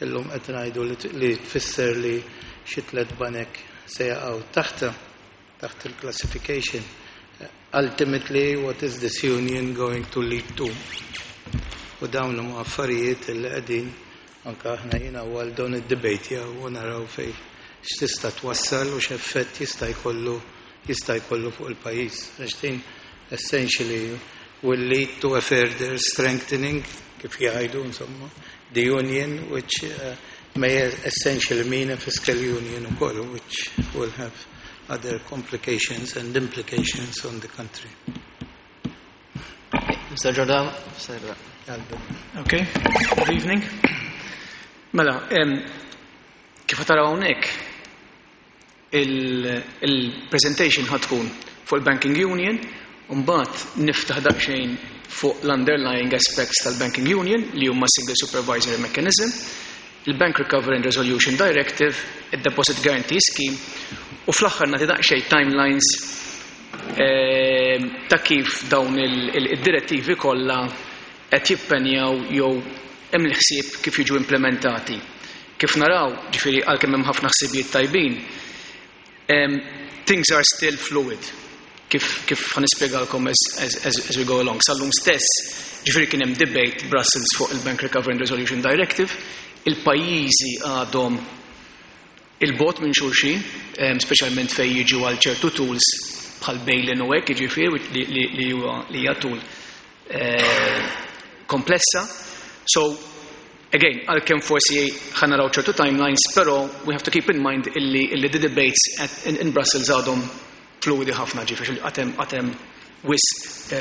illum qed ngħidu li tfisser li xi tlet banek se jaqgħu taħta taħt il-classification. Ultimately, what is this union going to lead to? U dawn huma affarijiet li qegħdin anke aħna jiena għal dawn id-debate u naraw fej x'tista' twassal u x'effett jista' jkollu fuq il-pajjiż. Għax din essentially will lead to a further strengthening, kif jgħidu insomma, the union, which may essentially mean a fiscal union ukoll, which will have other complications and implications on the country. Mr. Giordano, Mr. Okay, good evening. Mela, kif taraw hawnhekk il-presentation ħa tkun fuq il-Banking Union, u mbagħad niftaħ daqsxejn fuq l-underlying aspects tal-Banking Union li huma Single Supervisory Mechanism, il-Bank Recovery and Resolution Directive, il-Deposit Guarantee Scheme, u fl-aħħar nagħti daqsxejn timelines ta' kif dawn il-direttivi kollha qed jippenjaw jew hemm il-ħsieb kif jiġu implementati. Kif naraw, ġifieri, għalkemm hemm ħafna ħsibijiet tajbin, things are still fluid. Kif ħa nispjegalkom as we go along. Sal-lum stess, ġifieri, kien hemm debate Brussels fuq il-Bank Recovery and Resolution Directive, il-pajjiżi għadhom 'il bogħod minn xulxin, speċjalment fejn jiġu għal ċertu tools bħal bail-in u hekk, jiġifieri li hija tool komplessa. So, again, għalkemm forsi ħa naraw ċertu timelines, però we have to keep in mind illi the debates in Brussels għadhom fluidi ħafna, ġifieri għad hemm wisq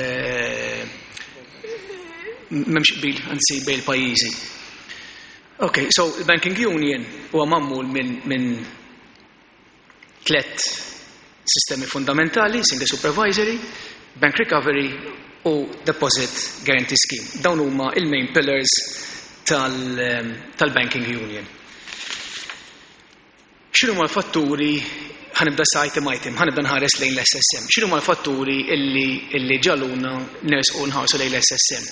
m'hemmx qbil, anzi, bejn il-pajjiżi. Okay, so il-Banking Union huwa magħmul minn tlet sistemi fundamentali: Single Supervisory, Bank Recovery u Deposit Guarantee Scheme. Dawn huma il-main pillars tal-Banking Union. X'inhuma l-fatturi? Ħa nibda sa item item, ħa nibda nħares lejn l-SSM. X'inhuma l-fatturi illi ġagħluna nersqu nħarsu lejn l-SSM?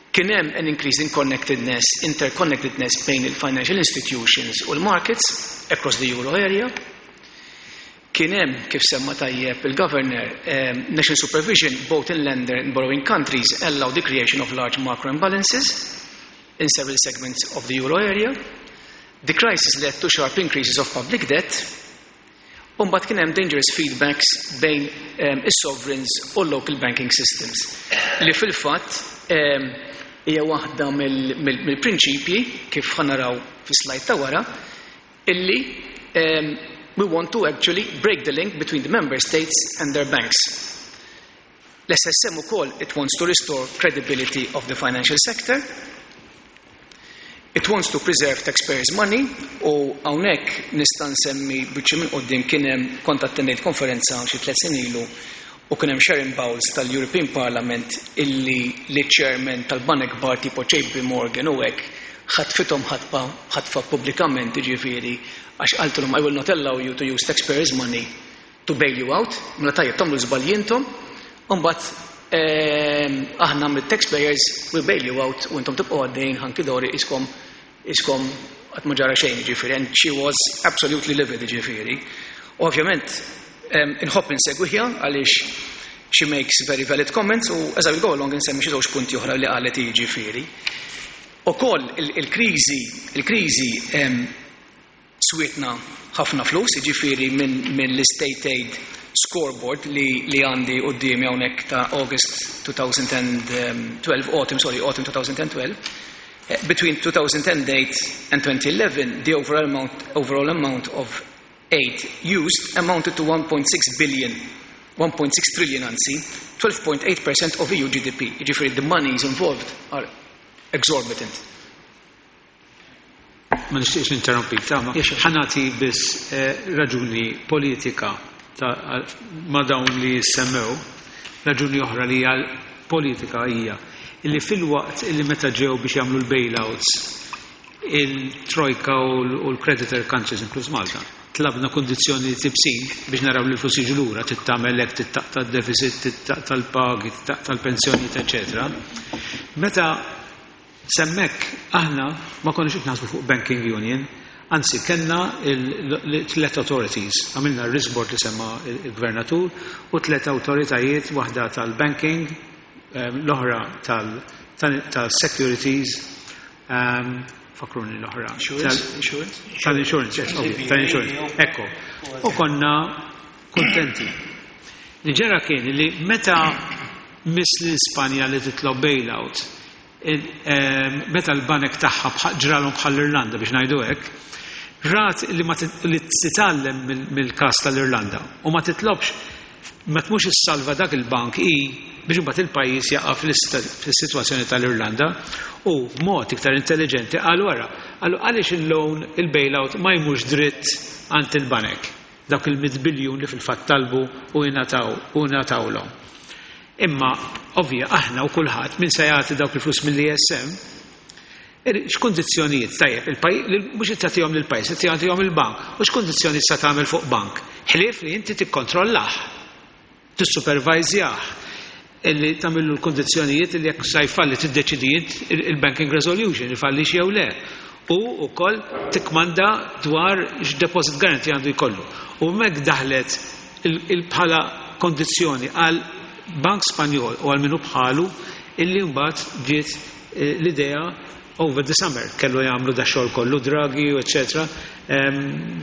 Kien hemm an increase in connectedness, interconnectedness bejn il-financial institutions u l-markets across the euro area. Kien hemm, kif semma tajjeb il-governor, national supervision both in lender and borrowing countries allow the creation of large macro imbalances in several segments of the euro area. The crisis led to sharp increases of public debt. U mbagħad kien hemm dangerous feedbacks bejn is-sovereigns u local banking systems. Li fil-fatt hija waħda mill-prinċipji, kif ħa naraw fi slide ta' wara, illi we want to actually break the link between the member states and their banks. L-SSM ukoll, it wants to restore credibility of the financial sector. It wants to preserve taxpayers' money, u hawnhekk nista' nsemmi biċċi minn quddiem, kien hemm, kont attendejt konferenza xi 3 snin ilu u kien hemm Sharon Bowles tal-European Parliament illi li chairman tal-banek kbar tipo JP Morgan u hekk ħatfithom ħatfa ħatfa pubblikament, ġifieri, għax qaltilhom, "I will not allow you to use taxpayers' money to bail you out, mela tajjeb tagħmlu żbalji intom, u mbagħad aħna mit-taxpayers we bail you out u intom tibqgħu għaddejn hunky dory iskom qatt ma ġara xejn", ġifieri, and she was absolutely livid, ġifieri. U ovvjament inħobb insegwiha għaliex she makes very valid comments, u as I will go along insemmi xi żewġ punti oħra li qalet, jiġifieri. Ukoll il-kriżi swietna ħafna flus, jiġifieri minn l-State Aid scoreboard li għandi quddiemi hawnhekk ta' August 2012, autumn, sorry, autumn 2012, between 2008 and 2011, the overall amount of aid used amounted to 1.6 billion, 1.6 trillion anzi, 12.8% of EU GDP. Jiġifieri the monies involved are exorbitant. Ma nixtieqx ninterrompi, tama. Yes, sure. Ħa nagħti biss raġuni politika ma' dawn li semmew, raġuni oħra li hija politika hija illi fil-waqt illi meta ġew biex jagħmlu l-bailouts il-Trojka u l-creditor countries, inkluż Malta. tlabna kundizzjonijiet ibsin biex naraw li l-flus jiġu lura, trid tagħmel hekk, trid taqta' d-deficit, trid taqta' l-pagi, trid taqta' l-pensjonijiet, eċċetera. Meta s'hemmhekk aħna ma konniex qed naħsbu fuq banking union, anzi kellna tliet authorities, għamilna r-risk board li semma l-gvernatur u tliet awtoritajiet, waħda tal-banking, l-oħra tal-securities, Fakruni l-oħra. Insurance? Tal-insurance, yes, ovvio, tal-insurance. Ekku. U konna kontenti. Li ġara kien li meta miss l-Ispanja li titlob bailout, meta l-banek tagħha ġralhom bħall-Irlanda biex ngħidu hekk, rat li ma li titgħallem mill-każ tal-Irlanda u ma titlobx ma tmux issalva dak il-bank hi biex imbagħad il-pajjiż jaqa' fis-sitwazzjoni tal-Irlanda u b'mod iktar intelliġenti qalu ara, qalu għaliex il-loan, il-bailout ma jmurx dritt għand il-banek, dawk il-mitt biljun li fil-fatt talbu u ingħataw u ingħatawlhom. Imma ovvja aħna u kulħadd min se jagħti dawk il-flus mill-ESM X'kundizzjonijiet, tajjeb, il-pajjiż, mhux qed tagħtihom lill-pajjiż, qed tagħtihom il-bank. U x'kundizzjonijiet sa tagħmel fuq bank? Ħlief li inti tikkontrollah, tissupervajżjah, illi tagħmillu l-kundizzjonijiet li jekk sa jfalli tiddeċidi int il-banking resolution, ifallix jew le. U wkoll tikkmanda dwar x'deposit guarantee għandu jkollu. U hemmhekk daħlet bħala kondizzjoni għal Bank Spanjol u għal min hu bħalu illi mbagħad ġiet l-idea over the summer kellu jagħmlu da xogħol kollu Draghi u eċċetera.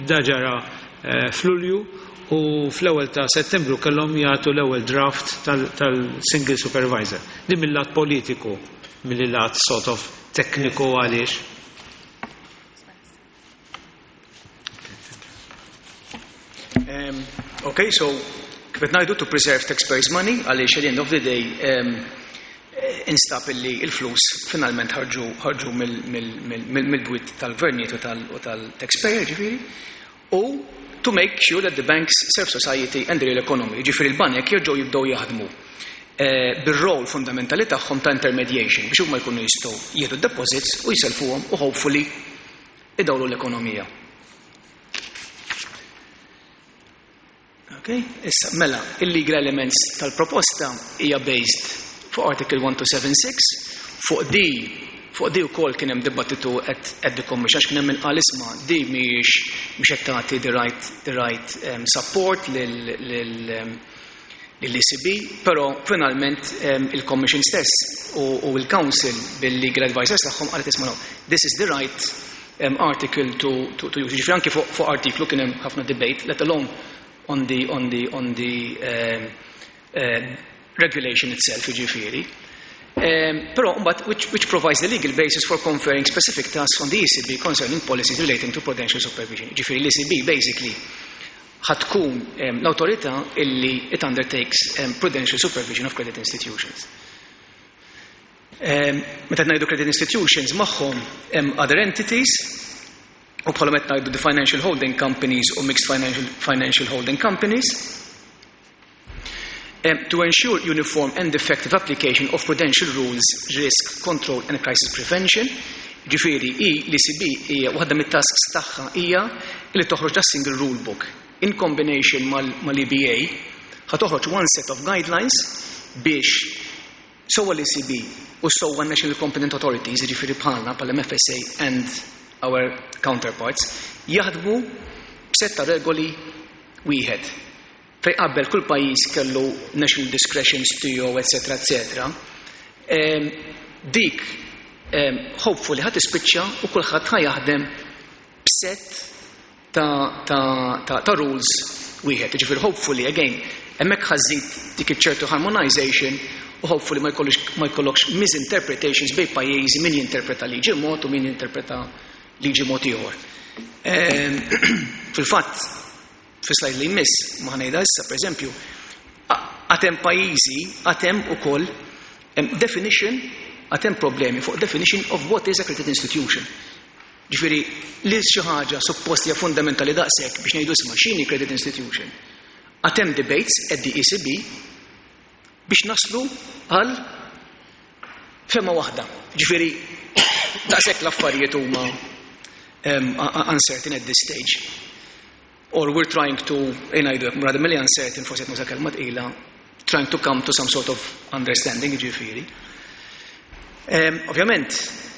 Da ġara f'Lulju u fl-ewwel ta' Settembru kellhom jagħtu l-ewwel draft tal-single supervisor. Din mill-lat politiku, mill-lat sort of tekniku għaliex. Um, okay, so kif qed ngħidu to preserve taxpayers money għaliex at the end of the day um, instab illi il-flus finalment ħarġu ħarġu mill-bwiet tal-gvernijiet u tal-taxpayer ġifieri u to make sure that the banks serve society and the real economy. Ġifieri l-banek jerġgħu jibdew jaħdmu eh, bir-rol fundamentali tagħhom ta' intermediation biex huma jkunu jistgħu jieħdu deposits u jiselfuhom u hopefully idawlu l-ekonomija. Okay? Issa, mela, il-legal elements tal-proposta hija based fuq Article 1276, fuq di fuq di wkoll kien hemm dibattitu at, at the commission għax kien hemm inqal isma' di mhijiex mhux qed tagħti the right the right um, support lil lil um, lill-ECB, però finalment um, il-Commission stess u, u il-Council bil-legal advisors tagħhom qalet isma' no, this is the right um, article to, to, to use. Ġifieri anki fuq fu artiklu kien hemm ħafna debate, let alone on the, on the, on the um, uh, regulation itself, jiġifieri. Um, però mbagħad which, which provides the legal basis for conferring specific tasks on the ECB concerning policies relating to prudential supervision. Ġifieri l-ECB basically ħa tkun l-awtorità illi it undertakes prudential supervision of credit institutions. Meta ngħidu credit institutions magħhom hemm other entities u bħalhom qed ngħidu the financial holding companies u mixed financial, financial holding companies. Um, to ensure uniform and effective application of prudential rules, risk, control and crisis prevention, ġifieri i l-ECB hija waħda mit-tasks tagħha hija li toħroġ da single rule book in combination mal-EBA ħa toħroġ one set of guidelines biex sewwa l-ECB u sewwa National Competent Authorities, ġifieri bħalna bħal-MFSA and our counterparts, jaħdmu b'sett ta' regoli wieħed. Fejn qabel kull pajjiż kellu national discretions tiegħu etc. etc. Dik hopefully ħa tispiċċa u kulħadd ħa jaħdem b'set ta', ta, ta, ta rules wieħed. Ġifieri hopefully again hemmhekk ħa żżid dik iċ-ċertu harmonization u hopefully ma jkollux ma jkollokx misinterpretations bejn pajjiżi min jinterpreta liġi mod u min jinterpreta liġi mod ieħor. Fil-fatt Fi slide li jmiss, ma ngħidha issa, pereżempju, għad hemm pajjiżi, għad hemm ukoll definition, għad hemm problemi fuq definition of what is a credit institution. Ġifieri, li xi ħaġa suppost hija fundamentali daqshekk biex ngħidu isma' x'inhi credit institution. Għad hemm debates at the ECB biex naslu għal fehma waħda. Ġifieri, daqshekk l-affarijiet huma um, uncertain at this stage. Or we're trying to, ngħidu hekk, rather milli uncertain, forsi qed nuża kelma tqila, trying to come to some sort of understanding, jiġifieri. Ovvjament,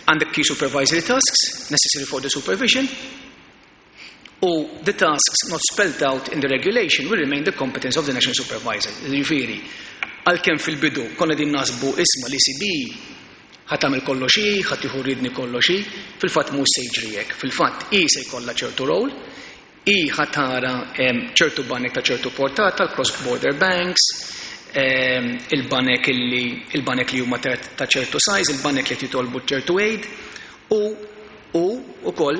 għandek key supervisory tasks necessary for the supervision, u the tasks not spelled out in the regulation will remain the competence of the national supervisor. Jiġifieri, għalkemm fil-bidu konna din nasbu isma' l-ECB ħa tagħmel kollox hi, ħa tieħu ridni kollox hi, fil-fatt mhux se jiġri hekk. Fil-fatt hi se jkollha ċertu role, hi ħa tara ċertu banek ta' ċertu portata, l-cross border banks, il-banek illi il-banek li huma ta' ċertu size, il-banek li qed jitolbu ċertu aid u u ukoll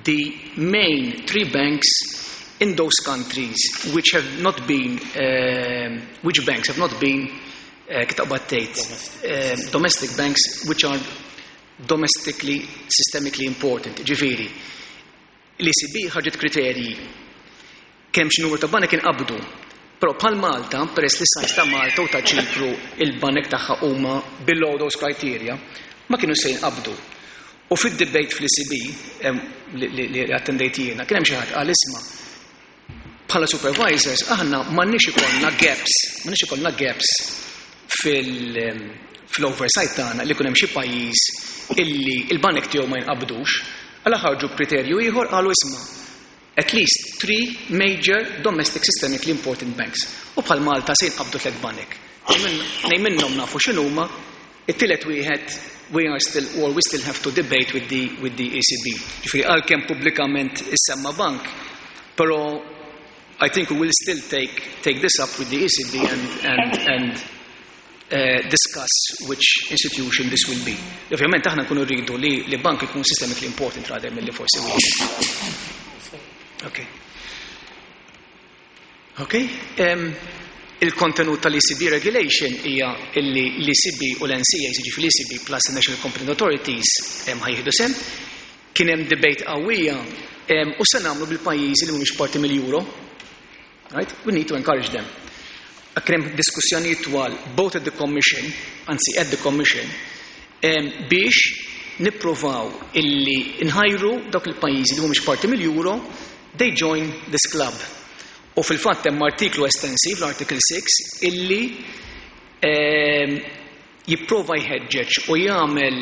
the main three banks in those countries which have not been which banks have not been kif taqbad tgħid domestic banks which are domestically systemically important. Ġifieri, l-ECB ħarġet kriterji kemm xi numru ta' banek inqabdu. Però bħal Malta, peress li size ta' Malta u ta' Ċipru il-banek tagħha huma below those criteria, ma kienu se jinqabdu. U fid-debate fl-ECB li attendejt jiena, kien hemm xi ħadd qal isma' bħala supervisors aħna m'għandniex ikollna gaps, m'għandniex ikollna gaps fil-oversight tagħna li jkun hemm xi pajjiż illi il-banek tiegħu ma jinqabdux, għala ħarġu b'kriterju ieħor qalu isma' at least three major domestic systemically important banks. U bħal Malta se jinqabdu tliet banek. Tnejn minnhom nafu x'inhuma, it-tielet wieħed we are still or we still have to debate with the ECB. Ġifieri għalkemm pubblikament issemma bank, però I think we will still take this up with the ECB and discuss which institution this will be. Ovvjament aħna nkunu rridu li bank ikun systemically important rather milli forsi wieħed. Okay. Okay. Il-kontenut tal-ECB regulation hija illi l-ECB u l-NCA, jiġifieri l-ECB plus the National Competent Authorities ħa jieħdu sehem. Kien hemm debate qawwija u se nagħmlu bil-pajjiżi li mhumiex parti mill-Euro. Right? We need to encourage them. Kien hemm diskussjonijiet twal both at the Commission, anzi at the Commission, biex nippruvaw illi nħajru dawk il-pajjiżi li mhumiex parti mill-Euro, they join this club. U fil-fatt hemm artiklu estensiv, l-Article 6, illi jipprova jħeġġeġ u jagħmel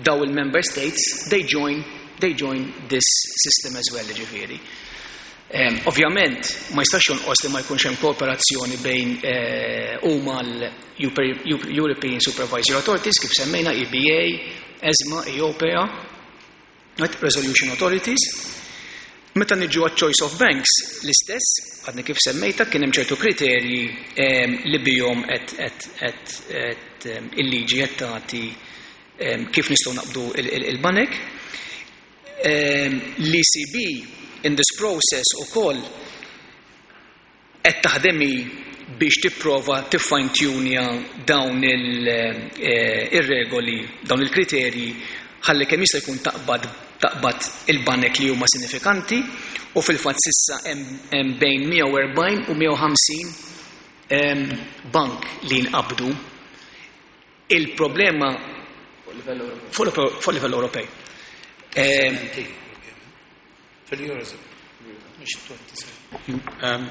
daw il-member states, they join this system as well, ġifieri. Ovvjament, ma jistax jonqos li ma jkunx hemm kooperazzjoni bejn u mal-European Supervisory Authorities, kif semmejna EBA, ESMA, EIOPA, right? Resolution Authorities. Meta niġu għat choice of banks, l-istess, għadni kif semmejta, kien hemm ċertu kriterji li bihom qed il-liġi qed tagħti kif nistgħu naqbdu il-banek. L-ECB in this process ukoll qed taħdem biex tipprova tiffine-tunja dawn ir-regoli, dawn il-kriterji, ħalli kemm jista' jkun taqbad il-banek li huma sinifikanti u fil-fatt sissa hemm bejn 140 u 150 bank li nqabdu. Il-problema fuq livell Ewropej. Fil-Eurozone. Mhux 27.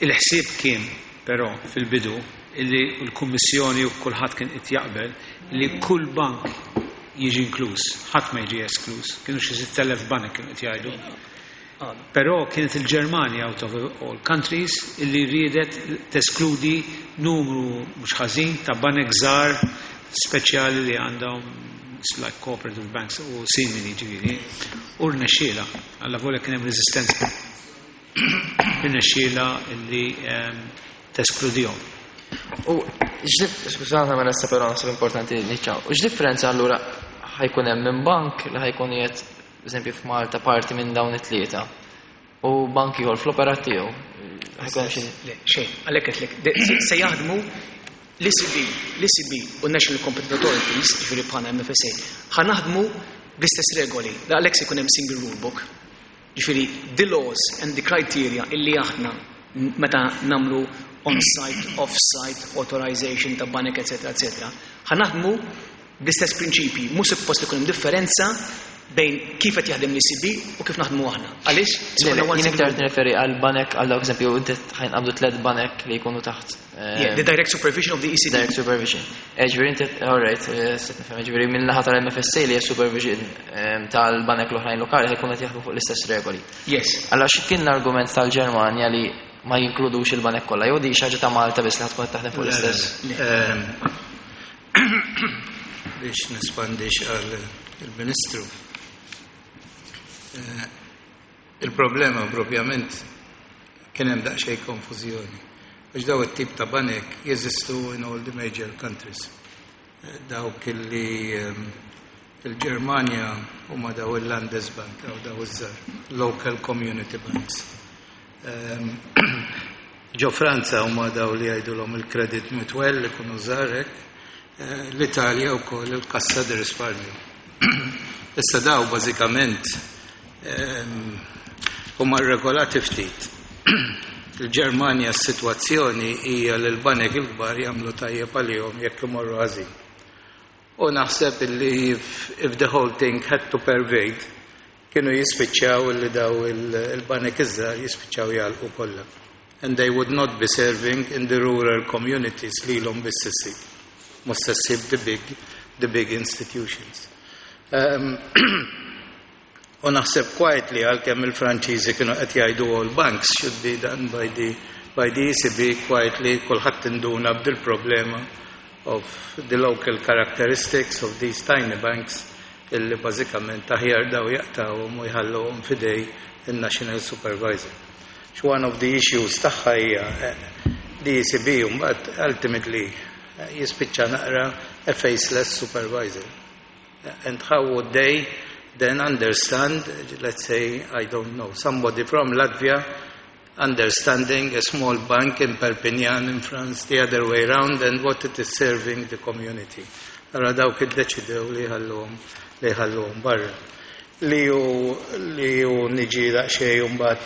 Il-ħsieb kien però fil-bidu illi l-Kummissjoni u kulħadd kien qed jaqbel li kull bank jiġi inkluż, ħadd ma jiġi eskluż, kienu xi 6000 bank kienu qed jgħidu. Però kienet il-Ġermanja out of all countries illi riedet teskludi numru mhux ħażin ta' banek żgħar speċjali li għandhom like cooperative banks u simili ġifieri. U rnexxiela, alla volja kien hemm reżistenza. Irnexxiela illi teskludihom. U skużata ma nesta però naħseb importanti niċċaw. U x'differenza allura ħa jkun hemm minn bank li ħa jkun qiegħed eżempju f'Malta parti minn dawn it-tlieta u bank ieħor fl-operat tiegħu? Ħa jkun hemm xi Le, xejn, għalhekk qedlek, se jaħdmu l-ECB, l-ECB u National Competent Authorities, ġifieri bħala MFSA, ħa naħdmu bl-istess regoli. Għalhekk se jkun hemm single rule book. Ġifieri the laws and the criteria illi aħna meta nagħmlu on-site, off-site, authorization ta' banek, etc., etc. Ħa naħdmu bl-istess prinċipji, mhux suppost ikun hemm differenza. bejn kif qed jaħdem l-ECB u kif naħdmu aħna. Għaliex? Jien iktar nirreferi għal banek għal dawk eżempju inti ħa jinqabdu tliet banek li jkunu taħt. Yeah, the direct supervision of the ECB. Direct supervision. Ġifieri inti, all right, stajt nifhem, ġifieri minn naħa tal-MFSA li hija supervision tal-banek l-oħrajn lokali ħa jkunu qed jaħdmu fuq l-istess regoli. Yes. Allora x'kien l-argument tal-Ġermanja li ma jinkludux il-banek kollha jew di xi ħaġa ta' Malta biss li ħa tkun qed taħdem fuq l-istess? Biex nespandix għal il-Ministru. Il-problema propjament kien hemm daqsxejn konfużjoni. Għax daw it-tip ta' banek jeżistu in all the major countries. Dawk li il-Ġermanja huma daw il-Landesbank jew daw iż-żgħar, local community banks. Ġo Franza huma daw li jgħidulhom il-Credit Mutuel li kunu żgħar hekk, l-Italja wkoll il-Cassa di Risparmio. Issa daw bażikament huma regolati ftit. Il-Ġermanja s-sitwazzjoni hija li l-banek il-kbar jagħmlu tajjeb għalihom jekk imorru ħażin. U naħseb li if the whole thing had to pervade, kienu jispiċċaw li daw il-banek iż-żgħar jispiċċaw jagħlqu kollha. And they would not be serving in the rural communities lilhom biss issib. Mhux se ssib the big institutions. U naħseb quietly għalkemm il-Franċiżi kienu qed jgħidu all banks should be done by the ECB, quietly kulħadd induna b'dil problema of the local characteristics of these tiny banks illi bażikament aħjar daw jaqtawhom u jħalluhom f'idejn il-National Supervisor. One of the issues tagħha hija the ECB mbagħad ultimately jispiċċa naqra a faceless supervisor. And how would they then understand, let's say, I don't know, somebody from Latvia understanding a small bank in Perpignan in France the other way round and what it is serving the community? Allora dawk iddeċidew li jħalluhom barra. Li ju niġi daqsxejn mbagħad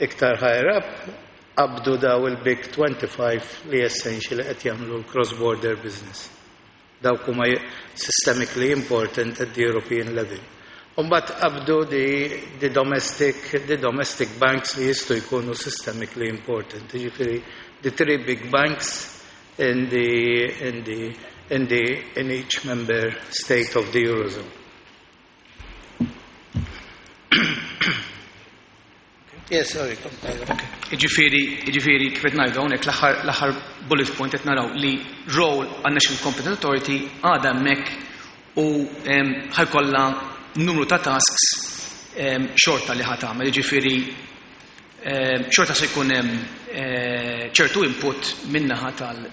iktar higher up, qabdu daw il-Big 25 li essentially qed jagħmlu l-cross-border business. Dawk huma systemically important at the European level. Umbat qabdu the domestic banks li jistgħu jkunu systemically important. Ġifieri, the three big banks in each member state of the Eurozone. Yes, sorry. Ġifieri, kif qed ngħidu hawnhekk l-aħħar bullet point qed naraw li role għan National Competent Authority għadha hemmhekk u ħa jkollha numru ta' tasks xorta li ħa tagħmel, ġifieri xorta se jkun hemm ċertu input min-naħa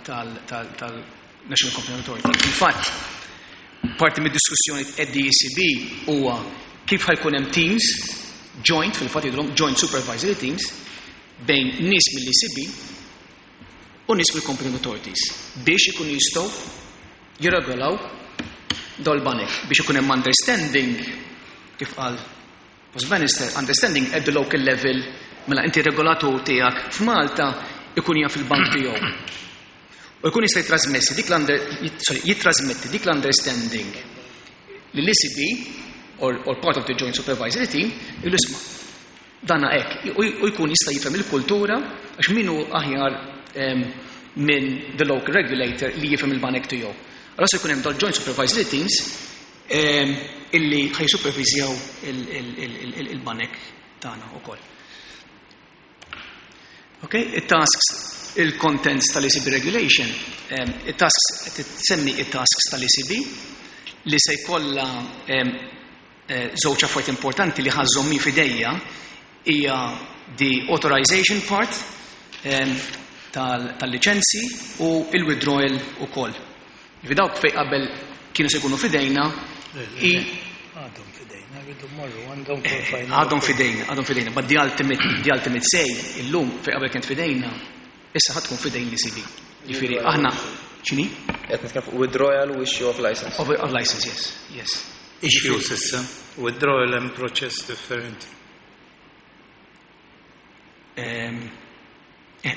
tal-National Competent Authority. Infatti, parti mid-diskussjoni at the ECB huwa kif ħa jkun hemm teams joint, fil-fatt jgħidulhom joint supervisory teams, bejn nies mill-ECB u nies mill-competent authorities biex ikunu jistgħu jirregolaw dol-banek biex ikun hemm understanding, kif qal Post Bannister, understanding at the local level, mela inti regolatur tiegħek f'Malta ikun jaf il-bank tiegħu. U jkun jista' jitrasmessi dik l-under, sorry, jitrasmetti dik l-understanding lill-ECB or part of the joint supervisory team, il-isma. Dana hekk, u jkun jista' jifhem il-kultura, għax min hu aħjar minn the local regulator li jifhem il-banek tiegħu? Allora se jkun hemm dal joint supervisory teams illi ħa jisupervizjaw il-banek tagħna ukoll. Ok, it-tasks, il-contents tal-ECB regulation, it-tasks, tsemmi it-tasks tal-ECB li se jkollha żewġ affarijiet importanti li ħa żżomm f'idejha, hija the authorization part tal-liċenzi u il-withdrawal ukoll. Ġifieri dawk fej qabel kienu se jkunu f'idejna i Għadhom f'idejna, rridu mmorru għandhom for final. Għadhom f'idejna, għadhom f'idejna, but the ultimate say illum fej qabel kient f'idejna, issa ħa tkun f'idejn l-ECB. Ġifieri aħna x'inhi? Qed nitkellem fuq withdrawal u issue of license. Of license, yes. Issues issa, withdrawal hemm proċess differenti.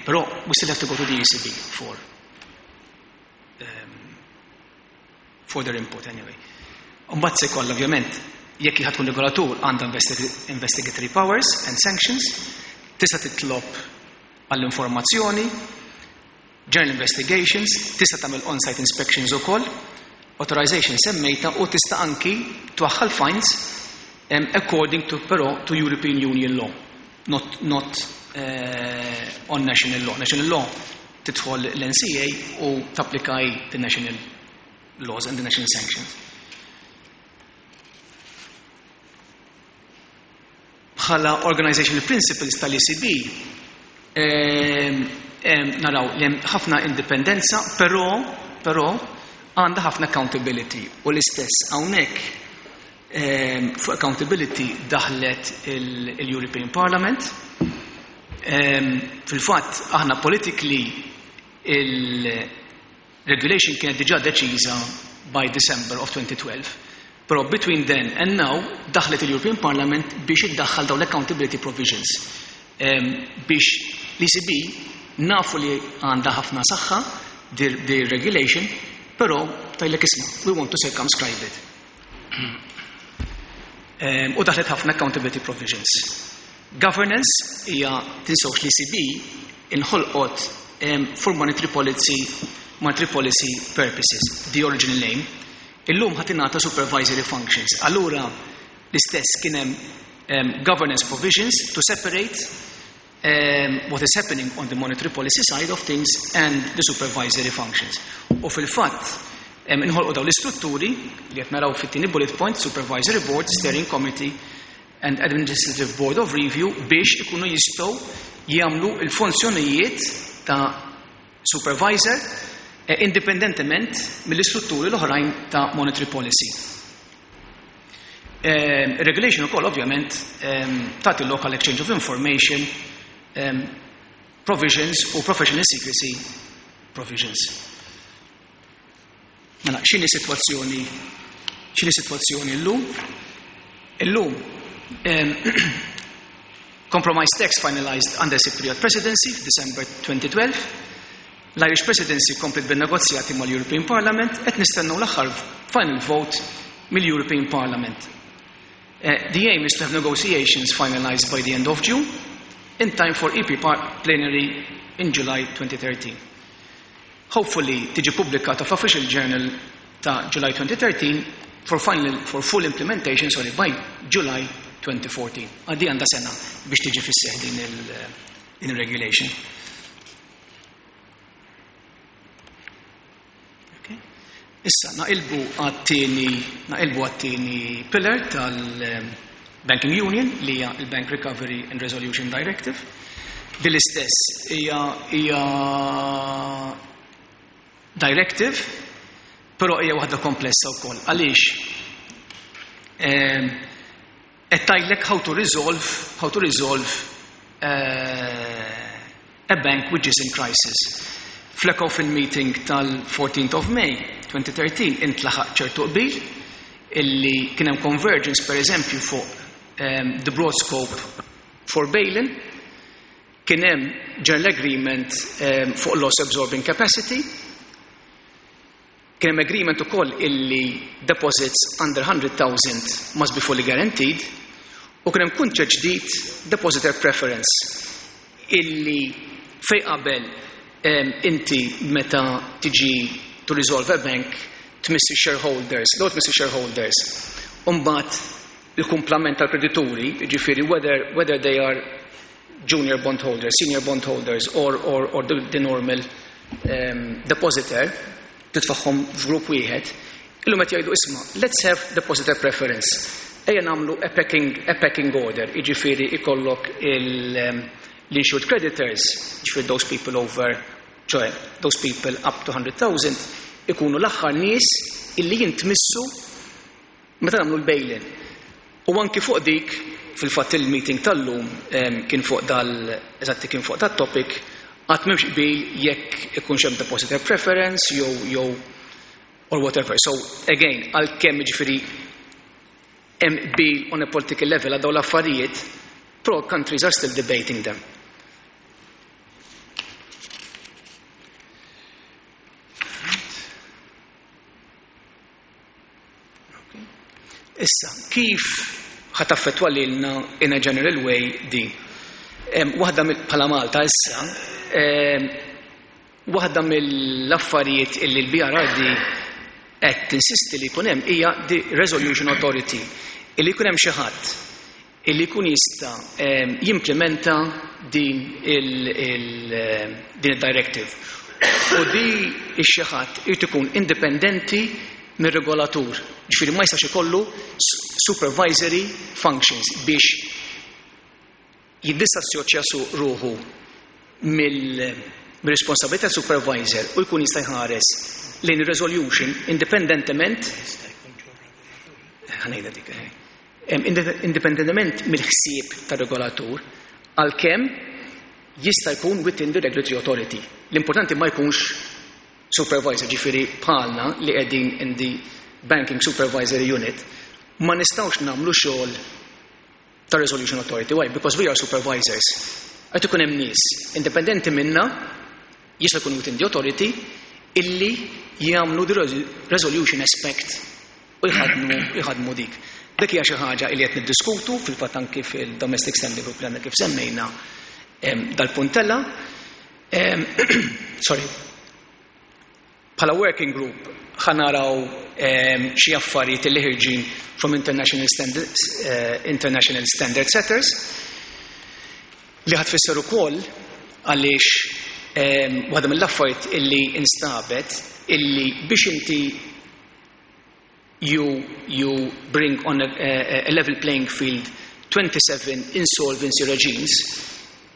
Però we still have to go to the ECB for their input anyway. Mbagħad se jkollha ovvjament Jekk ħa tkun regolatur għandha investigatory powers and sanctions, tista' titlob għall-informazzjoni, general investigations, tista' tagħmel on-site inspections ukoll, authorization semmejta u tista' anki twaħħal fines according to però to European Union law, not on national law. National law tidħol l-NCA u tapplikaj the national laws and the national sanctions. Bħala organizational principles tal-ECB, naraw li hemm ħafna indipendenza, però għandha ħafna accountability. U l-istess hawnhekk fuq accountability daħlet il-European Parliament. Fil-fatt aħna politically il-regulation kienet diġà deċiża by December of 2012. Però between then and now daħlet il-European Parliament biex iddaħħal dawn l-accountability provisions. Biex l-ECB nafu li għandha ħafna saħħa di regulation, però tgħidlek isma', we want to circumscribe it. U daħlet ħafna accountability provisions. Governance hija tinsewx l-ECB inħolqot for monetary policy purposes, the original name. Illum ħa tingħata supervisory functions. Allura l-istess kien hemm governance provisions to separate what is happening on the monetary policy side of things and the supervisory functions. U fil-fatt inħolqu dawn l-istrutturi li qed naraw fit-tieni bullet point, Supervisory Board, Steering Committee and Administrative Board of Review biex ikunu jistgħu jagħmlu l-funzjonijiet ta' supervisor indipendentement mill-istrutturi l-oħrajn ta' monetary policy. Regulation ukoll ovvjament tagħti local exchange of information provisions u professional secrecy provisions. Mela, x'inhi sitwazzjoni llum? Illum compromise text finalized under Cypriot presidency December 2012. L-Irish presidency komplet bin-negozjati mal-European Parliament qed nistennew l-aħħar final vote mill-European Parliament. The aim is to have negotiations finalized by the end of June in time for EP plenary in July 2013. Hopefully tiġi pubblikata f'Official Journal ta' July 2013 for full implementation, sorry, by July 2014. Għaddi għandha sena biex tiġi fis-seħ din il-regulation. Okay. Issa, naqilbu għat-tieni pillar tal-Banking Union li hija il-Bank Recovery and Resolution Directive. Din l-istess hija directive, però hija waħda komplessa wkoll. Għaliex? Qed tgħidlek how to resolve a bank which is in crisis. Fl-ECOFIN meeting tal-14th of May 2013 intlaħaq ċertu qbil illi kien hemm convergence per eżempju fuq the broad scope for bail-in, kien hemm general agreement fuq loss absorbing capacity, kien hemm agreement ukoll illi deposits under 100,000 must be fully guaranteed, u kien hemm kunċett ġdid depositor preference illi fej qabel inti meta tiġi to resolve a bank tmissi shareholders, l tmissi shareholders, u mbagħad il-kumplament tal-kredituri, ġifieri whether they are junior bondholders, senior bondholders or the normal depositor, titfagħhom f'grupp wieħed, illum qed jgħidu isma' let's have depositor preference. Ejja nagħmlu a pecking order, jiġifieri ikollok l-insured creditors, jiġifieri those people over, ċoè, those people up to 100,000, ikunu l-aħħar nies illi jintmissu meta nagħmlu l-bail-in. U anki fuq dik, fil-fatt il-meeting tal-lum kien fuq dal, eżatti kien fuq dat-topic, għad m'hemmx qbil jekk ikunx hemm depositor preference jew or whatever. So again, għalkemm jiġifieri hemm qbil on a political level għal dawn l-affarijiet, pro countries are still debating them. Okay. Issa, kif ħa taffettwa lilna in a general way din? Waħda bħala Malta issa, waħda mill-affarijiet illi l-BRRD qed tinsisti li jkun hemm hija the Resolution Authority, illi jkun hemm xi ħadd illi jkun jista' jimplementa din il-directive. U di xi ħadd irid ikun indipendenti mir-regolatur, ġifieri ma jistax ikollu supervisory functions biex jiddisassoċja su ruħu mill-responsabilità supervisor u jkun jista' jħares lejn resolution indipendentement, ħa ngħidha dik, indipendentement mill-ħsieb tar-regolatur, għalkemm jista' jkun within the regulatory authority. L-importanti ma jkunx supervisor, ġifieri bħalna li qegħdin in the Banking Supervisory Unit, ma nistgħux nagħmlu xogħol ta' Resolution Authority. Why? Because we are supervisors. Qed ikun hemm nies indipendenti minna, jista' jkun within the authority, illi jagħmlu the resolution aspect u jħadmu dik. Dik hija xi ħaġa li qed niddiskutu fil-fatt anki fil-Domestic Standing Group li għandna kif semmejna dal-puntella. Sorry. Bħala working group ħa naraw xi affarijiet li ħirġin from international standard setters li ħa tfisser ukoll għaliex waħda mill-affarijiet illi instabet illi biex inti you bring on a level playing field 27 insolvency regimes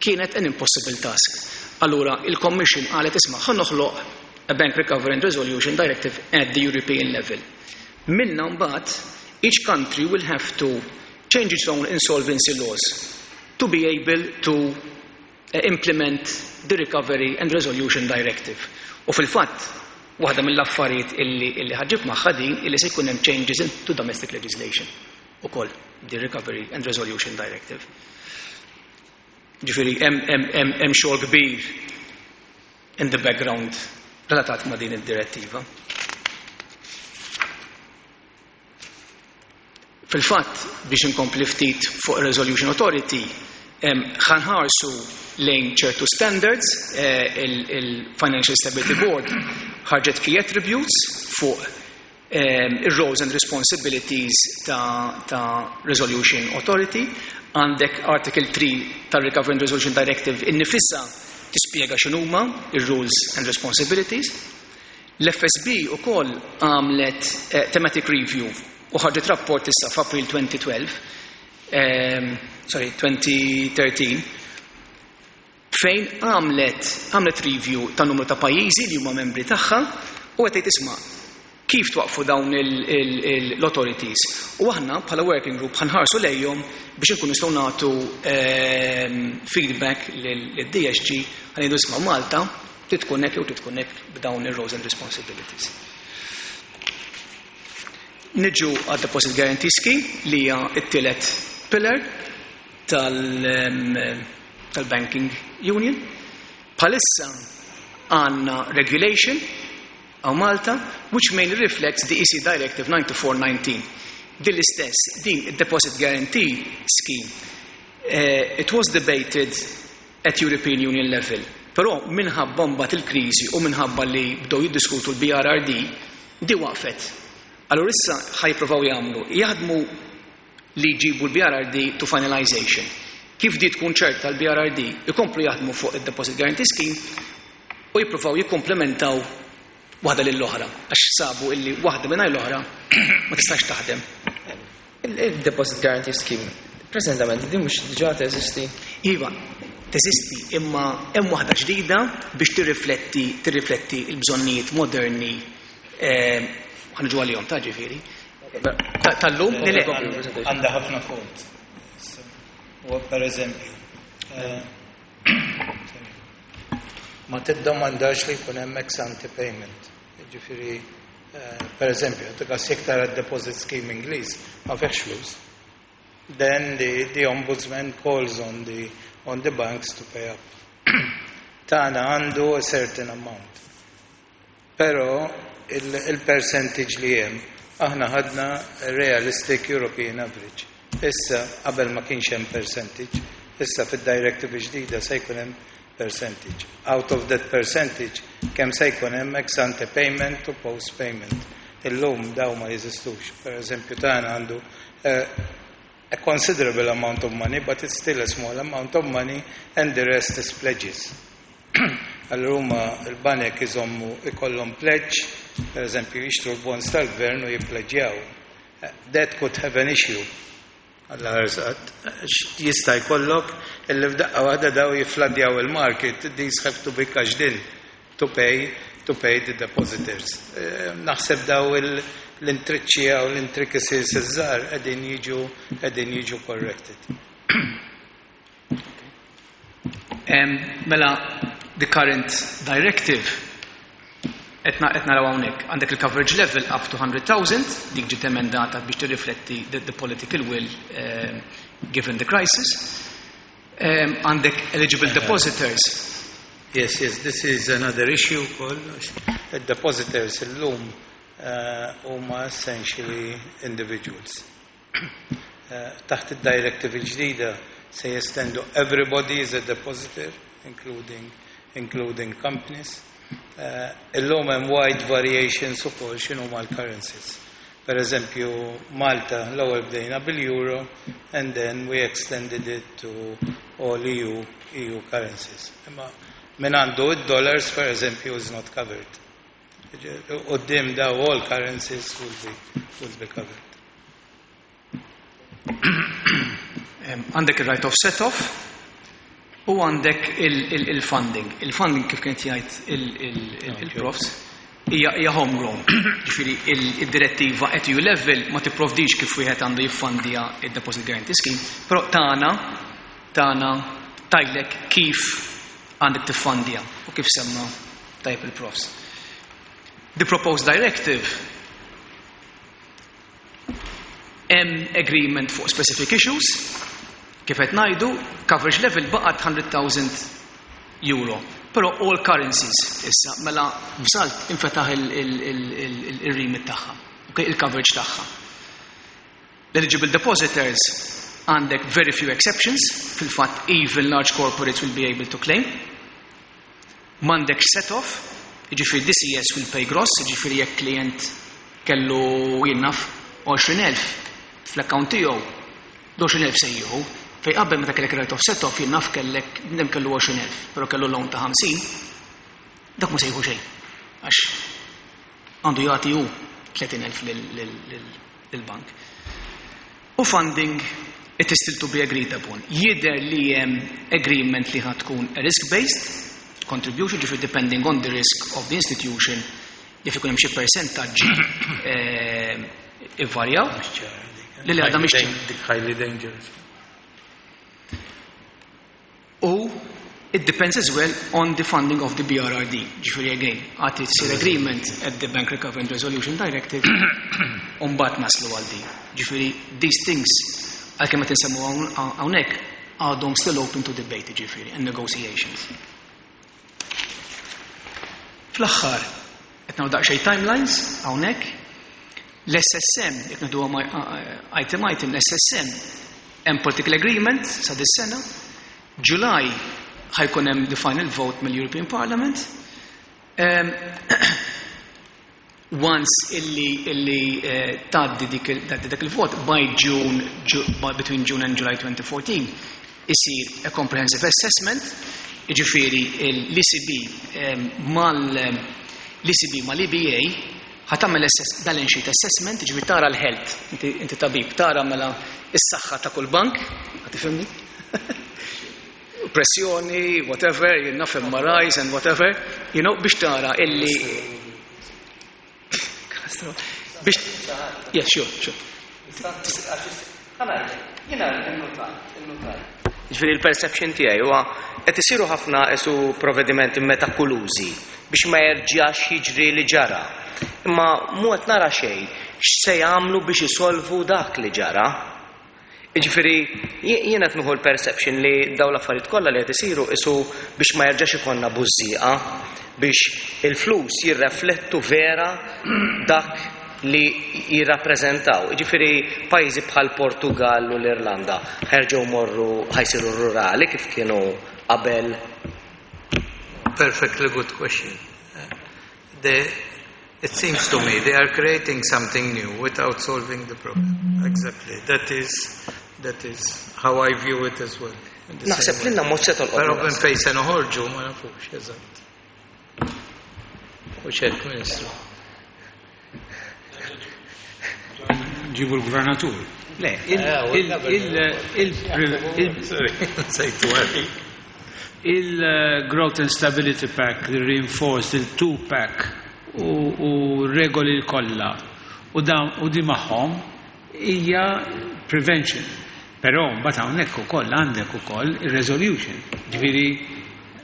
kienet an impossible task. Allura il-Commission qalet, isma', ħa noħloq a Bank Recovery and Resolution Directive at the European level. Minna mbagħad each country will have to change its own insolvency laws to be able to implement the Recovery and Resolution Directive. U fil-fatt, waħda mill-affarijiet illi ħa ġġib magħha din illi se jkun hemm changes into domestic legislation ukoll the Recovery and Resolution Directive. Ġifieri hemm xogħol kbir in the background relatat ma' din id-direttiva. Fil-fatt, biex inkompli ftit fuq Resolution Authority, ħa nħarsu lejn ċertu standards, il-Financial Stability Board ħarġet key attributes fuq il-roles and responsibilities ta' Resolution Authority. Għandek Article 3 tal-Recovery and Resolution Directive innifisha tispjega x'inhuma ir-rules and responsibilities. L-FSB ukoll għamlet thematic review u ħarġet rapport issa f'April 2012, sorry, 2013, fejn għamlet review ta' numru ta' pajjiżi li huma membri tagħha u qed tgħid, isma', kif twaqfu dawn l-authorities. U aħna bħala working group ħa nħarsu lejhom biex inkunu nistgħu nagħtu feedback lid-DSG, ħa ngħidu, isma', Malta trid tkun hekk jew trid tkun hekk b'dawn ir-roles and responsibilities. Niġu għad Deposit Guarantee Scheme li hija t-tielet pillar tal-Banking Union. Bħalissa għandna regulation hawn Malta which mainly reflects the EC Directive 9419. Din l-istess, din id-Deposit Guarantee Scheme, it was debated at European Union level. Però minħabba mbagħad il-kriżi u minħabba li bdew jiddiskutu l-BRRD, di waqfet. Allura issa ħa jippruvaw jagħmlu, jaħdmu li jġibu l-BRRD to finalization. Kif di tkun ċerta l-BRRD, ikomplu jaħdmu fuq il-Deposit Guarantee Scheme u jippruvaw jikkomplementaw waħda lill-oħra, għax sabu illi waħda mingħajr l-oħra ma tistax taħdem. Il-Deposit Guarantee Scheme, preżentament, din mhux diġà teżisti? Iva, teżisti, imma hemm waħda ġdida biex tirrifletti l-bżonnijiet moderni, ħa niġu għalihom ta' ġifieri. Tal-lum, li le. Għandha ħafna fault. U per eżempju, ma tiddomandax li jkun hemm ex ante payment. Ġifieri, per eżempju, tikas jekk tara deposit scheme Ingliż, ma fihx flus. Then the ombudsman calls on the banks to pay up. Tagħna għandu a certain amount. Però il-percentage li hemm. Aħna ħadna realistic European average. Issa qabel ma kienx hemm percentage, issa fid-directive ġdida se jkun hemm percentage. Out of that percentage, kemm se jkun hemm ex ante payment u post payment. Illum daw ma jeżistux. Per eżempju, tagħna għandu a considerable amount of money, but it's still a small amount of money, and the rest is pledges. Allura huma l-banek iżommu ikollhom pledge, per eżempju jixtru l-bonds tal-gvern u jippledġjaw. That could have an issue. Alla ħarsqat, jista' jkollok illi f'daqqa waħda daw jiffladjaw il-market, these have to be cashed in to pay the depositors. Naħseb daw l-intriċċi u l-intricacies iż-żgħar qegħdin jiġu corrected. Mela, the current directive qed naraw hawnhekk għandek il-coverage level up to 100,000, dik ġiet emendata biex tirrifletti the political will given the crisis. Għandek eligible depositors. Yes, this is another issue called the depositors illum huma essentially individuals. Taħt id-directive il-ġdida se jestendu everybody is a depositor, including companies. Illum hemm wide variations ukoll x'inhu mal-currencies. Per eżempju, Malta l-ewwel bdejna bil-euro and then we extended it to all EU currencies. Imma min għandu id-dollars, per eżempju, is not covered. Quddiem daw all currencies will be covered. Għandek il-right of set-off u għandek il-funding. Il-funding, kif kienet jgħid il-profs, hija homegrown. Ġifieri il-direttiva at EU level ma tipprovdix kif wieħed għandu jiffandja il-Deposit Guarantee Scheme, però tagħna tgħidlek kif għandek tiffandja u kif semma tajb il-profs. The proposed directive, hemm agreement fuq specific issues, kif qed ngħidu, coverage level baqgħet €100,000. Però all currencies issa, mela b'salt infetaħ il-remit tagħha, okay, il-coverage tagħha. L-eligible depositors, għandek very few exceptions, fil-fatt even large corporates will be able to claim. M'għandek set-off, jiġifieri DCS will pay gross, jiġifieri jekk klient kellu, jien naf, 20,000 fl-account tiegħu, 20,000 se jieħu. Fej qabel meta kellek right of set-off, jien naf, kellek dem kellu 20,000, però kellu loan ta' 50, dak ma se jieħu xejn. Għax għandu jagħti hu 30,000 lill-bank. U funding, it is still to be agreed upon. Jidher li hemm agreement li ħa tkun a risk-based contribution, ġifieri depending on the risk of the institution, jaf ikun hemm xi percentaġġi ivarjaw. Li li għadha mhix ċara. Dik highly dangerous. U it depends as well on the funding of the BRRD. Ġifieri again, għad issir agreement at the Bank Recovery and Resolution Directive, u mbagħad naslu għal di. Ġifieri these things, għalkemm qed insemmu hawnhekk, għadhom still open to debate, ġifieri, and negotiations. Fl-aħħar, qed nagħmlu daqsxejn timelines hawnhekk. L-SSM, jekk nieħdu item item, l-SSM hemm political agreement sa dis-sena. July ħa jkun hemm the final vote mill-European Parliament. Once illi tgħaddi dak il-vot by June, between June and July 2014, isir a comprehensive assessment, jiġifieri l-ECB mal l-ECB mal-EBA ħa tagħmel balance sheet assessment, jiġifieri tara l-health, inti tabib, tara mela is-saħħa ta' kull bank, ħa tifhimni? Pressjoni, whatever, jien naf, MRIs and whatever, biex tara illi biex, yeah, sure. Jiena innotajt. Ġifieri il-perception tiegħi huwa qed isiru ħafna esu provvedimenti metakulużi biex ma jerġax jiġri li ġara. Imma mhu qed nara xejn x'se jagħmlu biex isolvu dak li ġara. Ġifieri jiena qed nieħu l-perception li dawn l-affarijiet kollha li qed isiru isu biex ma jerġax ikollna bużżieqa, biex il-flus jirreflettu vera dak. li jirrappreżentaw. Jiġifieri pajjiżi bħal Portugall u l-Irlanda ħa jerġgħu jmorru ħa jsiru rurali kif kienu qabel? Perfectly good question. The, it seems to me they are creating something new without solving the problem. Exactly. That is, that is how I view it as well. Naħseb li mhux se tolqot. Però minn fejn se noħorġu ma nafux, eżatt. U ċek, Ministru. Ġibu l-gvernatur. Le, il-Growth and Stability Pack, il-Reinforced, il-Two-Pack u regoli l-kolla u u di magħhom hija prevention. Però mbagħad hawnhekk ukoll għandek ukoll ir-resolution. Ġifieri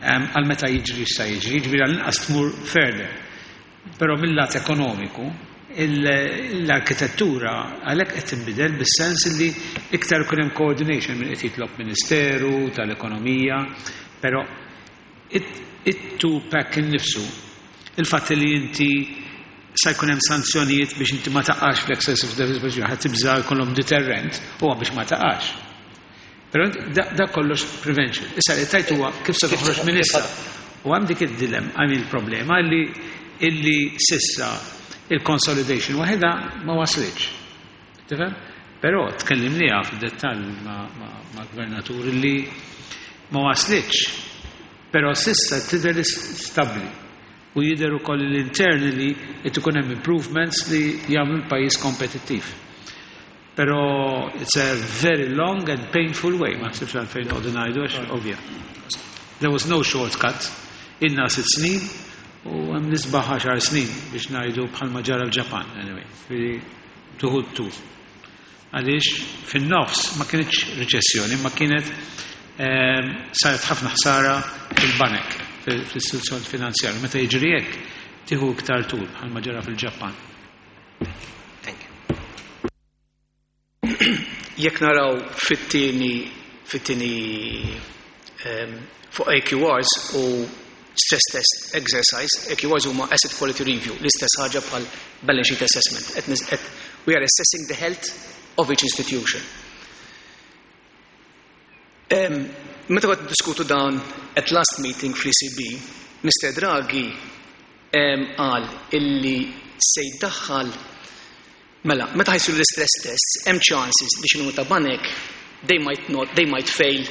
għal meta jiġri sa jiġri, ġifieri għall-inqas tmur further. Però mill-lat ekonomiku, l-arkitettura għalhekk qed tinbidel bis-sens li iktar ikun hemm coordination minn qed jitlob Ministeru tal-Ekonomija, però it-two pack innifsu, il-fatt li inti sa jkun hemm sanzjonijiet biex inti ma taqax fl-excessive deficit procedure, ħadd tibża' jkollhom deterrent huwa biex ma taqax. Però da kollox prevention. Issa li tajt huwa kif se toħroġ minn issa. U hemm dik id-dilem, hemm il-problema li illi sissa il-consolidation waħedha ma waslitx. Tifhem? Però tkellimniha fid-dettall ma' gvernatur li ma waslitx. Però sissa tidher stabbli u jidher ukoll li internally qed ikun hemm improvements li jagħmlu l-pajjiż kompetittiv. Però it's a very long and painful way, ma nsibx għalfejn noqogħdu ngħidu għax ovvja. There was no shortcut. Ilna 6 snin u hemm nisbaħ 10 snin biex ngħidu bħalma ġara l-Ġapan, anyway, tuħu tul. Għaliex fin-nofs ma kienx riċessjoni, ma kienet saret ħafna ħsara fil-banek, fil-istituzzjoni finanzjarju. Meta jiġri hekk, tieħu iktar tul bħalma ġara fil-Ġapan. Thank you. Jekk naraw fit-tieni fuq AQRs u stress test exercise, AQRs huma asset quality review, l-istess ħaġa bħal balance sheet assessment. We are assessing the health of each institution. Meta kont diskutu dan at last meeting fl-ECB, Mr. Draghi qal illi se jdaħħal. Mela, meta ħa jsiru l-stress tests, hemm chances li xi ta' banek they might not, they might fail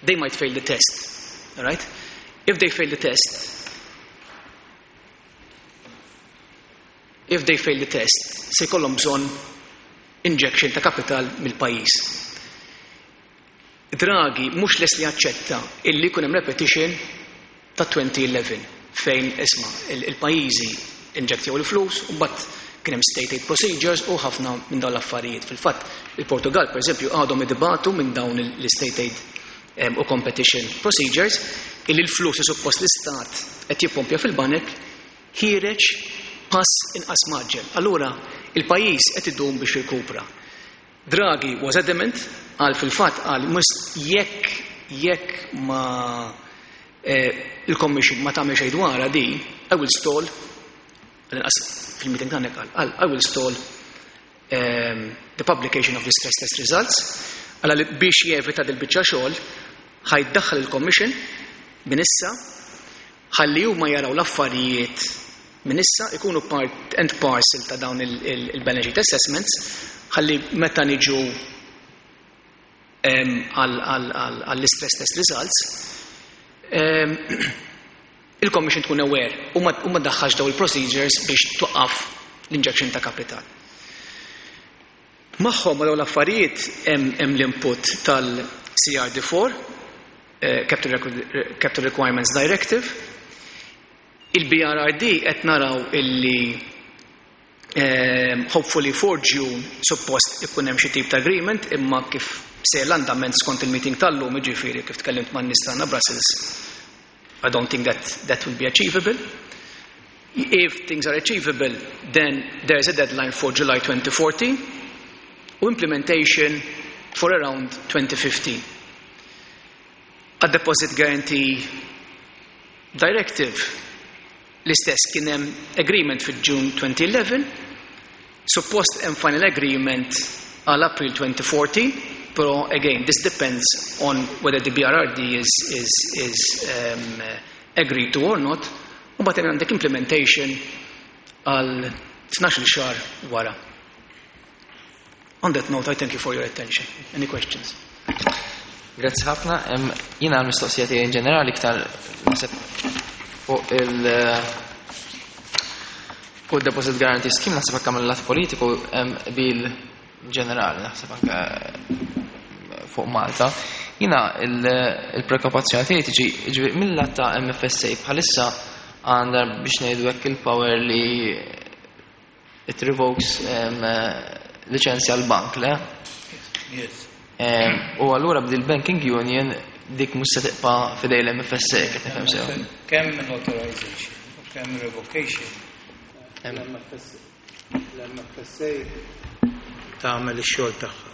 they might fail the test. All right? If they fail the test, if they fail the test, se jkollhom bżonn injection ta' capital mill-pajjiż. Draghi mhux les li jaċċetta illi jkun hemm repetition ta' 2011 fejn isma' il-pajjiżi inġektjaw il-flus u mbagħad kien hemm state aid procedures u ħafna minn dawn l-affarijiet. Fil-fatt, il-Portugal, per eżempju, għadhom idibatu minn dawn l-state aid u competition procedures illi l-flus li suppost l-istat qed jippompja fil-banek ħiereġ pass inqas mgħaġġel. Allura, il-pajjiż qed idum biex jirkupra. Draghi was adamant, għal fil-fatt għal must jekk ma il-Commission ma tagħmel xejn dwarha di, I will stall, għal fil-meeting tagħna qal, I will stall the publication of the stress test results, għal li biex jevita dil-biċċa xogħol ħa jdaħħal il-Commission minn issa ħalli huma jaraw l-affarijiet minn issa ikunu part and parcel ta' dawn il-balance sheet assessments ħalli meta niġu għall-stress test results il-Commission tkun aware u ma daħħax daw il-procedures biex twaqqaf l-injection ta' kapital. Magħhom ma dawn l-affarijiet hemm l-input tal-CRD4, Capital Requirements Directive. Il-BRRD qed naraw illi hopefully for June suppost ikun hemm xi tip ta' agreement, imma kif se l-andament skont il-meeting tal-lum, jiġifieri kif tkellimt man nies tagħna Brussels, I don't think that that will be achievable. If things are achievable, then there is a deadline for July 2014 u implementation for around 2015. A deposit guarantee directive. L-istess kien hemm agreement fil-June 2011, suppost hemm final agreement għal April 2014, però again, this depends on whether the BRRD is agreed to or not, u mbagħad għandek implementation għal 12 xahar wara. On that note, I thank you for your attention. Any questions? Grazzi ħafna. Jiena l-mistoqsija tiegħi in ġenerali iktar naħseb fuq il-Deposit Guarantee Scheme, naħseb anke mill-lat politiku bil ġenerali, naħseb anke fuq Malta. Jiena il-preokkupazzjoni tiegħi tiġi, ġifieri, mill-lat ta' MFSA, bħalissa għandha, biex ngħidu hekk, il-power li it revokes liċenzja l-bank, le? Yes. U allura b'dil banking union dik mhux se tibqa' f'idejn l-MFSA, kif nifhem sew? Kemm authorization u kemm revocation. L-MFSA tagħmel ix-xogħol tagħha.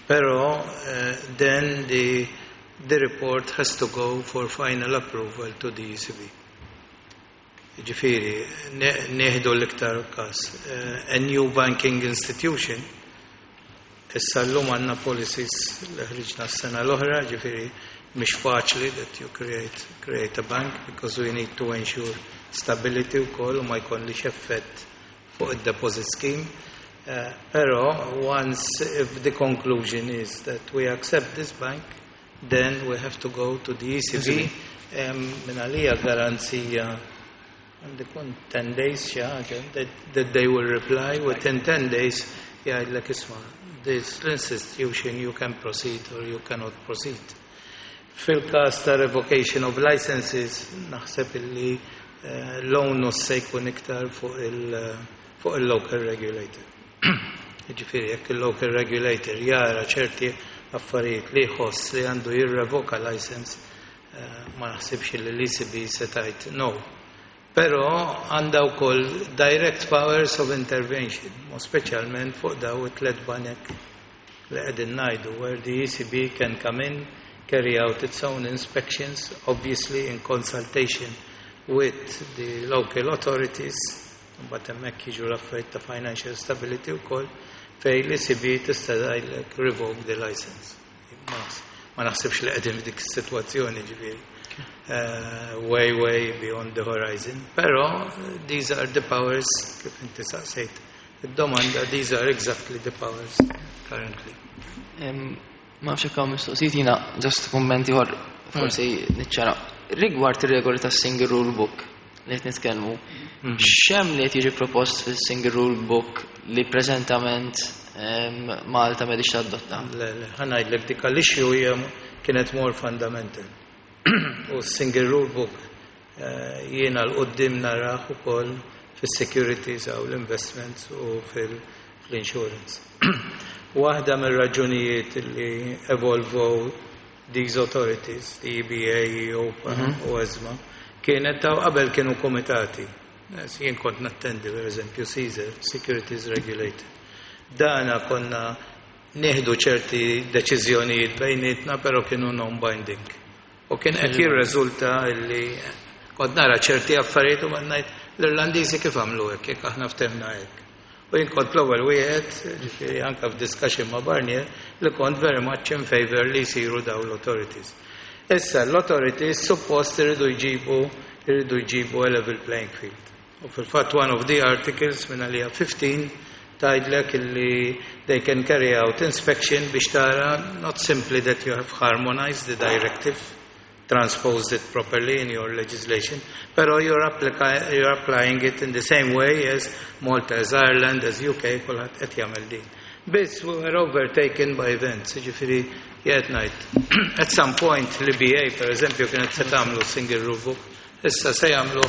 Però then the report has to go for final approval to the ECB. Ġifieri, nieħdu l-iktar każ. A new banking institution, issa llum għandna policies li ħriġna s-sena l-oħra, ġifieri mhix faċli that you create a bank because we need to ensure stability wkoll u ma jkollix effett fuq il-deposit scheme. Però once if the conclusion is that we accept this bank, then we have to go to the ECB. Min għalija garanzija għandi kun 10 days xi ħaġa that they will reply within 10 days, jgħidlek, "Isma', this institution, you can proceed or you cannot proceed." Fil-każ ta' revocation of licenses, naħseb illi l-onus se jkun iktar fuq il-local regulator. Ġifieri, jekk il-local regulator jara ċerti affarijiet li jħoss li għandu jirrevoka license, ma naħsibx li l-ECB se tgħid no. Però għandha wkoll direct powers of intervention, u speċjalment fuq daw it-tlet banek li qegħdin ngħidu, where the ECB can come in, carry out its own inspections, obviously in consultation with the local authorities, mbagħad hemmhekk jiġu l-affarijiet ta' financial stability wkoll, fejn l-ECB tista' tgħidlek revoke the license. Ma naħsibx li qegħdin f'dik is-sitwazzjoni, ġifieri. Way, way beyond the horizon. Però these are the powers, kif inti saqsejt id-domanda, these are exactly the powers currently. Ma nafx jekk hawn mistoqsijiet, jiena just kummenti ieħor forsi niċċara. Rigward ir-regoli tas-single rule book li qed nitkellmu, x'hemm li qed jiġi propost fis-single rule book li preżentament Malta m'għadhiex tadotta? Le, ħa ngħidlek, dik l-issue hija kienet more fundamental. U single rule book jiena 'l quddiem narah ukoll fis-securities u l-investments u fil-insurance. Waħda mir-raġunijiet li evolvow these authorities, the EBA, EIOPA u ESMA, kienet daw qabel kienu komitati. Jien kont nattendi, per eżempju, CESR, Securities Regulator. Dana konna nieħdu ċerti deċiżjonijiet bejnietna, però kienu non-binding. U kien qed jirreżulta li kont nara ċerti affarijiet u ngħid, "L-Irlandiżi kif għamlu hekk, jekk aħna ftehmna hekk?" U jien kont l-ewwel wieħed, ġifieri anke f'discussion ma' Barnier, li kont very much in favor li jsiru daw l-authorities. Issa l-authorities suppost iridu jġibu a level playing field. U fil-fatt one of the articles minn għalija 15 tgħidlek illi they can carry out inspection biex tara not simply that you have harmonized the directive, transposed it properly in your legislation, pero you're applying it in the same way as Malta, as Ireland, as UK, kulħadd qed jagħmel din. Biss we were overtaken by events, ġifieri jgħid ngħid. At some point l-EBA, per eżempju, kienet se tagħmlu single rule book, issa se jagħmlu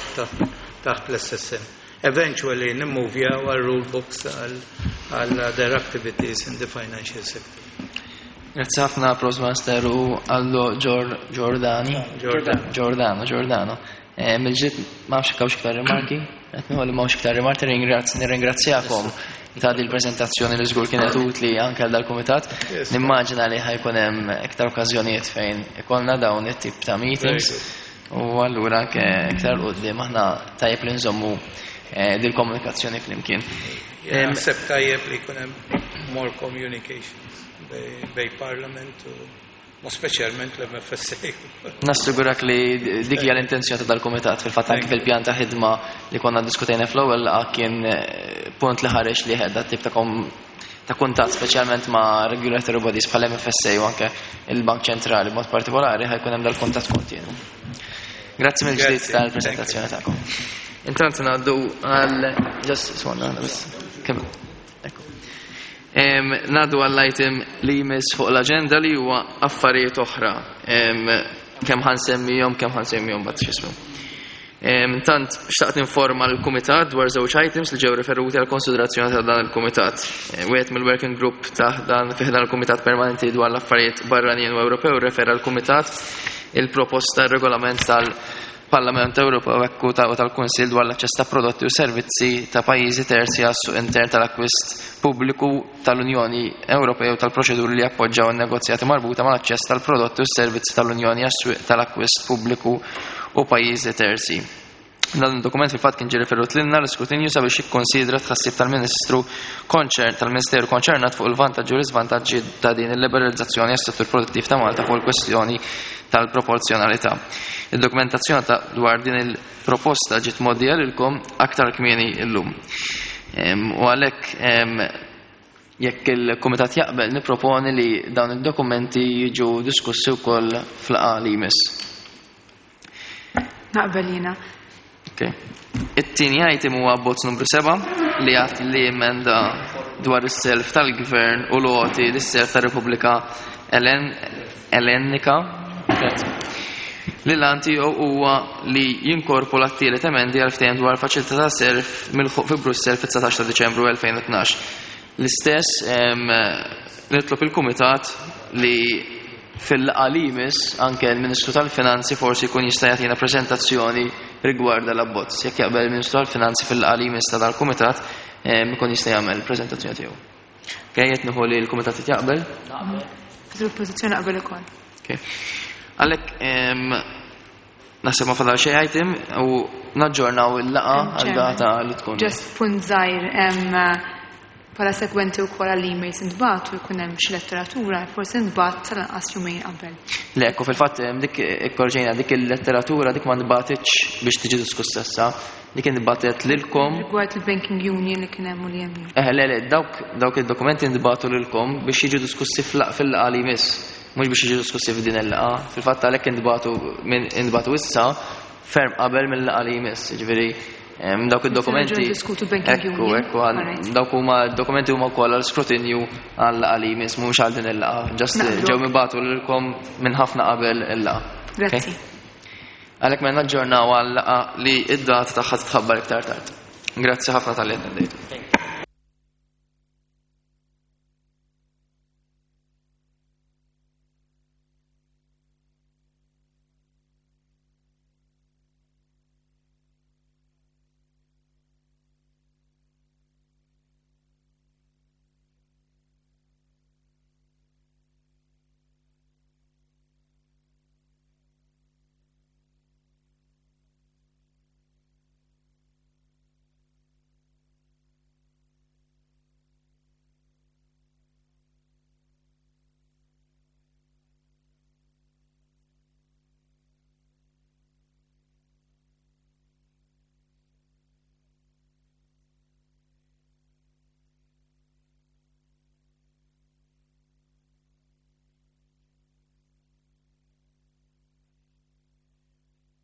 taħt l-SSM. Eventually nimmuvjaw għal rule books għal other activities in the financial sector. Grazzi ħafna, Prostmaster u Aldo Giordani. Giordano. Giordano, Giordano. Mill-ġdid, ma nafx hawnx iktar rimarki, qed nieħu li m'hawnx iktar rimarki, nirringrazzjakom ta' din il-preżentazzjoni li żgur kienet utli anke għal dal-kumitat. Nimmaġina li ħa jkun hemm iktar okkażjonijiet fejn ikollna dawn it-tip ta' meetings. U allura anke iktar quddiem aħna tajjeb li nżommu dil-komunikazzjoni flimkien. Naħseb tajjeb li jkun hemm more communications bejn Parliament u speċjalment l-MFSA. Nassigurak li dik hija l-intenzjoni ta' dal-kumitat. Fil-fatt anke fil-pjan ta' ħidma li konna diskutejna fl-ewwel laqgħa kien punt li ħareġ li ħedda tip ta' ta' kuntatt speċjalment ma' regulatory bodies bħal MFSA u anke il-Bank Ċentrali b'mod partikolari ħajkun hemm dal-kuntatt kontinu. Grazzi mill-ġdid tal-preżentazzjoni tagħkom. Intant ngħaddu għal just swanna biss. Kemm Ngħaddu għall-item li jmiss fuq l-aġenda li huwa affarijiet oħra. Kemm ħansemmihom, kemm ħansemmihom bad x'ismu. Intant, xtaqt ninforma l-Kumitat dwar żewġ items li ġew referuti għal konsiderazzjoni ta' dan il-Kumitat. Wieħed mill-Working Group ta' dan fih dan il-Kumitat Permanenti dwar l-Affarijiet Barranin u Ewropew refera l-Kumitat il-proposta regolament tal-Parlament Ewropew ekku ta' tal-Kunsill dwar l-aċċess ta' prodotti u servizzi ta' pajjiżi terzi għas-suq intern tal-akkwist pubbliku tal-Unjoni Ewropea u tal-proċeduri li jappoġġaw in-negozjati marbuta mal-aċċess tal-prodotti u s-servizzi tal-Unjoni għas-swieq tal-akkwist pubbliku u pajjiżi terzi. Dan id-dokument fil-fatt kien ġie referut lilna l-iskrutinju sabiex jikkonsidra tħassib tal-Ministru tal-Ministeru konċernat fuq il-vantaġġi u l-iżvantaġġi ta' din il-liberalizzazzjoni għas-settur produttiv ta' Malta fuq il-kwestjoni tal-proporzjonalità. Id-dokumentazzjoni ta' dwar din il-proposta ġiet mgħoddija lilkom aktar kmieni llum. U għalhekk jekk il-Kumitat jaqbel nipproponi li dawn id-dokumenti jiġu diskussi wkoll fl-laqgħa li jmiss. Naqbel jiena. Okay. It-tieni item huwa abbozz numru 7 li għat li emenda dwar is-self tal-Gvern u l-għoti lis-self tar-Repubblika Ellenika. Li l-għan tiegħu huwa li jinkorpora t-tielet emendi għal ftehim dwar faċilità ta' self milħuq fi Brussell fit-19 ta' Diċembru 2012. L-istess nitlob il-Kumitat li fil-laqgħa li jmiss anke l-Ministru tal-Finanzi forsi jkun jista' jagħtina preżentazzjoni rigward l-abbozz. Jekk jaqbel il-Ministru tal-Finanzi fil-laqgħa li jmiss ta' dal-Kumitat ikun jista' jagħmel preżentazzjoni tiegħu. Okay, qed nieħu li l-Kumitat qed jaqbel? Fil-pożizzjoni naqbel ukoll. Okay. Għalhekk naħseb ma fadal xejn item u naġġornaw il-laqgħa għal data li tkun. Just punt żgħir bħala segwenti wkoll għall-emails intbagħtu jkun hemm xi letteratura, forsi ntbagħat tal-anqas jumejn qabel. Le, ekku fil-fatt dik ikkorġejna dik il-letteratura dik ma ntbagħtitx biex tiġi diskussa issa, dik intbagħtet lilkom. Rigward il-Banking Union li kien hemm u l-EMU. Eh, le, le, dawk id-dokumenti ntbagħtu lilkom biex jiġu diskussi fil-laqgħa li jmiss, mhux biex jiġu diskussi f'din il-laqgħa. Fil-fatt għalhekk intbagħtu issa ferm qabel mill-laqgħa li jmiss, jiġifieri dawk id-dokumenti. Diskutu Banking Ekku, ekku, dawk huma dokumenti huma wkoll għal skrutinju għal laqgħa li jmiss, mhux għal din il-laqgħa. Just ġew mibagħtu lilkom minn ħafna qabel il-laqgħa. Grazzi. Għalhekk mela naġġornaw għal laqgħa li id-data tagħha titħabbar iktar tard. Grazzi ħafna talli attendejtu.